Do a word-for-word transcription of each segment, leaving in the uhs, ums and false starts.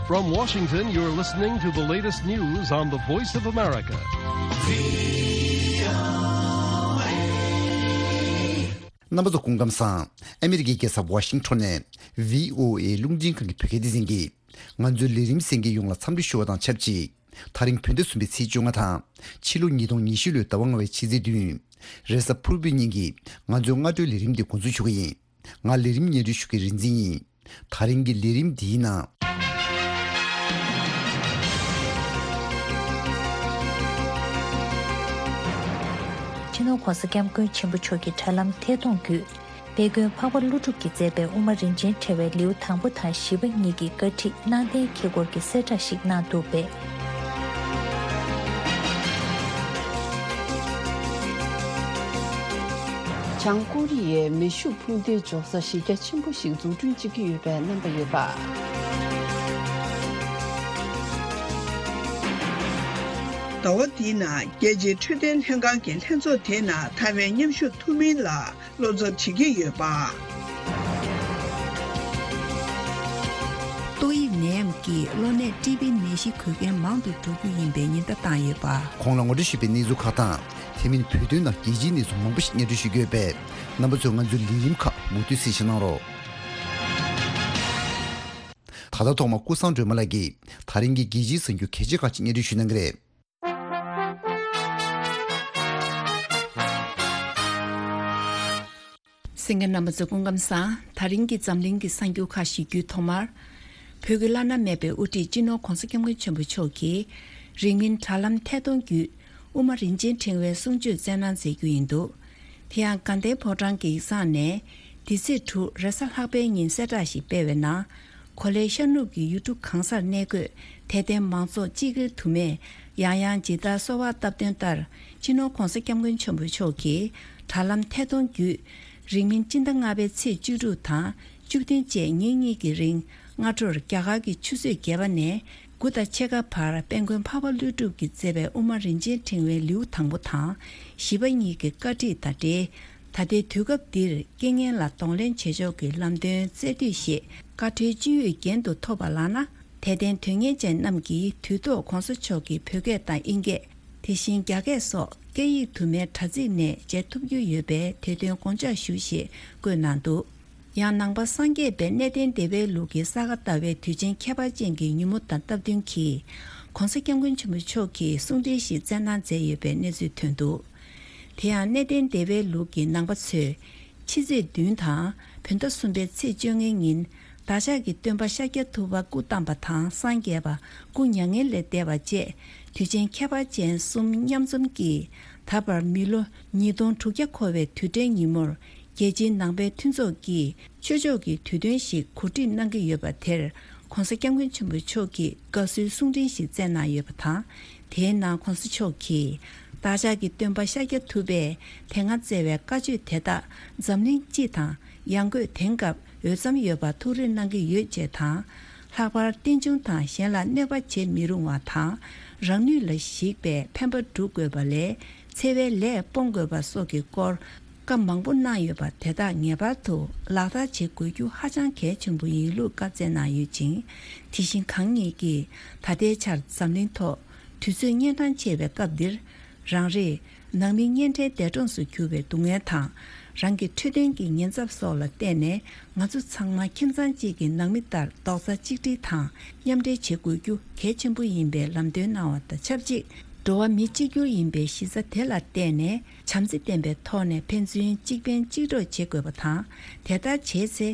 From Washington, you're listening to the latest news on the Voice of America. རྣམ་པ་ཚོ་སྐུ་ཁམས་བཟང་། ཨ་མི་རི་ཀའི་རྒྱལ་ས་ཝ་ཤིང་ཊོན་ནས་བྷི་ཨོ་ཨེ་རླུང་འཕྲིན་ཁང་གི་བོད་སྐད་སྡེ་ཚན་གྱིས་ང་ཚོའི་ལས་རིམ་གསན་མཁན་ཡོངས་ལ་འཚམས་འདྲི་ཞུ་བ་དང་ཆབས་ཅིག་དེ་རིང་བོད་ཟླ་གསུམ་པའི་ཚེས་བཅོ་ལྔ་དང་། ཕྱི་ལོ་ཉིས་སྟོང་ཉི་ཤུ་ལོའི་ཟླ་བ་ལྔ་པའི་ཕྱི་ཚེས་བདུན། རེས་གཟའ་ཕུར་བུའི་ཉིན་གྱི་ང་ཚོའི་སྔ་དྲོའི་ལས་རིམ་འདི་འགོ་འཛུགས་ཞུ་གི་ཡིན། ང་ལས་རིམ་སྙན་སྒྲོན་ཞུ་མཁན་རིག་འཛིན་ཡིན། དེ་རིང་གི་ལས་རིམ་འདིའི་ནང་། སྤྱི་ནོར་༧གོང་ས་༧སྐྱབས་མགོན་ཆེན་པོ་མཆོག་གི་དྲ་ལམ་ཐད་གཏོང་བརྒྱུད། དཔལ་མགོན་འཕགས་པ་ཀླུ་སྒྲུབ་ཀྱིས་མཛད་པའི་དབུ་མ་རིན་ཆེན་ཕྲེང་བའི་ལེའུ་དང་པོ་དང་བཞི་པ་གཉིས་ཀྱི་བཀའ་ཁྲིད་གནང་གཏན་འཁེལ་སྐོར་གྱི་གསལ་བསྒྲགས་ཤིག་གནང་འདུག་པས། བྱང་ཀོ་རི་ཡས་མེ་ཤུགས་འཕུར་མདེལ་འཇོག་ས་གཞི་རྒྱ་ཆེན་པོ་ཞིག་འཛུགས་སྐྲུན་བྱེད་ཀྱི་ཡོད་པའི་རྣམ་པ་ཡོད་པ། ཟླ་བ་འདིའི་ནང་རྒྱལ་སྤྱིའི་འཕྲོད་བསྟེན་ལྷན་ཁང་གི་ལྷན་ཚོགས་དེའི་ནང་ཐའེ་ཝན་མཉམ་ཞུགས་ཐུབ་མིན་ལ། བློ་འཚབ་བྱེད་ཀྱི་ཡོད་པ། ཏོག་དབྱིབས་ནད་ཡམས་ཀྱིས་གློ་ནད་ཊི་བི་ནད་གཞི་འགོས་མཁན་མང་དུ་འགྲོ་རྒྱུ་ཡིན་པའི་ཉེན་བརྡ་བཏང་ཡོད་པ། གོང་ལ་ངོ་སྤྲོད་ཞུས་པའི་གནས་ཚུལ་ཁག་དང་། དེ་མིན་བོད་དོན་ནང་རྒྱལ་སྤྱིའི་གནས་ཚུལ་མང་པོ་ཞིག་སྙན་སྒྲོན་ཞུ་རྒྱུ་ཡོད་པས། རྣམ་པ་ཚོས་ང་ཚོའི་ལས་རིམ་ཁག་མུ་མཐུད་གཟིགས་གཟིགས་གནང་རོགས། ད་ལྟ་ཐོག་མར་ཀུན་བཟང་སྒྲོལ་མ་ལགས་ཀྱིས་ད་རིང་གི་རྒྱལ་སྤྱིའི་གསར་འགྱུར་གལ་ཆེ་ཁག་ཅིག་སྙན་སྒྲོན་ཞུ་གནང་གི་རེད། གསན་མཁན་རྣམ་པ་ཚོ་སྐུ་ཁམས་བཟང་། ད་རིང་གི་འཛམ་གླིང་གི་གསར་འགྱུར་ཁག་ཞུ་རྒྱུའི་ཐོག་མར། བོད་ཀྱི་བླ་ན་མེད་པའི་དབུ་ཁྲིད་སྤྱི་ནོར་༧གོང་ས་༧སྐྱབས་མགོན་ཆེན་པོ་མཆོག་གིས་རིང་མིན་དྲ་ལམ་ཐད་གཏོང་བརྒྱུད་དབུ་མ་རིན་ཆེན་ཕྲེང་བའི་གསུང་ཆོས་སྩལ་གནང་མཛད་རྒྱུ་ཡིན་འདུག་དེ་ཡང་དགའ་ལྡན་ཕོ་བྲང་གི་ཡིག་ཚང་ནས་འདི་ཚེས་དྲུག་རེས་གཟའ་ལྷག་པའི་ཉིན་གསལ་བསྒྲགས་ཤིག་སྤེལ་བའི་ནང་། གོ་ལའི་ཤར་ནུབ་ཀྱི་ཡུལ་གྲུ་གང་སར་གནས་འཁོད་དད་ལྡན་མང་ཚོགས་སྤྱི་སྒེར་དུ་མས་ཡང་ཡང་ཇི་ལྟར་གསོལ་བ་བཏབ་དོན་ལྟར། སྤྱི་ནོར་༧གོང་ས་༧སྐྱབས་མགོན་ཆེན་པོ་མཆོག་གིས་དྲ་ལམ་ཐད་གཏོང་བརྒྱུད། རིང་མིན་སྤྱི་ཟླ་ལྔ་པའི་ཚེས་བཅུ་དྲུག་དང་བཅུ་བདུན་བཅས་ཉིན་གཉིས་ཀྱི་རིང་སྔ་དྲོར་རྒྱ་གར་གྱི་ཆུ་ཚོད་བརྒྱད་པ་ནས་དགུ་དང་ཕྱེད་ཀ་བར་དཔལ་མགོན་འཕགས་པ་ཀླུ་སྒྲུབ་ཀྱིས་མཛད་པའི་དབུ་མ་རིན་ཆེན་ཕྲེང་བའི་ལེའུ་དང་པོ་དང་བཞི་པ་གཉིས་ཀྱི་བཀའ་ཁྲིད་དང་འབྲེལ། ད་ལྟའི་དུས་སྐབས་འདིར་རྐྱེན་ངན་ལ་གདོང་ལེན་བྱེད་ཕྱོགས་ཀྱི་ལམ་སྟོན་སྩལ་དུས་ཞེས་བཀའ་ཁྲོལ་ཅི་ཡོད་རྒྱན་དུ་ཐོབ་པ་ལགས་ན། དད་ལྡན་དོན་གཉེར་ཅན་རྣམས་ཀྱིས་དུས་ཐོག་༧གོང་ས་མཆོག་གི་བོད་སྐད་དང་དབྱིན་སྐད། དེ་བཞིན་རྒྱ་སྐད་སོགས་སྐད་ཡིག་དུ་མའི་དྲ་ཚིགས་ནས་མཇལ་ཐུབ་རྒྱུ་ཡོད་པས་དེ་དོན་དགོངས་འཇགས་ཞུ་ཞེས་བཀོད་གནང་འདུག་ཡང་ནང་པ་སངས་རྒྱས་པའི་གནས་བརྟན་བདེ་བའི་ལུགས་ཀྱི་ས་ག་ཟླ་བའི་དུས་ཆེན་ཁྱད་པར་ཅན་གྱི་ཉིན་མོ་དང་སྟབས་བསྟུན་གྱིས། ༧གོང་ས་༧སྐྱབས་མགོན་ཆེན་པོ་མཆོག་གིས་གསུང་འཕྲིན་ཞིག་སྩལ་གནང་མཛད་ཡོད་པའི་གནས་ཚུལ་ཐོན་འདུག་དེ་ཡང་གནས་བརྟན་བདེ་བའི་ལུགས་ཀྱི་ནང་པ་ཚོས། ཕྱི་ཚེས་བདུན་དང་བོད་ཟླ་གསུམ་པའི་ཚེས་བཅོ་ལྔའི་ཉིན། བདག་ཅག་གི་སྟོན་པ་ཤཱཀྱ་ཐུབ་པ་སྐུ་བལྟམས་པ་དང་སངས་རྒྱས་པ་སྐུ་མྱ་ངན་ལས་འདས་པ་བཅས་དུས་ཆེན་ཁྱད་པར་ཅན་གསུམ་མཉམ་འཛོམས་ཀྱིས། ད་བར་མི་ལོ་ཉིས་སྟོང་དྲུག་བརྒྱ་འཁོར་བའི་དུས་དྲན་ཉིན་མོར། རྒྱལ་སྤྱིའི་ནང་པའི་མཐུན་ཚོགས་ཀྱིས་ཆོས་ཕྱོགས་ཀྱི་དུས་སྟོན་ཞིག་གོ་སྒྲིག་གནང་གི་ཡོད་པ་དེར། ༧གོང་ས་༧སྐྱབས་མགོན་ཆེན་པོ་མཆོག་གིས་དགའ་བསུའི་གསུང་འཕྲིན་ཞིག་བསྩལ་གནང་ཡོད་པ་དང་། དེའི་ནང་༧གོང་ས་མཆོག་གིས། བདག་ཅག་གི་སྟོན་པ་ཤཱཀྱ་ཐུབ་པས་དེ་སྔ་བསྩལ་བའི་བཀའ་ཆོས་དེ་དག་འཛམ་གླིང་སྤྱི་དང་ཡང་སྒོས་དེང་སྐབས་འོས་འཚམ་ཡོད་པར་ཐུགས་རེ་གནང་གི་ཡོད་ཅེས་དང་། ལྷག་པར་རྟེན་འབྱུང་དང་གཞན་ལ་གནོད་པ་བྱེད་མི་རུང་བ་དང་། རང་ནུས་ལ་གཞིགས་པའི་ཕན་པ་སྒྲུབ་དགོས་པ་ལས། འཚེ་བའི་ལས་སྤོང་དགོས་པ་སོགས་ཀྱི་སྐོར། བཀའ་མང་པོ་གནང་ཡོད་པ་དེ་དག་ངེས་པར་དུ་ལག་བསྟར་བྱེད་དགོས་རྒྱུ་ཧ་ཅང་གལ་ཆེན་པོ་ཡིན་ལུགས་བཀའ་སྩལ་གནང་ཡོད་ཅིང་། དེ་བཞིན་གང་ཉིད་ཀྱིས་ད་ལྟའི་ཆར་འཛམ་གླིང་ཐོག་དུས་ཚོད་གཉན་འཕྲང་ཆེ་བའི་སྐབས་འདིར། རང་རེས་ནང་མི་གཉེན་འཕྲད་འདས་གྲོངས་སུ་གྱུར་བའི་སྡུག་བསྔལ་དང་། རང་གི་འཕྲོད་བསྟེན་གྱི་ཉེན་ཚབས་སོགས་ལ་བརྟེན་ནས། ང་ཚོ་ཚང་མ་ཁྱིམ་ཚང་གཅིག་གི་ནང་མི་ལྟར་རྡོག་རྩ་གཅིག་སྒྲིལ་དང་མཉམ་འབྲེལ་བྱེད་དགོས་རྒྱུ་གལ་ཆེན་པོ་ཡིན་པའི་ལམ་སྟོན་གནང་བ་དང་ཆབས་ཅིག་འགྲོ་བ་མི་གཅིག་གྱུར་ཡིན་པའི་གཞི་རྩ་དེ་ལ་བརྟེན་ནས། བྱམས་བརྩེ་ལྡན་པའི་ཐོག་ནས་ཕན་ཚུན་གཅིག་ཕན་གཅིག་གྲོགས་བྱེད་དགོས་པ་དང་། དེ་ལྟར་བྱས་ཚེ།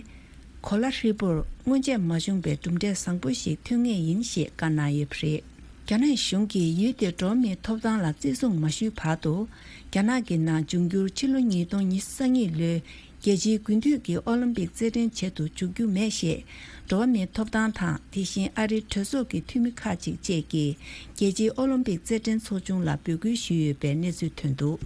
གོ་ལ་ཧྲིལ་པོར་སྔོན་ཆད་མ་བྱུང་བའི་གྲུབ་འབྲས་བཟང་པོ་ཞིག་ཐོན་ངེས་ཡིན་ཞེས་བཀའ་གནང་ཡོད་པ་རེད། རྒྱ་ནག་གཞུང་གིས་ཡུལ་དེར་འགྲོ་བ་མིའི་ཐོབ་ཐང་ལ་བརྩི་སྲུང་མ་ཞུས་བར་དུ། རྒྱ་ནག་གི་ནང་འབྱུང་འགྱུར་ཕྱི་ལོ་ཉིས་སྟོང་ཉི་ཤུ་རྩ་གཉིས་ལོའི་རྒྱལ་སྤྱིའི་དགུན་དུས་ཀྱི་ཨོ་ལིམ་པིག་རྩེད་འགྲན་བྱེད་དུ་འཇུག་རྒྱུ་མེད་ཞེས། འགྲོ་བ་མིའི་ཐོབ་ཐང་དང་། དེ་བཞིན་ཨ་རིའི་གྲོས་ཚོགས་ཀྱི་འཐུས་མི་ཁག་ཅིག་བཅས་ཀྱིས། རྒྱལ་སྤྱིའི་ཨོ་ལིམ་པིག་རྩེད་འགྲན་ཚོགས་ཆུང་ལ་འབོད་སྐུལ་ཞུས་ཡོད་པའི་གནས་ཚུལ་ཐོན་འདུག་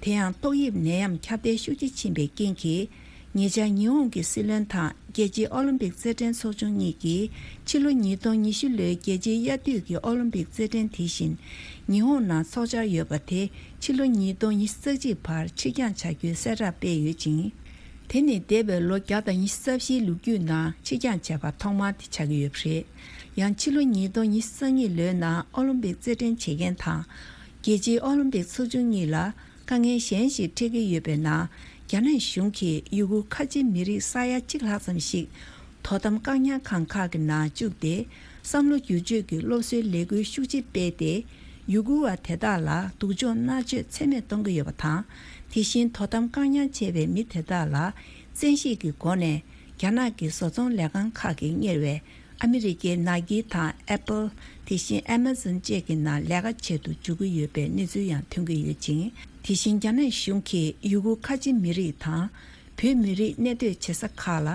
དེ་ཡང་ཏོག་དབྱིབས་ནད་ཡམས་ཁྱབ་གདལ་ཤུགས་ཆེ་ཕྱིན་པའི་རྐྱེན་གྱིས། ཉེ་ཆར་ཉི་ཧོང་གི་སྲིད་བློན་དང་རྒྱལ་སྤྱིའི་ཨོ་ལིམ་པིག་རྩེད་འགྲན་ཚོགས་ཆུང་གཉིས་ཀྱིས། ཕྱི་ལོ་ཉིས་སྟོང་ཉི་ཤུ་ལོའི་རྒྱལ་སྤྱིའི་དབྱར་དུས་ཀྱི་ཨོ་ལིམ་པིག་རྩེད་འགྲན་དེ་བཞིན་ཉི་ཧོང་ནང་འཚོགས་འཆར་ཡོད་པ་དེ། ཕྱི་ལོ་ཉིས་སྟོང་ཉི་ཤུ་རྩ་གཅིག་བར་ཕྱིར་འགྱངས་བྱ་རྒྱུའི་གསལ་བསྒྲགས་སྤེལ་ཡོད་ཅིང་། དེ་ནི་འདས་པའི་ལོ་བརྒྱ་དང་ཉི་ཤུ་རྩ་བཞིའི་ལོ་རྒྱུས་ནང་ཕྱིར་འགྱངས་བྱས་པ་ཐོག་མ་དེ་ཆགས་ཀྱི་ཡོད་པ་རེད། ཡང་ཕྱི་ལོ་ཉིས་སྟོང་ཉི་ཤུ་རྩ་གཉིས་ལོའི་ནང་ཨོ་ལིམ་པིག་རྩེད་འགྲན་བྱེད་མཁན་དང་། རྒྱལ་སྤྱིའི་ཨོ་ལིམ་པིག་ཚོགས་ཆུང་གཉིས་ལ་དཀའ་ངལ་གཞན་ཞིག་འཕྲད་ཀྱི་ཡོད་པའི་ནང་། རྒྱ་ནག་གཞུང་གིས་ཡུ་གུར་ཁ་ཆེ་མི་རིགས་ས་ཡ་གཅིག་ལྷག་ཙམ་ཞིག་དོ་དམ་བཀག་ཉར་ཁང་ཁག་གི་ནང་བཅུག་སྟེ། བསམ་བློ་བསྒྱུར་བཅོས་ཀྱི་སློབ་གསོའི་ལས་འགུལ་ཤུགས་ཆེ་སྤེལ་ཏེ། ཡུ་གུར་བ་དེ་དག་ལ་སྡུག་སྦྱོང་མནར་གཅོད་ཚད་མེད་གཏོང་གི་ཡོད་པ་དང་། དེ་བཞིན་དོ་དམ་བཀག་ཉར་བྱས་པའི་མི་དེ་དག་ལ་བཙན་ཤེད་ཀྱི་སྒོ་ནས་རྒྱ་ནག་གི་བཟོ་ཚོང་ལས་ཁང་ཁག་གིས་གཉེར་བའི་ཨ་མི་རི་ཀའི་ནཱ་ཀི་དང་ཨེ་པལ། དེ་བཞིན་ཨེ་མ་ཛོན་བཅས་ཀྱི་ནང་ལས་ཀ་བྱེད་དུ་འཇུག་གི་ཡོད་པའི་གནས་ཚུལ་ཡང་ཐོན་གྱི་ཡོད་ཅིང་། དེ་བཞིན་རྒྱ་ནག་གཞུང་གིས་ཡུ་གུར་ཁ་ཆེ་མི་རིགས་དང་། བོད་མི་རིགས་གནས་སྡོད་བྱེད་ས་ཁག་ལ་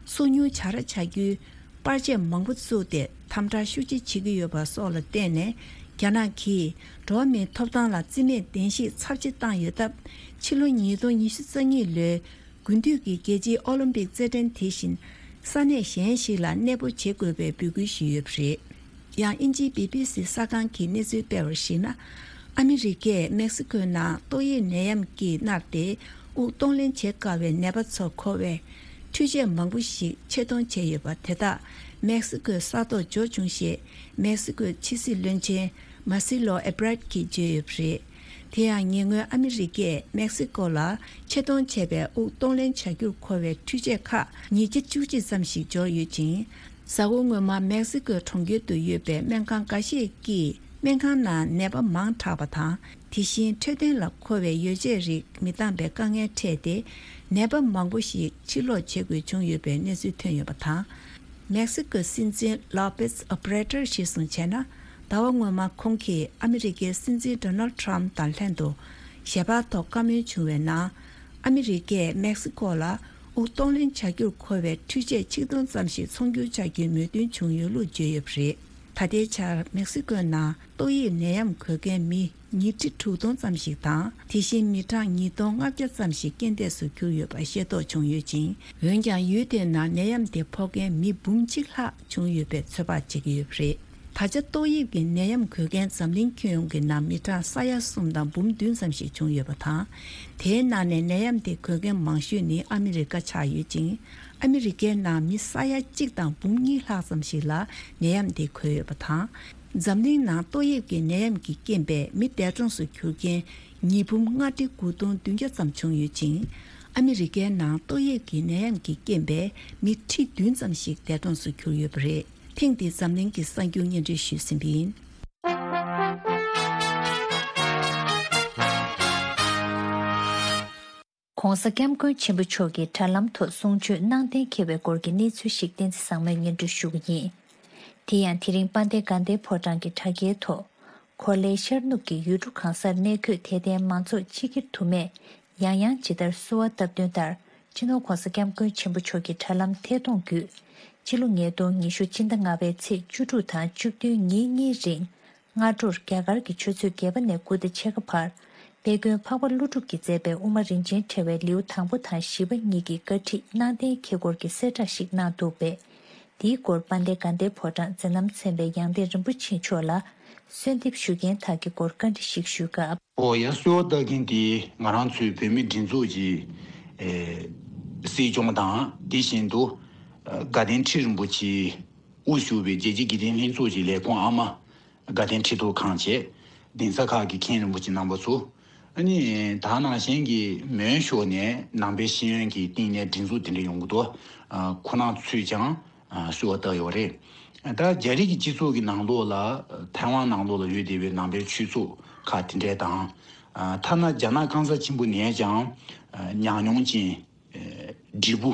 སོ་ཉུལ་བྱ་ར་བྱ་རྒྱུའི་པར་ཆས་མང་པོ་བཙུགས་ཏེ་དམ་དྲག་ཤུགས་ཆེ་བྱེད་ཀྱི་ཡོད་པ་སོགས་ལ་བརྟེན་ནས། རྒྱ་ནག་གིས་འགྲོ་བ་མིའི་ཐོབ་ཐང་ལ་རྩིས་མེད་བདེན་བཞིའི་ཚབས་ཆེ་བཏང་ཡོད་སྟབས། ཕྱི་ལོ་ཉིས་སྟོང་ཉི་ཤུ་རྩ་གཉིས་ལོའི་དགུན་དུས་ཀྱི་རྒྱལ་སྤྱིའི་ཨོ་ལིམ་པིག་རྩེད་འགྲན་དེ་བཞིན་ས་གནས་གཞན་ཞིག་ལ་གནས་སྤོ་བྱེད་དགོས་པའི་འབོད་སྐུལ་ཞུས་ཡོད་པ་རེད། ཡང་དབྱིན་ཇིའི་བི་བི་སི་གསར་ཁང་གིས་གནས་ཚུལ་སྤེལ་བར་གཞིགས་ན། ཨ་མི་རི་ཀས་མེག་སི་ཀོའི་ནང་ཏོག་དབྱིབས་ནད་ཡམས་ཀྱིས་མནར་ཏེ་དབུགས་གཏོང་ལེན་བྱེད་དཀའ་བའི་ནད་པ་ཚོར་མཁོ་བའི་འཕྲུལ་ཆས་མང་པོ་ཞིག་ཆེད་གཏོང་བྱས་ཡོད་པ་དེ་དག་མེག་སི་ཀོས་ས་ཐོག་འབྱོར་བྱུང་ཞེས་མེག་སི་ཀོའི་ཕྱི་སྲིད་བློན་ཆེན་མཱ་སི་ལོ་ཨེ་བྷ་རད་ཀྱིས་བརྗོད་ཡོད་པ་རེད། དེ་ཡང་ཉེ་སྔོན་ཨ་མི་རི་ཀས་མེག་སི་ཀོ་ལ་ཆེད་གཏོང་བྱས་པའི་དབུགས་གཏོང་ལེན་བྱ་རྒྱུར་མཁོ་བའི་འཕྲུལ་ཆས་ཁག་ཉིས་བརྒྱ་བཅུ་གཅིག་ཙམ་ཞིག་འབྱོར་ཡོད་ཅིང་། གཟའ་འཁོར་སྔོན་མ་མེག་སི་ཀོའི་གྲོང་ཁྱེར་དུ་ཡོད་པའི་སྨན་ཁང་འགའ་ཤས་ཀྱིས་སྨན་ཁང་ནང་ནད་པ་མང་དྲགས་པ་དང་། དེ་བཞིན་འཕྲོད་བསྟེན་ལ་མཁོ་བའི་ཡོ་བྱད་རིགས་མི་འདང་པའི་དཀའ་ངལ་འཕྲད་དེ། ནད་པ་མང་པོ་ཞིག་ཕྱིར་ལོག་བྱེད་དགོས་བྱུང་ཡོད་པའི་གནས་ཚུལ་ཐོན་ཡོད་པ་དང་། མེག་སི་ཀོའི་སྲིད་འཛིན་ལོ་པེས་ཨོ་བྷ་རེ་ཏར་གཞིར་བཟུང་བྱས་ན། ཟླ་བ་སྔོན་མ་ཁོང་གིས་ཨ་མི་རི་ཀའི་སྲིད་འཛིན་ཌོ་ནལ་ཊམ་དང་ལྷན་དུ་ཞལ་པར་ཐོག་བཀའ་མོལ་བྱུང་བའི་ནང་། ཨ་མི་རི་ཀས་མེག་སི་ཀོ་ལ་དབུགས་གཏོང་ལེན་བྱ་རྒྱུར་མཁོ་བའི་འཕྲུལ་ཆས་ཆིག་སྟོང་ཙམ་ཞིག་ཚོང་སྒྱུར་བྱ་རྒྱུའི་མོས་མཐུན་བྱུང་ཡོད་ལུགས་བརྗོད་ཡོད་པ་རེད། ད་ལྟའི་ཆར་མེག་སི་ཀོའི་ནང་ཏོག་དབྱིབས་ནད་ཡམས་འགོས་མཁན་མི་ཉིས་ཁྲི་དྲུག་སྟོང་ཙམ་ཞིག་དང་། དེ་བཞིན་མི་གྲངས་ཉིས་སྟོང་ལྔ་བརྒྱ་ཙམ་ཞིག་རྐྱེན་འདས་སུ་གྱུར་ཡོད་པ་ཤེས་རྟོགས་བྱུང་ཡོད་ཅིང་། འོན་ཀྱང་ཡུལ་དེའི་ནང་ནད་ཡམས་དེ་ཕོག་མཁན་མི་འབུམ་གཅིག་ལྷག་བྱུང་ཡོད་པའི་ཚོད་དཔག་བྱེད་ཀྱི་ཡོད་པ་རེད། ད་ཆ་ཏོག་དབྱིབས་ཀྱི་ནད་ཡམས་འགོས་མཁན་འཛམ་གླིང་ཁྱོན་ཡོངས་ཀྱི་ནང་མི་གྲངས་ས་ཡ་གསུམ་དང་འབུམ་བདུན་ཙམ་ཞིག་བྱུང་ཡོད་པ་དང་། དེའི་ནང་ནས་ནད་ཡམས་དེ་འགོས་མཁན་མང་ཤོས་ནི་ཨ་མི་རི་ཀ་ཆགས་ཡོད་ཅིང་། ཨ་མི་རི་ཀའི་ནང་མི་ས་ཡ་གཅིག་དང་འབུམ་གཉིས་ལྷག་ཙམ་ཞིག་ལ་ནད་ཡམས་དེ་འགོས་ཡོད་པ་དང་། འཛམ་གླིང་ནང་ཏོག་དབྱིབས་ཀྱི་ནད་ཡམས་ཀྱི་རྐྱེན་པས་མི་འདས་གྲོངས་སུ་གྱུར་མཁན་ཉིས་འབུམ་ལྔ་ཁྲི་དགུ་སྟོང་བདུན་བརྒྱ་ཙམ་བྱུང་ཡོད་ཅིང་། ཨ་མི་རི་ཀའི་ནང་ཏོག་དབྱིབས་ཀྱི་ནད་ཡམས་ཀྱི་རྐྱེན་པས་མི་ཁྲི་བདུན་ཙམ་ཞིག་འདས་གྲོངས་སུ་གྱུར་ཡོད་པ་རེད། ཐེངས་འདིའི་འཛམ་གླིང་གི་གསར་འགྱུར་སྙན་སྒྲོན་ཞུས་ཟིན་པ་ཡིན། ༸གོང་ས་༸སྐྱབས་མགོན་ཆེན་པོ་མཆོག་གིས་དྲ་ལམ་ཐོག་གསུང་ཆོས་གནང་གཏན་འཁེལ་བའི་སྐོར་གྱི་གནས་ཚུལ་ཞིག་བསྟན་འཛིན་བཟང་མོས་སྙན་སྒྲོན་ཞུ་གི་ཡིན། དེ་ཡང་དེ་རིང་དཔལ་ལྡན་དགའ་ལྡན་ཕོ་བྲང་གི་དྲ་རྒྱའི་ཐོག་གོ་ལའི་ཤར་ནུབ་ཀྱི་ཡུལ་གྲུ་གང་སར་གནས་འཁོད་དད་ལྡན་མང་ཚོགས་སྤྱི་སྒེར་དུ་མས་ཡང་ཡང་ཇི་ལྟར་གསོལ་བ་བཏབ་དོན་ལྟར། སྤྱི་ནོར་༸གོང་ས་༸སྐྱབས་མགོན་ཆེན་པོ་མཆོག་གི་དྲ་ལམ་ཐད་གཏོང་བརྒྱུད། སྤྱི་ལོ་ཉིས་སྟོང་ཉི་ཤུ་སྤྱི་ཟླ་ལྔ་པའི་ཚེས་བཅུ་དྲུག་དང་བཅུ་བདུན་ཉིན་གཉིས་རིང་། སྔ་དྲོར་རྒྱ་གར་གྱི་ཆུ་ཚོད་བརྒྱད་པ་ནས་དགུ་དང་ཕྱེད་ཀ་བར། དཔལ་མགོན་འཕགས་པ་ཀླུ་སྒྲུབ་ཀྱིས་མཛད་པའི་དབུ་མ་རིན་ཆེན་ཕྲེང་བའི་ལེའུ་དང་པོ་དང་བཞི་པ་གཉིས་ཀྱི་བཀའ་ཁྲིད་གནང་གཏན་འཁེལ་སྐོར་གྱི་གསལ་བསྒྲགས་ཤིག་གནང་འདུག་པས། དེའི་སྐོར་དཔལ་ལྡན་དགའ་ལྡན་ཕོ་བྲང་མཛད་རྣམ་ཚན་པའི་ཡང་སྟེང་རིན་པོ་ཆེ་མཆོག་ལ་གསོལ་འདེབས་ཞུ་མཁན་དག་གི་སྐོར་བཀའ་འདྲི་ཞིག་ཞུས་སྐབས། ཨོ་ཡ། གསོལ་བ་བཏབ་མཁན་དེ་ང་རང་ཚོའི་བོད་མིའི་སྒྲིག་འཛུགས་ཀྱི་ཨེ་སྲིད་སྐྱོང་དང་། དེ་བཞིན་དུ་ཨ་དགའ་ལྡན་ཁྲི་རིན་པོ་ཆེ་དབུ་བཞུགས་པའི་རྒྱལ་སྤྱིའི་དགེ་ལྡན་ལྷན་ཚོགས་ཀྱི་ལས་ཁུངས་ཨ་མ། དགའ་ལྡན་ཁྲི་ཐོག་ཁང་བཅས། གདན་ས་ཁག་གི་མཁན་རིན་པོ་ཆེ་རྣམ་པ་ཚོ། ཨ་ནི་ད་ནང་བཞིན་གྱི་མོན་ཤོག་ནས་ནང་པའི་ཤེས་ཡོན་གྱི་སྟེང་ནས་སྒྲིག་འཛུགས་དེ་འདྲ་ཡོང་གི་འདུག་ཨ་ཁོ་རང་ཚོས་ཀྱང་ཨ་གསོལ་བ་བཏབ་ཡོད་རེད། ད་རྒྱ་རིགས་ཀྱི་སྤྱི་ཚོགས་ཀྱི་ནང་ལོགས་ལ། ཐའེ་ཝན་ནང་ལོགས་ལ་ཡོད་བསྡད་པའི་ནང་པའི་ཆོས་ཚོགས་ཁག་དེ་འདྲས་དང་། ཨ་ཐ་ན་རྒྱ་ནག་སྐམ་ས་ཆེན་པོ་ནས་ཀྱང་ཨ་ཉམས་མྱོང་ཅན། ཨ་བགྲེས་པོ་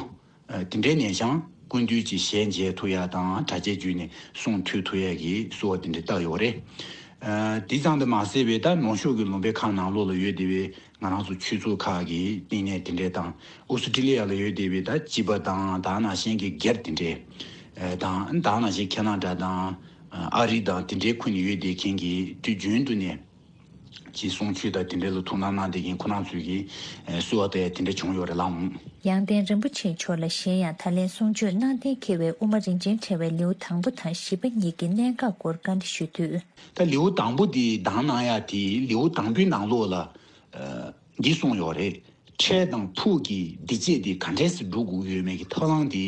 ཨ་དེ་འདྲས་ནས་ཀྱང་སྐུ་མདུན་གྱི་ཞལ་མཇལ་ཐུབ་ཡ་དང་། གྲྭ་ཆས་བརྒྱུད་ནས་གསུང་ཐོས་ཐུབ་ཡ་གི་གསོལ་བ་དེ་འདྲས་བཏབ་ཡོད་རེད། ཨ་དེ་ཙམ་དུ་མ་ཟད་པའི་ད་ནུབ་ཕྱོགས་ཀྱི་ལུང་པའི་ཁག་ནང་ལོགས་ལ་ཡོད་བསྡད་པའི་ང་རང་ཚོ་ཆོས་ཚོགས་ཁག་གི་བསྟི་གནས་དེ་འདྲས་དང་། ཨོ་སི་ཀྲི་ལི་ཡ་ལ་ཡོད་བསྡད་པའི་ད་སྤྱི་པ་དང་། ད་ནང་བཞིན་གྱི་སྒེར་དེ་འདྲས་དང་། ད་ནང་བཞིན་ཁེ་ན་ཌ་དང་ཨ་རི་དང་དེ་འདྲའི་ཁུལ་ནས་ཡོད་བསྡད་མཁན་གྱི་དུས་རྒྱུན་དུ་ནས་ཀྱི་གསུང་ཆོས་དང་དེ་འདྲ་ལ་ཐུགས་སྣང་གནང་བསྡད་མཁན་ཁོ་རང་ཚོས་ཀྱིས་ཨེ་གསོལ་བ་བཏབ་ཡ་དེ་འདྲ་བྱུང་ཡོད་རེད་ལགས། ཡང་སྟེང་རིན་པོ་ཆེ་མཆོག་ལ་གཞན་ཡང་ད་ལན་གསུང་ཆོས་གནང་གཏན་འཁེལ་བའི་དབུ་མ་རིན་ཆེན་ཕྲེང་བའི་ལེའུ་དང་པོ་དང་བཞི་པ་གཉིས་ཀྱི་གནད་འགག་སྐོར་བཀའ་འདྲི་ཞུ་དུས། ད་ལེའུ་དང་པོ་དེ་དང་གནང་ཡ་དེ་ལེའུ་དང་པོའི་ནང་ལོགས་ལ་ཨ་འདི་གསུངས་ཡོད་རེད། ཁྲལ་དང་ཕུགས་ཀྱི་བདེ་སྐྱིད་དེ་ག་འདྲས་སེ་སྒྲུབ་དགོས་ཀྱི་ཡོད་མེད་ཀྱི་ཐབས་ལམ་དེ་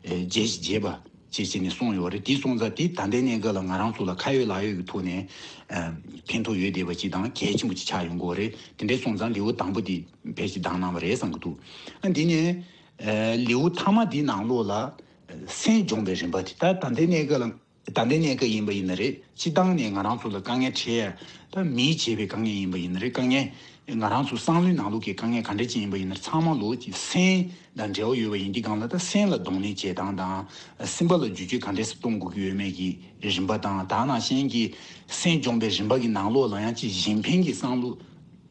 ཨེ་བརྗེད་བརྗེད་པ་བྱས་བྱས་ནས་གསུངས་ཡོད་རེད། དེ་སོང་ཙང་དེ་ད་ལྟའི་གནས་སྐབས་ལ་ང་རང་ཚོ་ལ་ཁ་ཡོད་ལག་ཡོད་ཀྱི་ཐོག་ནས་ཨ་ཕན་ཐོགས་ཡོད་བསྡད་པ་ཅིག་དང་གལ་ཆེན་པོ་ཅིག་ཆགས་ཡོང་གི་ཡོད་རེད། དེ་འདྲས་སོང་ཙང་ལེའུ་དང་པོ་དེ་ཕལ་ཆེར་བདམས་གནང་བ་རེད་བསམ་གྱི་འདུག་ཨ་འདི་ནས་ཨ་ལེའུ་མཐའ་མ་དེའི་ནང་ལོགས་ལ་སེམས་སྦྱོང་བའི་རིམ་པ་དེ། ད་ད་ལྟའི་གནས་སྐབས་ལ་ད་ལྟའི་གནས་སྐབས་ཡིན་པ་ཡིན་ན་རེད། སྤྱིར་བཏང་ནས་ང་རང་ཚོ་ལ་དཀའ་ངལ་འཕྲད་ཡ། ད་མིས་བྱས་པའི་དཀའ་ངལ་ཡིན་པ་ཡིན་ན་རེད། དཀའ་ངལ་ང་རང་ཚོ་བསམ་བློའི་ནང་ལོགས་ཀྱི་དཀའ་ངལ་ག་འདྲ་ཅིག་ཡིན་པ་ཡིན་ན་རེད། ཚང་མ་ལོགས་ཀྱི་སེམས་དང་འབྲེལ་བ་ཡོད་པ་ཡིན་དུས་སྒང་ལ། ད་སེམས་ལ་གདོང་ལེན་བྱེད་སྟངས་དང་། སེམས་པ་ལ་བསྒྱུར་བཅོས་ག་འདྲས་སེ་གཏོང་དགོས་ཀྱི་ཡོད་མེད་ཀྱི་རིམ་པ་དང་། ད་ནང་བཞིན་གྱི་སེམས་སྦྱོང་བའི་རིམ་པ་གི་ནང་ལོགས་ལ་ཡང་ཅིག་གཞན་ཕན་གྱི་བསམ་བློ་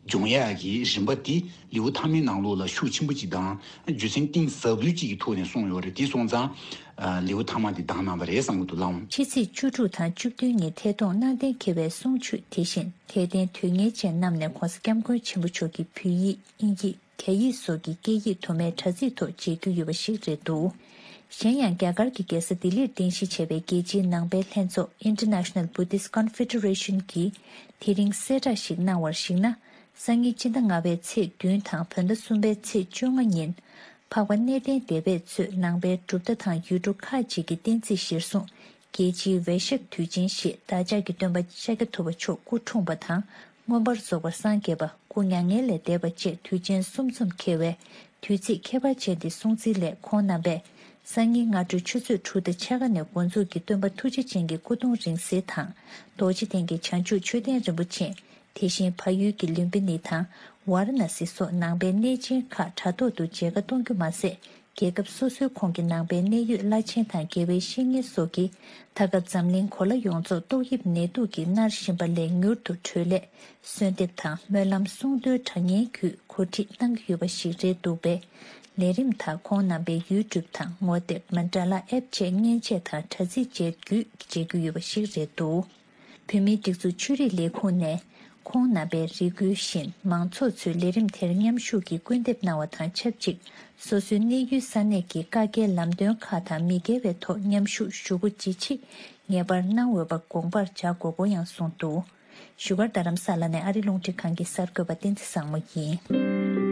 སྦྱོང་ཡག་གི་རིམ་པ་དེ་ལེའུ་མཐའ་མའི་ནང་ལོགས་ལ་ཤུགས་ཆེན་པོ་ཅིག་དང་རྒྱུ་མཚན་གཏིང་ཟབ་ལོས་ཅིག་གི་ཐོག་ནས་གསུངས་ཡོད་རེད། དེ་སོང་ཙང་ཨ་ལེའུ་མཐའ་མ་འདི་བདམས་གནང་བ་རེད་བསམ་གྱི་འདུག་ལགས། ཕྱི་ཚེས་བཅུ་དྲུག་དང་བཅུ་བདུན་ཉིན་ཐད་གཏོང་གནང་གཏན་འཁེལ་བའི་གསུང་ཆོས་དེ་བཞིན་དད་ལྡན་དོན་གཉེར་ཅན་རྣམས་ནས་༧གོང་ས་༧སྐྱབས་མགོན་ཆེན་པོ་མཆོག་གི་བོད་ཡིག་དབྱིན་ཇི་རྒྱ་ཡིག་སོགས་ཀྱི་སྐད་ཡིག་དུ་མའི་དྲ་ཚིགས་ཐོག་མཇལ་རྒྱུ་ཡོད་པ་ཞིག་རེད་འདུག་གཞན་ཡང་རྒྱ་གར་གྱི་རྒྱལ་ས་ལྡི་ལིར་རྟེན་གཞི་བྱས་པའི་རྒྱལ་སྤྱིའི་ནང་པའི་ལྷན་ཚོགས་International Buddhist Confederation གིས་དེ་རིང་གསལ་བསྒྲགས་ཤིག་གནང་བར་གཞིགས་ན། སང་ཉིན་སྤྱི་ཟླ་ལྔ་པའི་ཚེས་བདུན་དང་བོད་ཟླ་གསུམ་པའི་ཚེས་བཅོ་ལྔ་ཉིན། འཕགས་པ་གནས་བརྟན་སྡེ་པས་གཙོས་ནང་པའི་གྲུབ་མཐའ་དང་ཡུལ་གྲུ་ཁག་ཅིག་གི་བསྟན་རྩིས་གཞིར་བཟུང་རྒྱལ་སྤྱིའི་ཝེ་ཤག་དུས་ཆེན་ཞེས་བདག་ཅག་གི་སྟོན་པ་ཤཱཀྱ་ཐུབ་པ་མཆོག་སྐུ་འཁྲུངས་པ་དང་། མངོན་པར་རྫོགས་པར་སངས་རྒྱས་པ། སྐུ་མྱ་ངན་ལས་འདས་པ་བཅས་དུས་ཆེན་གསུམ་འཛོམས་འཁེལ་བའི་དུས་ཚིགས་ཁྱད་པར་ཅན་འདི་སྲུང་བརྩིའི་སླད། ཁོང་རྣམ་པས་སང་ཉིན་སྔ་དྲོའི་ཆུ་ཚོད་དྲུག་དང་ཕྱེད་ཀ་ནས་འགོ་འཛུགས་ཀྱིས་སྟོན་པ་ཐུགས་རྗེ་ཅན་གྱི་སྐུ་གདུང་རིང་བསྲེལ་དང་། རྡོ་རྗེ་གདན་གྱི་བྱང་ཆུབ་མཆོད་རྟེན་རིན་པོ་ཆེ། དེ་བཞིན་བལ་ཡུལ་གྱི་ལུམ་བི་ནི་དང་ཝཱ་ར་ཎ་སི་སོགས་ནང་པའི་གནས་ཆེན་ཁག་དྲ་ཐོག་ཏུ་མཇལ་ཁ་གཏོང་རྒྱུ་མ་ཟད། རྒྱལ་ཁབ་སོ་སོའི་ཁོངས་ཀྱི་ནང་པའི་གནད་ཡོད་བླ་ཆེན་དང་དགེ་བའི་བཤེས་གཉེན་སོགས་ཀྱིས་ད་སྐབས་འཛམ་གླིང་གོ་ལ་ཡོངས་རྫོགས་ཏོག་དབྱིབས་ནད་དུག་གིས་མནར་བཞིན་པ་ལས་མྱུར་དུ་གྲོལ་སླད་གསོལ་འདེབས་དང་སྨོན་ལམ་གསུང་འདོན་གྲ་སྙན་བརྒྱུད་གོ་སྒྲིག་གནང་གི་ཡོད་པ་ཞིག་རེད་འདུག་པས། ལས་རིམ་དག་ཁོང་རྣམ་པའི་ཡུ་ཊུབ་དང་ངོ་དེབ་མན་ཌ་ལ་ཨེབ་བཅས་མཉེན་ཆས་དང་དྲ་ཚིགས་བཅས་བརྒྱུད་མཇལ་རྒྱུ་ཡོད་པ་ཞིག་རེད་འདུག་བོད་མིའི་སྒྲིག་འཛུགས་ཆོས་རིག་ལས་ཁུངས་ནས་ཁོང་རྣམ་པའི་རེ་སྐུལ་བཞིན་མང་ཚོགས་ཚོས་ལས་རིམ་དེར་མཉམ་ཞུགས་ཀྱིས་སྐུལ་འདེབས་གནང་བ་དང་ཆབས་ཅིག་སོ་སོའི་གནས་ཡུལ་ས་གནས་ཀྱི་བཀའ་རྒྱའི་ལམ་སྟོན་ཁག་དང་མི་འགལ་བའི་ཐོག་མཉམ་ཞུགས་ཞུ་སྒོ་ཇི་ཆེ་ངེས་པར་གནང་འོས་པ་དགོངས་པར་འཇགས་དགོས་སྐོར་ཡང་གསུངས་འདུག་བཞུགས་སྒར་རྡ་རམ་ས་ལ་ནས་ཨ་རི་རླུང་འཕྲིན་ཁང་གི་གསར་འགོད་པ་བསྟན་འཛིན་བཟང་མོ་ཡིན།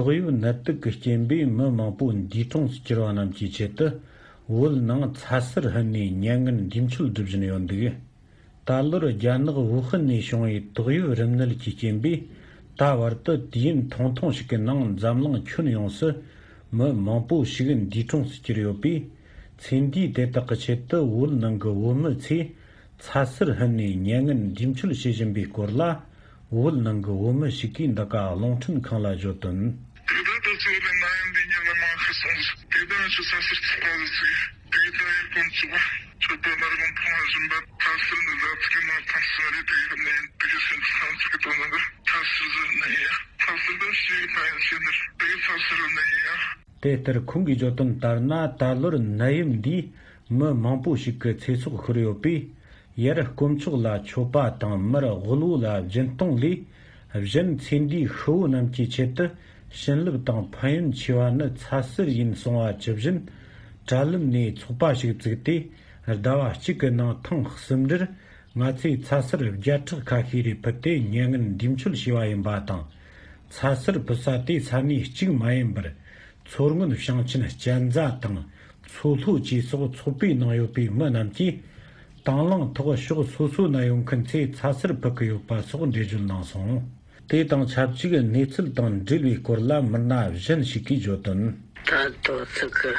ཏོག་དབྱིབས་ནད་དུག་གི་རྐྱེན་པས་མི་མང་པོ་འདས་གྲོངས་སུ་གྱུར་བ་རྣམས་ཀྱི་ཆེད་དུ། བོད་ནང་ཚ་ཟུར་ཕུད་ནས་མྱ་ངན་འདས་མཆོད་སྒྲུབ་བཞིན་ཡོད་འདུག་ད་ལོར་རྒྱ་ནག་ཝུ་ཧན་ནས་བྱུང་བའི་ཏོག་དབྱིབས་རིམས་ནད་ཀྱི་རྐྱེན་པས། ད་བར་དུ་དུས་ཡུན་ཐུང་ཐུང་ཞིག་གི་ནང་འཛམ་གླིང་ཁྱོན་ཡོངས་སུ་མི་མང་པོ་ཞིག་འདས་གྲོངས་སུ་གྱུར་ཡོད་པས། ཚེ་འདས་དེ་དག་གི་ཆེད་དུ་བོད་ནང་གི་བོད་མི་ཚོས་ཚ་ཟུར་ཕུད་ནས་མྱ་ངན་འདས་མཆོད་བྱེད་བཞིན་པའི་སྐོར་ལ། བོད་ནང་གི་བོད་མི་ཞིག་གིས་འདི་ག་རླུང་འཕྲིན་ཁང་ལ་བརྗོད་དོན། དེ་དག་ཏུ་ཚོ་ལ་ན་ཡོད་འདི་ཉིད་ལ་མ་ཤི་སོང་། དེ་དག་ཆུ་ས་སར་ཚུགས་པ་ལ་ཚུགས། དེ་དག་ཡར་ཀོན་ཚུགས་པ། ཆུ་པ་མར་གོང་ཕུང་བ་བཞིན་པ། ཐ་སིར་ནི་ཟ་ཚུགས་ཀྱི་མར་ཐང་སུ་རེ་དེ་ཡོད་ནས་དེ་གི་སེམས་ཚང་ཚུགས་ཀྱི་དོན་ནི་ཐ་སིར་ཟིར་ནི་ཡ། ཐ་སིར་ད་ཤི་ཡི་ཕ་ཡ་ཤི་ནི་དེ་གི་ཐ་སིར་ནི་ཡ། དེ་ལྟར་ཁོང་གིས་བརྗོད་དོན་ལྟར་ན། ད་ལོར་ནད་ཡམས་འདིས་མི་མང་པོ་ཞིག་གི་ཚེ་སྲོག་ཤོར་ཡོད་པས། ཡར་དཀོན་མཆོག་ལ་མཆོད་པ་དང་མར་དབུལ་བོ་ལ་སྦྱིན་གཏོང་ལས། གཞན་ཚེ་འདས་ཤི་བོ་རྣམས་ཀྱི་ཆེད་དུ་བྱིན་རླབས་དང་ཕན་ཡོན་ཆེ་བ་ནི་ཚ་ཟུར་ཡིན་གསུང་བ་ཇི་བཞིན། དྲ་ལམ་ནས་ཚོགས་པ་ཞིག་བཙུགས་ཏེ། ཟླ་བ་གཅིག་གི་ནང་ཐེངས་གསུམ་རེར། ང་ཚོས་ཚ་ཟུར་བརྒྱ་ཕྲག་ཁ་ཤས་རེ་ཕུད་དེ་མྱ་ངན་འདས་མཆོད་བྱས་པ་ཡིན་པ་དང་། ཚ་ཟུར་ཕུད་ས་དེ་ས་གནས་གཅིག་མ་ཡིན་པར། མཚོ་སྔོན་ཞིང་ཆེན་གཅན་ཚ་དང་མཚོ་ལྷོ་བཅས་སོགས་ཚོགས་པའི་ནང་ཡོད་པའི་མི་རྣམས་ཀྱིས། དང་བླངས་ཐོག་ཕྱོགས་སོ་སོའི་ནང་ཡོད་མཁན་ཚོས་ཚ་ཟུར་ཕུད་ཀྱི་ཡོད་པ་སོགས་འགྲེལ་བརྗོད་གནང་སོང་། དེ་དང་ཆབས་ཅིག་གནས་ཚུལ་དང་འབྲེལ་བའི་སྐོར་ལ་མི་སྣ་གཞན་ཞིག་གིས་བརྗོད་དོན། ད་དོ་ཚིགས་ཀྱི་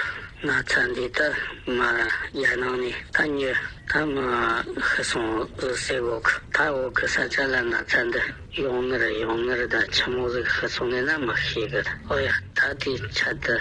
ན་ཚ་འདི་ད་མ་རྒྱ་ནང་ནས་ད་ཉོ་ད་མ་ཤི་སོང་ཟེར་གོ་གི། ད་འོག་གི་ས་ཆ་ལ་ན་ཚ་འདི་ཡོང་ནི་རེད། ཡོང་ནི་རེད། ད་ཆི་མོ་ཟིག་ཤི་སོང་ནས་ན་མི་ཤེས་གི། ཨོ་ཡ། ད་དེའི་ཆེད་དུ་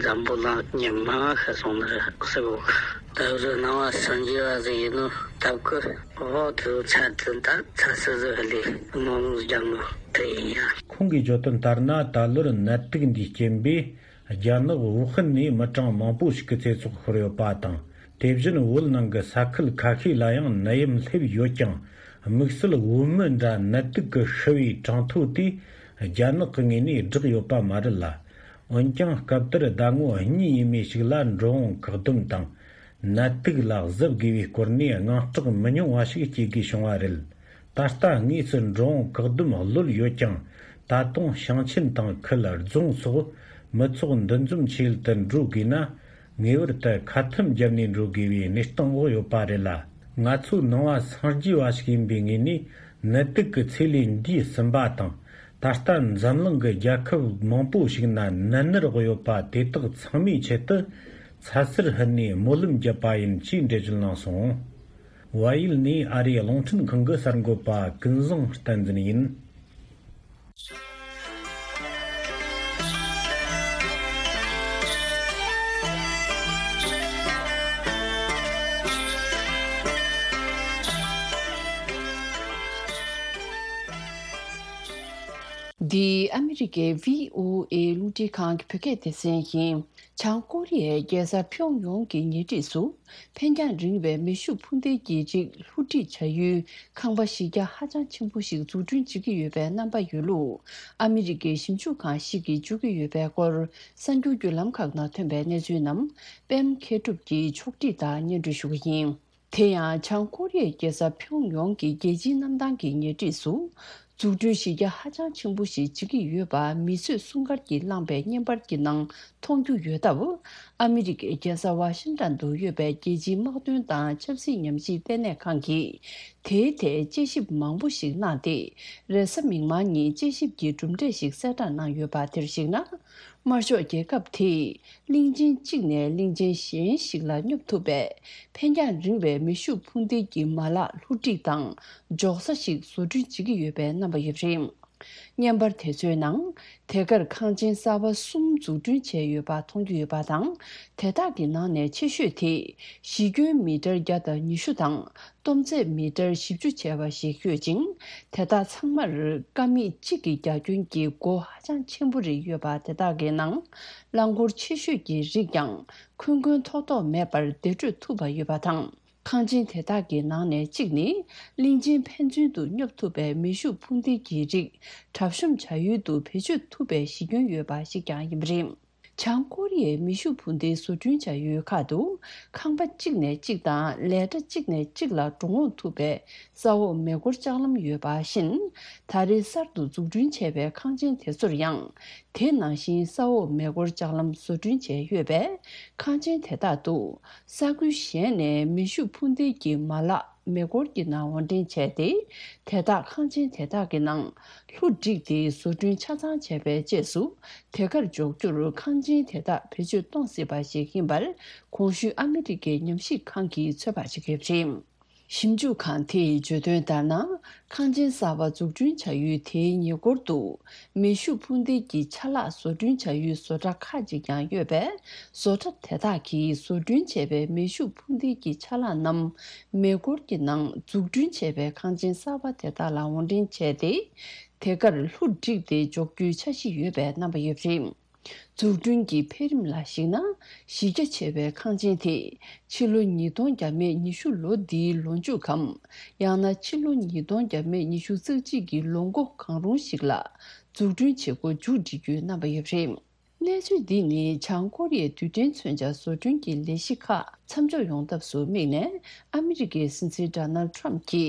འཛམ་བུ་གླིང་ཉི་མ་ཤི་སོང་ནི་རེད་ཟེར་གོ་གི། ད་རུ་སྣང་བ་སངས་རྒྱས་པ་ཟིག་ཡིན་ནོ་སྟབས་ཀི། འོ་དེ་ཚ་དེ་ད་ཚ་སི་ཟིག་ལས་མང་རྒྱ་མོ་དེ་ཡིན་ཡ། ཁོང་གིས་བརྗོད་དོན་ལྟར་ན། ད་ལོར་ནད་དུག་འདིའི་རྐྱེན་པས་རྒྱ་ནག་ཝུ་ཧན་ནས་མི་གྲངས་མང་པོ་ཞིག་གི་ཚེ་སྲོག་ཤོར་ཡོད་པ་དང་། དེ་བཞིན་བོད་ནང་གི་ས་ཁུལ་ཁ་ཤས་ལ་ཡང་ནད་ཡམས་སླེབས་ཡོད་ཀྱང་། དམིགས་བསལ་བོད་མི་འདྲ་ནད་དུག་གིས་ཤི་བའི་གྲངས་ཐོ་དེ་རྒྱ་ནག་གི་ངོས་ནས་བསྒྲགས་ཡོད་པ་མ་རེད་ལ། འོན་ཀྱང་སྐབས་དེར་ཟླ་ངོ་གཉིས་ཡས་མས་ཤིག་ལ་འགྲོ་འོང་བཀག་སྡོམ་དང་ནད་དུག་ལ་གཟབ་དགོས་པའི་སྐོར་ནས་དངངས་སྐྲག་མི་ཉུང་བ་ཞིག་སྐྱེ་དགོས་བྱུང་བ་རེད། ད་ལྟ་དངོས་སུ་འགྲོ་འོང་བཀག་སྡོམ་གློད་ཡོད་ཀྱང་། ད་དུང་ཞིང་ཆེན་དང་ཁུལ་རྫོང་སོགས་མི་ཚོགས་འདུ་འཛོམས་ཆེད་དུ་འགྲོ་དགོས་ན། ངེས་པར་དུ་ཁ་ཐུམ་བརྒྱབ་ནས་འགྲོ་དགོས་པའི་གནས་སྟངས་འོག་ཡོད་པ་རེད་ལ། ང་ཚོའི་ནང་བ་སངས་རྒྱས་པ་ཞིག་ཡིན་པའི་ངོས་ནས་ནད་དུག་གི་ཚེ་ལས་འདས་ཟིན་པ་དང་། ད་ལྟ་འཛམ་གླིང་གི་རྒྱལ་ཁབ་མང་པོ་ཞིག་ན་ནད་མནར་འོག་ཡོད་པ་དེ་དག་ཚང་མའི་ཆེད་དུ་ཚ་ཟེར་ཧུད་ནས་སྨོན་ལམ་བརྒྱབ་པ་ཡིན་ཞེས་འགྲེལ་བརྗོད་གནང་སོང་། བལ་ཡུལ་ནས་ཨ་རིའི་རླུང་འཕྲིན་ཁང་གི་གསར་འགོད་པ་ཀུན་བཟང་བསྟན་འཛིན་ཡིན། འདི་ཨ་མི་རི་ཀའི་བྷི་ཨོ་ཨེ་རླུང་འཕྲིན་ཁང་གི་བོད་སྐད་སྡེ་ཚན་ཡིན། བྱང་ཀོ་རི་ཡའི་རྒྱལ་ས་ཕྱོག་ཡོངས་ཀྱི་ཉེ་འཁྲིས་སུ། འཕེན་རྒྱང་རིང་བའི་མེ་ཤུགས་འཕུར་མདེལ་གྱི་རིགས་ལྷུ་སྒྲིག་བྱ་ཡུལ་ཁང་པ་གཞི་རྒྱ་ཧ་ཅང་ཆེན་པོ་ཞིག་འཛུགས་སྐྲུན་བྱེད་ཀྱི་ཡོད་པའི་རྣམ་པ་ཡོད་ལུགས། ཨ་མི་རི་ཀའི་ཞིབ་འཇུག་ཁང་ཞིག་གིས་བརྗོད་ཀྱི་ཡོད་པའི་སྐོར། གསར་འགྱུར་བརྒྱུད་ལམ་ཁག་ནང་ཐོན་པའི་གནས་ཚུལ་རྣམས། པད་མ་མཁས་གྲུབ་ཀྱིས་ཕྱོགས་སྒྲིག་དང་སྙན་སྒྲོན་ཞུ་གི་ཡིན། དེ་ཡང་། བྱང་ཀོ་རི་ཡའི་རྒྱལ་ས་ཕྱོགས་ཡོངས་ཀྱི་རྒྱལ་སྤྱིའི་གནམ་ཐང་གི་ཉེ་འཁྲིས་སུ། འཛུགས་སྐྲུན་གཞི་རྒྱ་ཧ་ཅང་ཆེན་པོ་ཞིག་བྱེད་ཀྱི་ཡོད་པ་མི་གསོད་སྲུང་སྐར་གྱིས་བླངས་པའི་བརྙན་པར་གྱི་ནང་མཐོང་རྒྱུ་ཡོད་སྟབས། ཨ་མི་རི་ཀའི་རྒྱལ་ས་ཝ་ཤིང་ཏན་དུ་ཡོད་པའི་རྒྱལ་སྤྱིའི་དམག་དོན་དང་ཆབ་སྲིད་ཉམས་ཞིབ་ལྟེ་གནས་ཁང་གིས། དེའི་ཐད་དཔྱད་ཞིབ་མང་པོ་ཞིག་གནང་སྟེ། རེས་གཟའ་མིག་དམར་ཉིན་དཔྱད་ཞིབ་ཀྱི་གྲུབ་འབྲས་ཤིག་གསལ་བསྒྲགས་གནང་ཡོད་པ་དེར་གཞིགས་ན། དམར་ཤོག་རྒྱལ་ཁབ་དེས་གླིང་ཆེན་གཅིག་ནས་གླིང་ཆེན་གཞན་ཞིག་ལ་སྙོབ་ཐུབ་པའི་འཕེན་རྒྱང་རིང་བའི་མེ་ཤུགས་འཕུར་མདེལ་གྱི་མ་ལག་ལྷུ་སྒྲིག་དང་འཇོག་ས་ཞིག་བཟོ་སྐྲུན་བྱེད་ཀྱི་ཡོད་པའི་རྣམ་པ་ཡོད་པ་རེད། བརྙན་པར་དེ་ཚོའི་ནང་། དེ་གར་ཁང་ཆེན་གསར་པ་གསུམ་འཛུགས་སྐྲུན་བྱས་ཡོད་པ་མཐོང་རྒྱུ་ཡོད་པ་དང་། དེ་དག་གི་ནང་ནས་ཆེ་ཤོས་དེ་གཞི་ཁྱོན་མི་ཊར་བརྒྱ་དང་ཉི་ཤུ་དང་། སྟོང་ཚད་མི་ཊར་བཞི་བཅུ་བྱས་པ་ཞིག་ཡོད་ཅིང་། དེ་དག་ཚང་མར་ཀ་མད་གཅིག་གི་རྒྱ་ཁྱོན་གྱི་སྒོ་ཧ་ཅང་ཆེན་པོ་རེ་ཡོད་པ་དེ་དག་གི་ནང་། རླངས་འཁོར་ཆེ་ཤོས་ཀྱི་རིགས་ཀྱང་འཁོན་འཁོན་ཐོག་ཐོག་མེད་པར་བདེ་བགྲོད་ཐུབ་པ་ཡོད་པ་དང་། ཁང་ཆེན་དེ་དག་གི་ནང་ནས་གཅིག་ནི། གླིང་ཆེན་ཕན་ཚུན་དུ་སྙོབ་ཐུབ་པའི་མེ་ཤུགས་འཕུར་མདེལ་གྱི་རིགས་གྲབས་གཤོམ་བྱ་ཡུལ་དུ་བེད་སྤྱོད་ཐུབ་པའི་གཞི་ཁྱོན་ཡོད་པ་ཞིག་ཀྱང་ཡིན་པ་རེད། བྱང་ཀོ་རི་ཡའི་མེ་ཤུགས་འཕུར་མདེལ་བཟོ་སྐྲུན་བྱ་ཡུལ་ཁག་ཏུ། ཁང་པ་གཅིག་ནས་གཅིག་དང་ལས་གྲྭ་གཅིག་ནས་གཅིག་ལ་འགྲོ་འོང་ཐུབ་པའི་ས་འོག་མེ་འཁོར་ལྕགས་ལམ་ཡོད་པ་བཞིན། ད་རེས་གསར་དུ་འཛུགས་སྐྲུན་བྱས་པའི་ཁང་ཆེན་དེ་ཚོར་ཡང་། དེ་ནང་བཞིན་ས་འོག་མེ་འཁོར་ལྕགས་ལམ་བཟོ་སྐྲུན་བྱས་ཡོད་པས། ཁང་ཆེན་དེ་དག་ཏུ། ས་ཁུལ་གཞན་ནས་མེ་ཤུགས་འཕུར་མདེལ་གྱི་མ་ལག་མེ་འཁོར་གྱི་ནང་དབོར་འདྲེན་བྱས་ཏེ། དེ་དག་ཁང་ཆེན་དེ་དག་གི་ནང་ལྷུ་བསྒྲིགས་ཏེ་བཟོ་སྐྲུན་ཆ་ཚང་བྱས་པའི་རྗེས་སུ། དེ་གར་འཇོག་རྒྱུར་ཁང་ཆེན་དེ་དག་བེད་སྤྱོད་གཏོང་སྲིད་པ་ཞིག་ཡིན་པར། གོང་ཞུས་ཨ་མི་རི་ཀའི་ཉམས་ཞིབ་ཁང་གིས་ཚོད་དཔག་བྱེད་ཀྱི་ཡོད་པ་རེད། ཞིབ་འཇུག་ཁང་དེས་བརྗོད་དོན་ལྟར་ན། ཁང་ཆེན་གསར་པ་འཛུགས་སྐྲུན་བྱ་ཡུལ་དེའི་ཉེ་འཁོར་དུ། མེ་ཤུགས་འཕུར་མདེལ་གྱི་ཆ་ལག་བཟོ་སྐྲུན་བྱ་ཡུལ་བཟོ་གྲྭ་ཁག་ཅིག་ཀྱང་ཡོད་པས། བཟོ་གྲྭ་དེ་དག་གིས་བཟོ་སྐྲུན་བྱས་པའི་མེ་ཤུགས་འཕུར་མདེལ་གྱི་ཆ་ལག་རྣམས་མེ་འཁོར་གྱི་ནང་འཛུགས་སྐྲུན་བྱས་པའི་ཁང་ཆེན་གསར་པ་དེ་དག་ལ་དབོར་འདྲེན་བྱས་ཏེ། དེ་གར་ལྷུ་བསྒྲིགས་ཏེ་འཇོག་རྒྱུའི་འཆར་གཞི་ཡོད་པའི་རྣམ་པ་ཡོད་པ་རེད། འཛུགས་སྐྲུན་གྱི་འཕེལ་རིམ་ལ་གཞིགས་ན། གཞི་རྒྱ་ཆེ་བའི་ཁང་ཆེན་དེ། ཕྱི་ལོ་ཉིས་སྟོང་བརྒྱ་མེད་ཉི་ཤུ་ལོ་འདིའི་ལོ་མཇུག་གམ། ཡང་ན་ཕྱི་ལོ་ཉིས་སྟོང་བརྒྱ་མེད་ཉི་ཤུ་རྩ་གཅིག་གི་ལོ་མགོ་གང་རུང་ཞིག་ལ། འཛུགས་སྐྲུན་བྱེད་སྒོ་མཇུག་སྒྲིལ་རྒྱུའི་རྣམ་པ་ཡོད་པ་རེད། གནས་ཚུལ་འདི་ནི་བྱང་ཀོ་རི་ཡའི་རྡུལ་ཕྲན་མཚོན་ཆ་བཟོ་སྐྲུན་གྱི་ལས་གཞི་ཁག་མཚམས་འཇོག་ཡོང་ཐབས་སུ་དམིགས་ནས། ཨ་མི་རི་ཀའི་སྲིད་འཛིན་ཌོ་ནལ་ཌི་ཊརམ་ཕི་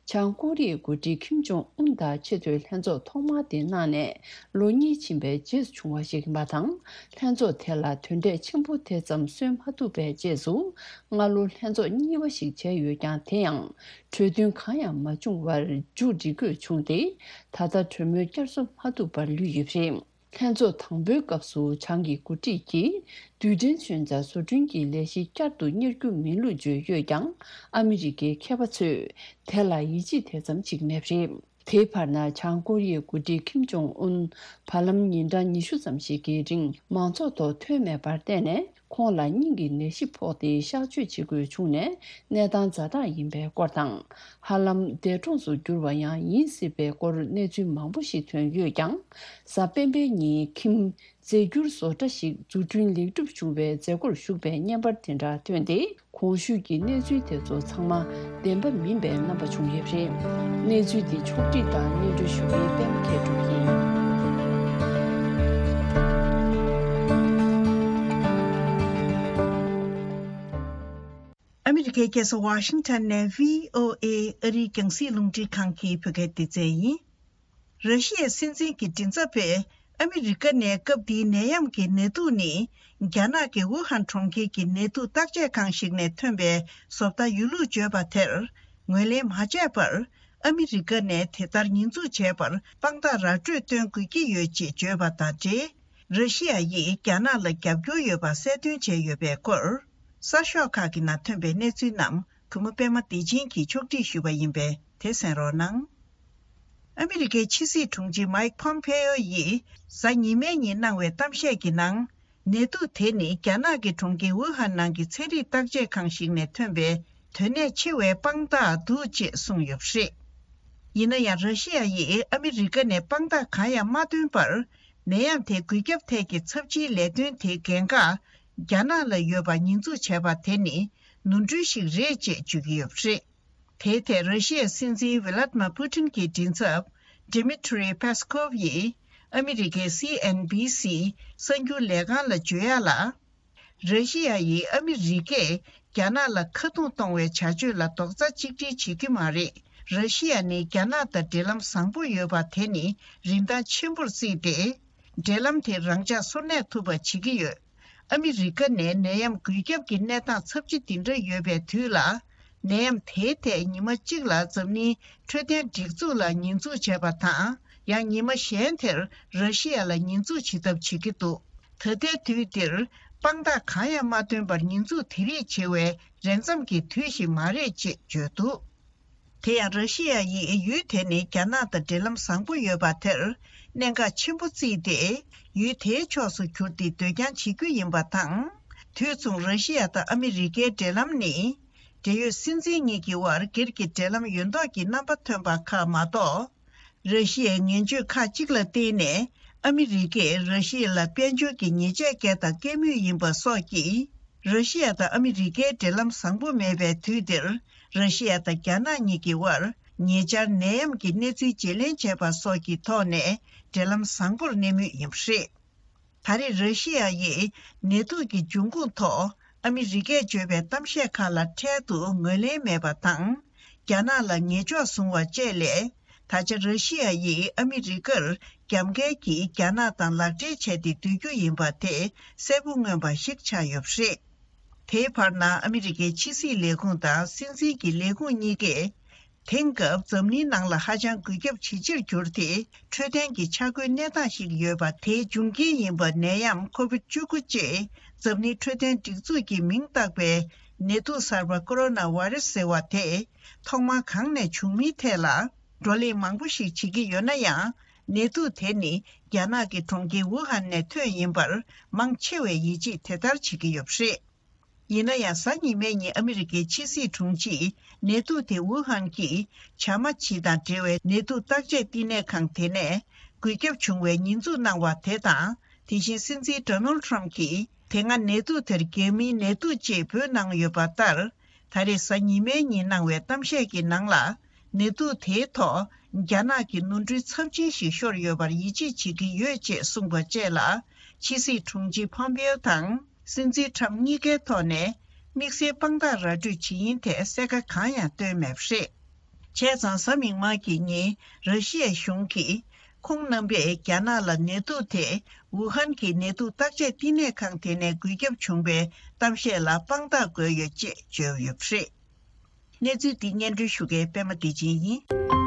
གྱིས། བྱང་ཀོ་རི་ཡའི་འགོ་ཁྲིད་ཁིམ་ཇོང་ཨུན་དང་ཆེས་མཐོའི་ལྷན་ཚོགས་ཐོག་མ་དེ་གནང་ནས་ལོ་གཉིས་ཕྱིན་པའི་རྗེས་སུ་བྱུང་བ་ཞིག་ཡིན་པ་དང་། ལྷན་ཚོགས་དེ་ལ་དོན་འབྲས་ཆེན་པོ་དེ་ཙམ་སོན་མ་ཐུབ་པའི་རྗེས་སུ། སྔ་ལོ་ལྷན་ཚོགས་གཉིས་པ་ཞིག་བྱས་ཡོད་ཀྱང་། དེ་ཡང་གྲོས་མཐུན་གང་ཡང་མ་བྱུང་བར་མཇུག་སྒྲིལ་དགོས་བྱུང་སྟེ། ད་ལྟ་གྲོས་མོལ་བསྐྱར་གསོ་མ་ཐུབ་པར་ལུས་ཡོད་པ་རེད། ལྷན་ཚོགས་དང་པོའི་སྐབས་སུ་བྱང་གི་འགོ་ཁྲིད་ཀྱིས་རྡུལ་ཕྲན་མཚོན་ཆ་བཟོ་སྐྲུན་གྱི་ལས་གཞི་བསྐྱར་དུ་གཉེར་རྒྱུ་མིན་ལུགས་བརྗོད་ཡོད་ཀྱང་། ཨ་མི་རི་ཀའི་མཁས་པ་ཚོས་དེ་ལ་ཡིད་ཆེས་དེ་ཙམ་ཞིག་མེད་པ་རེད། དེའི་བར་ན། བྱང་ཀོ་རི་ཡའི་འགོ་ཁྲིད་ཁིམ་ཇོང་ཨུན། བར་ལམ་ཉིན་གྲངས་ཉི་ཤུ་ཙམ་ཞིག་གི་རིང་མང་ཚོགས་ཐོག་ཐོན་མེད་པར་བརྟེན་ནས། ཁོང་ལ་སྙིང་གི་ནད་གཞི་ཕོག་སྟེ་གཤག་བཅོས་བྱེད་དགོས་བྱུང་ནས། གནས་སྟངས་ཛ་དྲག་ཡིན་པའི་སྐོར་དང་། ཧ་ལམ་འདས་གྲོངས་སུ་གྱུར་བ་ཡང་ཡིན་སྲིད་པའི་སྐོར་གནས་ཚུལ་མང་པོ་ཞིག་ཐོན་ཡོད་ཀྱང་། གཟའ་སྤེན་པའི་ཉིན་ཁིམ་རྫས་འགྱུར་བཟོ་གྲྭ་ཞིག་འཛུགས་སྐྲུན་ལེགས་གྲུབ་བྱུང་བའི་མཛད་སྒོར་ཞུགས་པའི་བརྙན་པར་དེ་འདྲ་ཐོན་ཏེ། གོང་ཞུས་ཀྱི་གནས་ཚུལ་དེ་ཚོ་ཚང་མ་བདེན་པ་མིན་པའི་རྣམ་པ་བྱུང་ཡོད་པ་རེད། གནས་ཚུལ་འདི་ཕྱོགས་སྒྲིག་དང་སྙན་སྒྲོན་ཞུ་མཁན་པད་མ་མཁས་གྲུབ་ཡིན། ཨ་མི་རི་ཀའི་རྒྱལ་ས་ཝ་ཤིང་ཊོན་ནས་བྷི་ཨོ་ཨེ་ཨ་རིའི་རྒྱང་སྲིང་རླུང་འཕྲིན་ཁང་གི་བོད་སྐད་སྡེ་ཚན་ཡིན། ར་ཤི་ཡའི་སྲིད་འཛིན་གྱི་མགྲིན་ཚབ་པས་ཨ་མི་རི་ཀ་ནས་སྐབས་འདིའི་ནད་ཡམས་ཀྱི་ནད་དུག་ནི་རྒྱ་ནག་གི་ཝུ་ཧན་གྲོང་ཁྱེར་གྱི་ནད་དུག་བརྟག་དཔྱད་ཁང་ཞིག་ནས་ཐོན་པའི་བཟོ་ལྟ་ཡོད་ལུགས་བརྗོད་པ་དེར་ངོས་ལེན་མ་བྱས་པར། ཨ་མི་རི་ཀ་ནས་དེ་ལྟར་ཉེས་འཛུགས་བྱས་པར་དཔང་རྟགས་ར་སྤྲོད་སྟོན་དགོས་ཀྱི་ཡོད་ཅེས་བརྗོད་པ་དང་འབྲེལ། ར་ཤི་ཡ་ཡིས་རྒྱ་ནག་ལ་རྒྱབ་སྐྱོར་ཡོད་པ་གསལ་སྟོན་བྱས་ཡོད་པའི་སྐོར། གསར་ཤོག་ཁག་གི་ནང་ཐོན་པའི་གནས་ཚུལ་རྣམས་གུས་མོ་པད་མ་བདེ་ཆེན་གྱིས་ཕྱོགས་སྒྲིག་ཞུས་པ་ཡིན་པས་དེ་གསན་རོགས་གནང་། ཨ་མི་རི་ཀའི་ཕྱི་སྲིད་དྲུང་ཆེ་མཱིག་ཕོམ་ཕེ་ཡོ་ཡིས་གཟའ་ཉི་མའི་ཉིན་གནང་བའི་གཏམ་བཤད་ཀྱི་ནང་། ནད་དུག་དེ་ནི་རྒྱ་ནག་གི་གྲོང་ཁྱེར་ཝུ་ཧན་ནང་གི་ཚན་རིག་བརྟག་དཔྱད་ཁང་ཞིག་ནས་ཐོན་པའི་དོན་གནད་ཆེ་བའི་དཔང་རྟགས་འདུག་ཅེས་གསུངས་ཡོད་པ་རེད། ཡིན་ན་ཡང་། ར་ཤི་ཡ་ཡིས་ཨ་མི་རི་ཀ་ནས་དཔང་རྟགས་གང་ཡང་མ་བཏོན་པར། ནད་ཡམས་དེ་འགོས་ཁྱབ་ཐད་ཀྱི་ཚབས་ཆེའི་ལས་དོན་དེའི་འགན་ཁག་རྒྱ་ནག་ལ་ཡོད་པ་ཉེས་འཛུགས་བྱས་པ་དེ་ནི་ནོར་འཁྲུལ་ཞིག་རེད་ཅེས་བརྗོད་ཀྱི་ཡོད་པ་རེད། དེའི་ཐད་ར་ཤི་ཡའི་སྲིད་འཛིན་ཝི་ལ་ཏི་མ་པུ་ཏིན་གྱི་མགྲིན་ཚབ་Dmitry Peskov་ཡིས་ཨ་མི་རི་ཀའི་སི་ཨེན་བྷི་སི་གསར་འགྱུར་ལས་ཁང་ལ་བརྗོད་ཡག་ལ། ར་ཤི་ཡ་ཡིས་ཨ་མི་རི་ཀས་རྒྱ་ནག་ལ་ཁ་རྡུང་གཏོང་བའི་བྱ་སྤྱོད་ལ་རྡོག་རྩ་གཅིག་སྒྲིལ་བྱེད་ཀྱི་མ་རེད། ར་ཤི་ཡ་ནི་རྒྱ་ནག་དང་འབྲེལ་ལམ་བཟང་པོ་ཡོད་པ་དེ་ནི་རིན་ཐང་ཆེན་པོར་བརྩིས་ཏེ། འབྲེལ་ལམ་དེ་རང་འཇགས་སོར་གནས་ཐུབ་པ་བྱེད་ཀྱི་ཡོད། ཨ་མི་རི་ཀ་ནས་ནད་ཡམས་འགོས་ཁྱབ་ཀྱི་གནས་སྟངས་ཚབས་ཆེ་འདི་འདྲ་ཡོད་པའི་དུས་ལ། ནད་ཡམས་དེའི་ཐད་ཉི་མ་གཅིག་ལ་འཛམ་གླིང་འཕྲོད་བསྟེན་སྒྲིག་འཛུགས་ལ་ཉེས་འཛུགས་བྱས་པ་དང་། ཡང་ཉི་མ་གཞན་དེར་ར་ཤི་ཡ་ལ་ཉེས་འཛུགས་བྱེད་ཐབས་བྱེད་ཀྱི་འདུག་ད་ལྟའི་དུས་འདིར་དཔང་རྟགས་གང་ཡང་མ་བཏོན་པར་ཉེས་འཛུགས་དེ་རིགས་བྱེད་པའི་རན་འཚམ་གྱི་དུས་ཤིག་མ་རེད་ཅེས་བརྗོད་འདུག་དེ་ཡང་ར་ཤི་ཡ་ཡིས་ཡུལ་དེ་ནི་རྒྱ་ནག་དང་འབྲེལ་ལམ་བཟང་པོ་ཡོད་པ་དེར་གནད་འགག་ཆེན་པོ་བརྩིས་ཏེ། ཡུལ་དེའི་ཕྱོགས་སུ་གྱུར་ཏེ་སྡོད་རྐྱང་བྱེད་རྒྱུ་ཡིན་པ་དང་། དུས་མཚུངས་ར་ཤི་ཡ་དང་ཨ་མི་རི་ཀའི་འབྲེལ་ལམ་ནི། འབྲེལ་ཡོད་སྲིད་འཛིན་གཉིས་ཀྱི་དབར་སྒེར་གྱི་འབྲེལ་ལམ་ཡོད་མདོག་གི་རྣམ་པ་ཐོན་པ་ཁག་མ་གཏོགས། ར་ཤི་ཡའི་ངན་བྱུས་ཁག་ཅིག་ལ་བརྟེན་ནས་ཨ་མི་རི་ཀས་ར་ཤི་ཡ་ལ་དཔལ་འབྱོར་གྱི་ཉེས་ཆད་བཀལ་དང་བཀལ་མུས་ཡིན་པ་སོགས་ཀྱིས། ར་ཤི་ཡ་དང་ཨ་མི་རི་ཀའི་འབྲེལ་ལམ་བཟང་པོ་མེད་པའི་དུས་འདིར། ར་ཤི་ཡ་དང་རྒྱ་ནག་གཉིས་ཀྱི་དབར་ཉེ་ཆར་ནད་ཡམས་ཀྱི་གནས་ཚུལ་བརྗེ་ལེན་བྱས་པ་སོགས་ཀྱི་ཐོག་ནས་འབྲེལ་ལམ་བཟང་པོར་གནས་མུས་ཡིན་པ་རེད། ད་རེས་ར་ཤི་ཡ་ཡིས་ནད་དུག་གི་འབྱུང་ཁུངས་ཐོག་ཨ་མི་རི་ཀས་བརྗོད་པའི་གཏམ་བཤད་ཁག་ལ་འཕྲལ་དུ་ངོས་ལེན་མེད་པ་དང་། རྒྱ་ནག་ལ་ཉེས་འཇོག་བཟུང་བ་བཅས་ལས། ད་ཆ་ར་ཤི་ཡ་ཡིས་ཨ་མི་རི་ཀར་རྒྱབ་འགལ་གྱིས་རྒྱ་ནག་དང་ལག་འབྲེལ་བྱས་ཏེ་སྡོད་རྒྱུ་ཡིན་པ་དེ་གསལ་པོ་མངོན་པ་ཞིག་ཆགས་ཡོད་པ་རེད། དེའི་བར་ན་ཨ་མི་རི་ཀའི་ཕྱི་སྲིད་ལས་ཁུངས་དང་སྲིད་འཛིན་གྱི་ལས་ཁུངས་གཉིས་ཀས། དེང་སྐབས་འཛམ་གླིང་ནང་ལ་ཧ་ཅང་འགོས་ཁྱབ་ཇེ་ཆེར་གྱུར་ཏེ། འཕྲོད་བསྟེན་གྱི་ཆ་བགོས་གནས་སྟངས་ཤིག་ཡོད་པ། དེའི་འབྱུང་རྐྱེན་ཡིན་པ་ནད་ཡམས་ཁོ་བིད་བཅུ་དགུ་ཅེས་འཛམ་གླིང་འཕྲོད་བསྟེན་སྒྲིག་འཛུགས་ཀྱིས་མིང་བཏགས་པའི་ནད་དུག་གསར་པ་ཀོ་རོ་ན་བྷ་རེ་སི་ཟེར་བ་དེ་ཐོག་མར་གང་ནས་བྱུང་མིན་ཐད་ལ་བགྲོ་གླེང་མང་པོ་ཞིག་བྱེད་ཀྱི་ཡོད་ན་ཡང་། ནད་དུག་དེ་ནི་རྒྱ་ནག་གི་གྲོང་ཁྱེར་ཝུ་ཧན་ནས་ཐོན་ཡིན་པར་མང་ཆེ་བས་ཡིད་ཆེས་དེ་ལྟར་བྱེད་ཀྱི་ཡོད་པ་རེད། ཡིན་ན་ཡང་། གཟའ་ཉི་མའི་ཉིན་ཨ་མི་རི་ཀའི་ཕྱི་སྲིད་དྲུང་ཆེས་ནད་དུག་དེ་ཝུ་ཧན་གྱི་བྱ་མ་བྱི་དང་འབྲེལ་བའི་ནད་དུག་བརྟག་དཔྱད་བསྟི་གནས་ཁང་དེ་ནས་འགོས་ཁྱབ་བྱུང་བའི་ཉེས་འཛུགས་གནང་བ་དེ་དང་། དེ་བཞིན་སྲིད་འཛིན་ཌོ་ནལ་ཊམ་གྱིས་དེ་སྔ་ནད་དུག་དེར་རྒྱ་མིའི་ནད་དུག་ཅེས་འབོད་གནང་ཡོད་པ་ལྟར། ད་རེས་གཟའ་ཉི་མའི་ཉིན་གནང་བའི་གཏམ་བཤད་ཀྱི་ནང་ལ། ནད་དུག་དེའི་ཐོག་རྒྱ་ནག་གི་ནོར་འཁྲུལ་ཚབས་ཆེན་ཞིག་ཤོར་ཡོད་པར་ཡིད་ཆེས་བྱེད་ཀྱི་ཡོད་ཅེས་གསུངས་པ་བཅས་ལ། ཕྱི་སྲིད་དྲུང་ཆེ་ཕོམ་པེའོ་དང་། སྲིད་འཛིན་ཊམ་གཉིས་ཀའི་ཐོག་ནས་དམིགས་བསལ་དཔང་རྟགས་ར་སྤྲོད་བྱེད་ཡིན་ཐད་གསལ་ཁ་གང་ཡང་བཏོན་མེད་པ་རེད། བྱས་ཙང་། གཟའ་མིག་དམར་གྱི་ཉིན་ར་ཤི་ཡའི་གཞུང་གིས་ཁོང་རྣམ་པས་རྒྱ་ནག་ལ་ནད་དུག་དེ་ཝུ་ཧན་གྱི་ནད་དུག་བརྟག་དཔྱད་བསྟི་གནས་ཁང་དེ་ནས་འགོས་ཁྱབ་བྱུང་བའི་གཏམ་བཤད་ལ་དཔང་རྟགས་དགོས་ཡོད་ཅེས་བརྗོད་ཡོད་པ་རེད། གནས་ཚུལ་འདི་སྙན་སྒྲོན་ཞུ་མཁན་པད་མ་བདེ་ཆེན་ཡིན།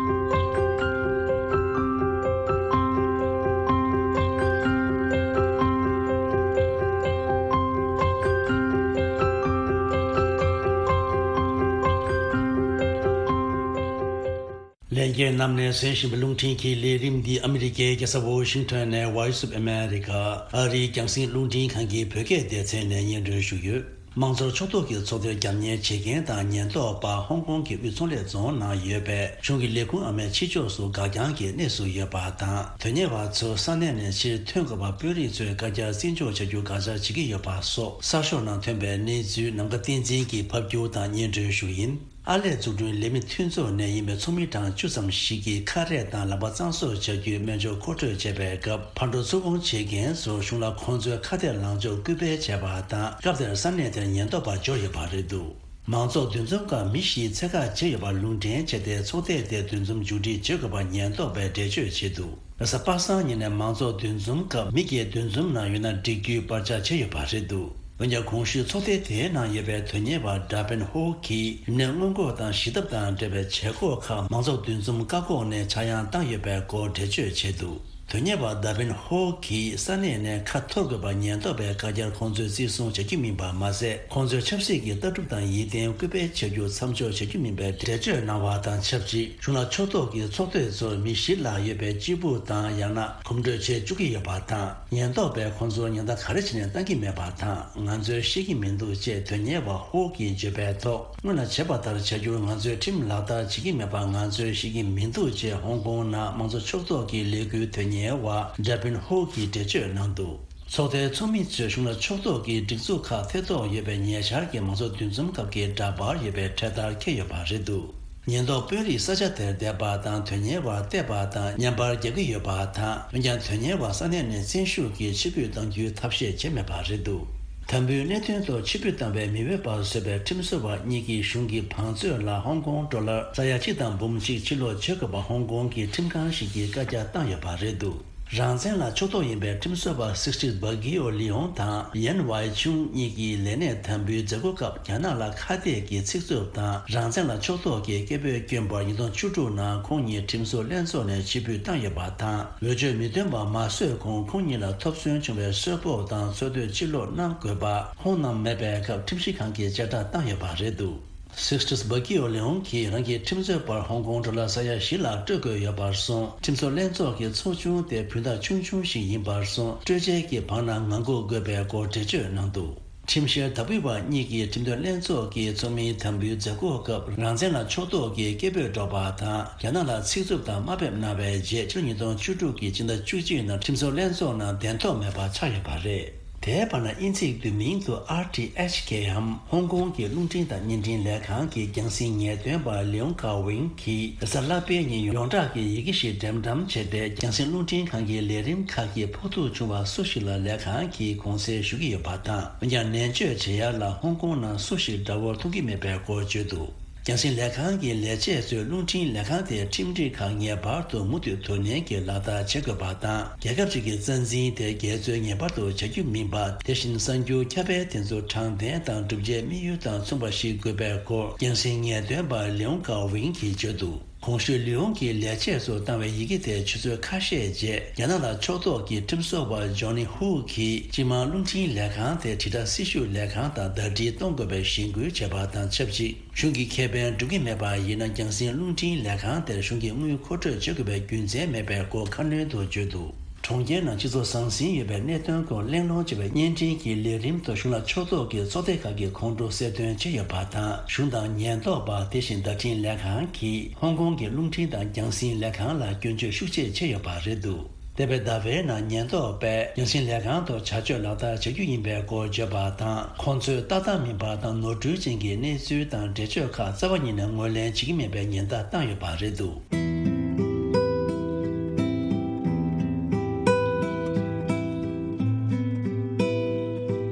ལྷན་རྒྱས་རྣམས་ནས་གསན་བཞིན་པའི་རླུང་འཕྲིན་གྱི་ལས་རིམ་འདི་ཨ་མི་རི་ཀའི་རྒྱལ་ས་ཝོ་ཤིང་ཊོན་ནས་Voice of America ཨ་རིའི་རྒྱང་སྲིང་རླུང་འཕྲིན་ཁང་གི་བོད་སྐད་སྡེ་ཚན་ནས་སྙན་སྒྲོན་ཞུ་ཡོད། དམངས་གཙོར་ཕྱོགས་གཏོགས་ཀྱི་ཚོགས་སྡེར་རྒྱབ་གཉེར་བྱེད་མཁན་དང་ཉེན་རྟོག་པ་ཧོང་ཀོང་གི་དབུས་ཚོང་ལས་རྫོང་ནང་ཡོད་པའི་གཞུང་གི་ལས་ཁུངས་ཨ་མའི་ཕྱི་ཕྱོགས་སུ་འགག་རྐྱང་གི་གནས་སུ་ཡོད་པ་དང་། དོན་གཉེར་བ་ཚོ་ས་གནས་ནས་ཕྱིར་ཐོན་དགོས་པ་དཔོན་རིགས་ཚོས་བཀའ་རྒྱ་བརྩི་འཇོག་བྱ་རྒྱུ་དགག་བྱ་བྱེད་ཀྱི་ཡོད་པ་སོགས་གསར་ཤོག་ནང་ཐོན་པའི་གནས་ཚུལ་ནམ་མཁའ་བསྟན་འཛིན་གྱིས་ཕབ་སྒྱུར་དང་སྙན་སྒྲོན་ཞུ་ཡིན། ཨར་ལས་འཛུགས་སྐྲུན་ལས་མི་མཐུན་ཚོགས་ནས་ཡིན་པའི་ཚོགས་མི་གྲངས་བཅུ་ཙམ་ཞིག་གིས་ཁ་རས་དང་ལག་པ་གཙང་བཟོ་བྱ་རྒྱུའི་སྨན་སྦྱོར་མཁོ་སྤྲོད་བྱས་པའི་སྐབས། ཕར་འགྲོ་ཚུར་འོང་བྱེད་མཁན་ཚོར་གཞུང་ལ་ཁོང་ཚོའི་ཁ་གཏད་ལངས་ཕྱོགས་སྐུལ་སྤེལ་བྱས་པ་དང་། སྐབས་དེར་ས་གནས་དེར་ཉེན་རྟོག་པ་འབྱོར་ཡོད་པ་རེད་འདུག་མང་ཚོགས་འདུ་འཛོམས་སྐབས་མི་བཞིའི་ཚད་བཀག་བྱས་ཡོད་པ་ལུང་འདྲེན་བྱས་ཏེ། ཚོགས་སྡེ་དེ་འདུ་འཛོམས་མཇུག་སྒྲིལ་བྱེད་དགོས་པ་ཉེན་རྟོག་པས་འགྲེལ་བརྗོད་བྱས་འདུག་རེས་གཟའ་པ་སངས་ཉིན་ནས་མང་ཚོགས་འདུ་འཛོམས་སྐབས་མི་བརྒྱད་འདུ་འཛོམས་གནང་ཡོད་ན་འགྲིག་རྒྱུའི་བར་ཆད་བྱས་ཡོད་པ་རེད་འདུག་འོན་ཀྱང་། གོང་ཞུས་ཚོགས་སྡེ་དེའི་ནང་ཡོད་པའི་དོན་གཉེར་བ་ཌ་པིན་ཧོ་གིས། ཡུལ་ནས་སྔོན་འགོག་དང་ཞི་ཐབས་དང་འབྲེལ་བའི་བྱེད་སྒོ་ཁག་མང་ཚོགས་འདུ་འཛོམས་བཀག་འགོག་ནས་ཆག་ཡང་བཏང་ཡོད་པའི་སྐོར་འགྲེལ་བརྗོད་བྱས་འདུག་དོན་གཉེར་བ་ཌ་པིན་ཧོ་གིས་ས་གནས་ནས་ཁ་འཐོར་དགོས་པ་ཉེན་རྟོག་པས་བཀག་རྒྱར་ཁོང་ཚོས་བརྩི་སྲུང་བྱ་རྒྱུ་མིན་པ་མ་ཟད། ཁོང་ཚོས་ཆབ་སྲིད་ཀྱི་ལྟ་གྲུབ་དང་ཡིད་བརྟན་སྐུལ་སྤེལ་བྱ་རྒྱུ་མཚམས་འཇོག་བྱ་རྒྱུ་མིན་པའི་འགྲེལ་བརྗོད་གནང་བ་དང་ཆབས་ཅིག་གཞུང་ལ་ཕྱོགས་གཏོགས་ཀྱི་ཚོགས་སྡེ་ཚོར་མི་བཞི་ལྷག་ཡོད་པའི་སྤྱིལ་བུ་དང་ཡང་ན་གོམ་བགྲོད་བྱེད་བཅུག་གི་ཡོད་པ་དང་། ཉེན་རྟོག་པས་ཁོང་ཚོར་ཉེན་བརྡ་ག་རེ་བྱས་ནས་བཏང་གི་མེད་པ་དང་། ང་ཚོས་ཤེས་ཀྱི་མི་འདུག་ཅེས་དོན་གཉེར་བ་ཧོ་གིས་བརྗོད་པའི་ཐོག་སྔོན་ལ་བྱས་པ་ལྟར་བྱ་རྒྱུར་ང་ཚོས་ཁྲིམས་ལག་བསྟར་བྱེད་ཀྱི་མེད་པ་ང་ཚོས་ཤེས་ཀྱི་མི་འདུག་ཅེས་ཧོང་ཀོང་ནང་མང་གཙོ་ཕྱོགས་གཏོགས་ཀྱི་ལས་འགུལ་དོན་གཉེར་བ་ཌ་པིན་ཧོ་གིས་འགྲེལ་བརྗོད་གནང་འདུག་ཚོགས་སྡེའི་ཚོགས་མི་ཚོས་གཞུང་ལ་ཕྱོགས་གཏོགས་ཀྱི་སྒྲིག་འཛུགས་ཁག་ཐེ་གཏོགས་ཡོད་པའི་ཉེ་ཆར་གྱི་མང་གཙོ་འདུ་འཛོམས་སྐབས་ཀྱི་འདྲ་པར་ཡོད་པའི་འཕྲེད་དར་འཁྱེར་ཡོད་པ་རེད་འདུག་ཉེན་རྟོག་དཔོན་རིགས་ས་ཆ་དེར་བསྡད་པ་དང་དོན་གཉེར་བར་བལྟས་པ་དང་བརྙན་པར་རྒྱག་གི་ཡོད་པ་དང་། འོན་ཀྱང་། དོན་གཉེར་བ་ས་གནས་ནས་བཙན་ཤུགས་ཀྱིས་ཕྱིར་འབུད་གཏང་རྒྱུའི་ཐབས་ཤེས་བྱས་མེད་པ་རེད་འདུག་དམ་འབུལ་གནད་དོན་ཐོག་ཕྱིར་འབུད་བཏང་བའི་མི་འོས་པ་བཟོས་པའི་ཁྲིམས་བཟོ་བ་གཉིས་ཀྱིས་གཞུང་གི་བང་མཛོད་ལ་ཧོང་ཀོང་ཌོ་ལར་ས་ཡ་གཅིག་དང་འབུམ་གཅིག་ཕྱིར་སློག་བྱེད་དགོས་པ་ཧོང་ཀོང་གི་ཁྲིམས་ཁང་ཞིག་གིས་བཀའ་རྒྱ་བཏང་ཡོད་པ་རེད་འདུག་རང་བཙན་ལ་ཕྱོགས་གཏོགས་ཡིན་པའི་ཁྲིམས་བཟོ་བ་སིག་སི་ཊིས་བྷ་གི་ཨོ་ལི་ཡོང་དང་ཡན་ཝའི་ཆུང་གཉིས་ཀྱིས་ལས་གནས་དམ་འབུལ་མཛད་སྒོ་སྐབས་རྒྱ་ནག་ལ་ཁ་གཏད་ཀྱི་ཚིག་རྩུབ་དང་རང་བཙན་ལ་ཕྱོགས་གཏོགས་ཀྱི་སྐད་འབོད་བསྐྱོན་པར་ཉིས་སྟོང་བཅུ་དྲུག་ནང་ཁོང་གཉིས་ཁྲིམས་བཟོ་ལྷན་ཚོགས་ནས་ཕྱིར་འབུད་བཏང་ཡོད་པ་དང་། འོས་ཆོས་མི་འདོན་པ་མ་བཟོས་གོང་ཁོང་གཉིས་ལ་ཐོབ་ཚོད་བྱུང་བའི་གསོལ་ཕོགས་དང་འཚོ་སྡོད་ཕྱིར་སློག་གནང་དགོས་པ་ཁོང་རྣམས་མེད་པའི་སྐབས་ཁྲིམས་ཞིབ་ཁང་གིས་བཅད་ཁྲ་བཏང་ཡོད་པ་རེད་འདུག་སིག་སི་ཊིས་བྷ་གི་ཨོ་ལི་ཡོང་གིས་རང་གི་ཁྲིམས་རྩོད་པར་ཧོང་ཀོང་ཌོ་ལར་ས་ཡ་བཞི་ལྷག་སྤྲོད་དགོས་ཡོད་པར་སོང་། ཁྲིམས་བཟོ་ལྷན་ཚོགས་ཀྱི་ཚོགས་ཆུང་དེ་བུན་བདག་ཆུང་ཆུང་ཞིག་ཡིན་པར་སོང་། སྤྲོད་འཇལ་གྱི་བང་ནང་ངང་སྒུག་དགོས་པའི་སྐོར་འགྲེལ་བརྗོད་གནང་འདུག་ཁྲིམས་བཤེར་བདག་སྤེལ་བ་གཉིས་ཀྱིས་ཁྲིམས་དོན་ལྷན་ཚོགས་ཀྱི་ཚོགས་མིའི་དམ་འབུལ་མཛད་སྒོ་སྐབས་རང་བཙན་ལ་ཕྱོགས་གཏོགས་ཀྱི་སྐད་འབོད་སྒྲོག་པ་དང་རྒྱ་ནག་ལ་ཚིག་རྩུབ་དང་དམའ་འབེབས་གནང་བའི་རྗེས་ཕྱི་ལོ་ཉིས་སྟོང་བཅུ་དྲུག་གི་སྤྱི་ཟླ་བཅུ་གཅིག་ནང་ཁྲིམས་བཟོ་ལྷན་ཚོགས་ནང་གདན་ཐོབ་མེད་པ་ཆགས་ཡོད་པ་རེད། དེའི་བར་ན་དབྱིན་ཚིག་བསྡུས་མིང་དུ་ཨར་ཊི་ཨེཆ་ཀེ་འམ་ཧོང་ཀོང་གི་རླུང་འཕྲིན་དང་བརྙན་འཕྲིན་ལས་ཁང་གི་རྒྱང་སྲིང་ངེས་སྟོན་པ་ལིའུང་ཀའོ་ཝིང་གིས་རེས་གཟའ་ལྷག་པའི་ཉིན་ཡོངས་གྲགས་ཀྱི་ཡི་གེ་ཞིག་འགྲེམས་བཀྲམ་བྱས་ཏེ། རྒྱང་སྲིང་རླུང་འཕྲིན་ཁང་གི་ལས་རིམ་ཁག་གི་ཕོག་ཐུག་བྱུང་བ་སུ་ཞིག་ལ་ལས་ཁང་གིས་གུང་སེང་ཞུ་གི་ཡོད་པ་དང་། འོན་ཀྱང་ནན་བརྗོད་བྱེད་ཡ་ལ་ཧོང་ཀོང་ནང་སུ་ཞིག་དགྲ་བོར་མཐོང་གི་མེད་པའི་སྐོར་བརྗོད་འདུག་རྒྱང་སྲིང་ལས་ཁང་གི་ལས་བྱེད་ཚོས་རླུང་འཕྲིན་ལས་ཁང་དེའི་ཁྲིམས་སྒྲིག་ཁག་ངེས་པར་དུ་མུ་མཐུད་དོ་ནན་གྱིས་ལག་བསྟར་བྱེད་དགོས་པ་དང་། རྒྱལ་ཁབ་ཅིག་གི་རྩ་འཛིན་དེ་རྒྱལ་ཚོས་ངེས་པར་དུ་བྱ་རྒྱུ་མིན་པ། དེ་བཞིན་གསར་འགྱུར་ཁྱབ་སྤེལ་དེ་ཚོ་དྲང་བདེན་དང་བསྒྲུབ་བྱའི་དམིགས་ཡུལ་དང་མཚུངས་པ་ཞིག་དགོས་པའི་སྐོར་རྒྱང་སྲིང་ངེས་སྟོན་པ་ལིའུང་ཀའོ་ཝིང་གིས་བརྗོད་འདུག་གོང་ཞུས་ལིའུ་ཡོང་གིས་ལས་བྱེད་ཚོར་བཏང་བའི་ཡི་གེ་དེ་ཆུ་ཚོད་ཁ་ཤས་རྗེས་རྒྱ་ནག་ལ་ཕྱོགས་གཏོགས་ཀྱི་ཁྲིམས་བཟོ་བ་ཇོ་ནི་ཧུའུ་གིས་སྤྱི་དམངས་རླུང་འཕྲིན་ལས་ཁང་དེ་དྲིལ་བསྒྲགས་སྲི་ཞུ་ལས་ཁང་དང་ཟླ་སྒྲིལ་གཏོང་དགོས་པའི་གཞེན་སྐུལ་བྱས་པ་དང་ཆབས་ཅིག་གཞུང་གི་ཁེ་ཕན་སྒྲུབ་ཀྱི་མེད་པ་ཡིན་ན། རྒྱང་སྲིང་རླུང་འཕྲིན་ལས་ཁང་དེར་གཞུང་གིས་དངུལ་མཁོ་སྤྲོད་བྱེད་དགོས་པའི་རྒྱུ་མཚན་མེད་པའི་སྐོར་ཁ་སྣོན་དུ་བརྗོད་འདུག་གྲོང་ཁྱེར་ནང་སྤྱི་ཚོགས་ཟང་ཟིང་ཡོད་པའི་གནད་དོན་སྐོར་གླེང་སློང་བྱེད་པའི་བརྙན་འཕྲིན་གྱི་ལས་རིམ་དུ་གཞུང་ལ་ཕྱོགས་གཏོགས་ཀྱི་ཚོགས་སྡེ་ཁག་གིས་ཁོང་ཁྲོ་གསལ་སྟོན་བྱས་ཡོད་པ་དང་། གཞུང་དང་ཉེན་རྟོག་པ། དེ་བཞིན་བརྡ་འཕྲིན་ལས་ཁང་གིས་ཧོང་ཀོང་གི་རླུང་འཕྲིན་དང་རྒྱང་སྲིང་ལས་ཁང་ལ་སྐྱོན་བརྗོད་ཤུགས་ཆེ་བྱས་ཡོད་པ་རེད་འདུག་འདས་པའི་ཟླ་བའི་ནང་ཉེན་རྟོག་པས་རྒྱང་སྲིང་ལས་ཁང་དུ་བྱ་སྤྱོད་ལག་བསྟར་བྱ་རྒྱུ་ཡིན་པའི་སྐོར་བརྗོད་པ་དང་། ཁོང་ཚོས་ཏག་ཏག་མིན་པ་དང་ནོར་འཁྲུལ་ཅན་གྱི་གནས་ཚུལ་དང་འགྲེལ་བརྗོད་ཁག་རྩ་བ་ཉིད་ནས་ངོས་ལེན་བྱེད་ཀྱི་མེད་པའི་ཉེན་བརྡ་བཏང་ཡོད་པ་རེད་འདུག་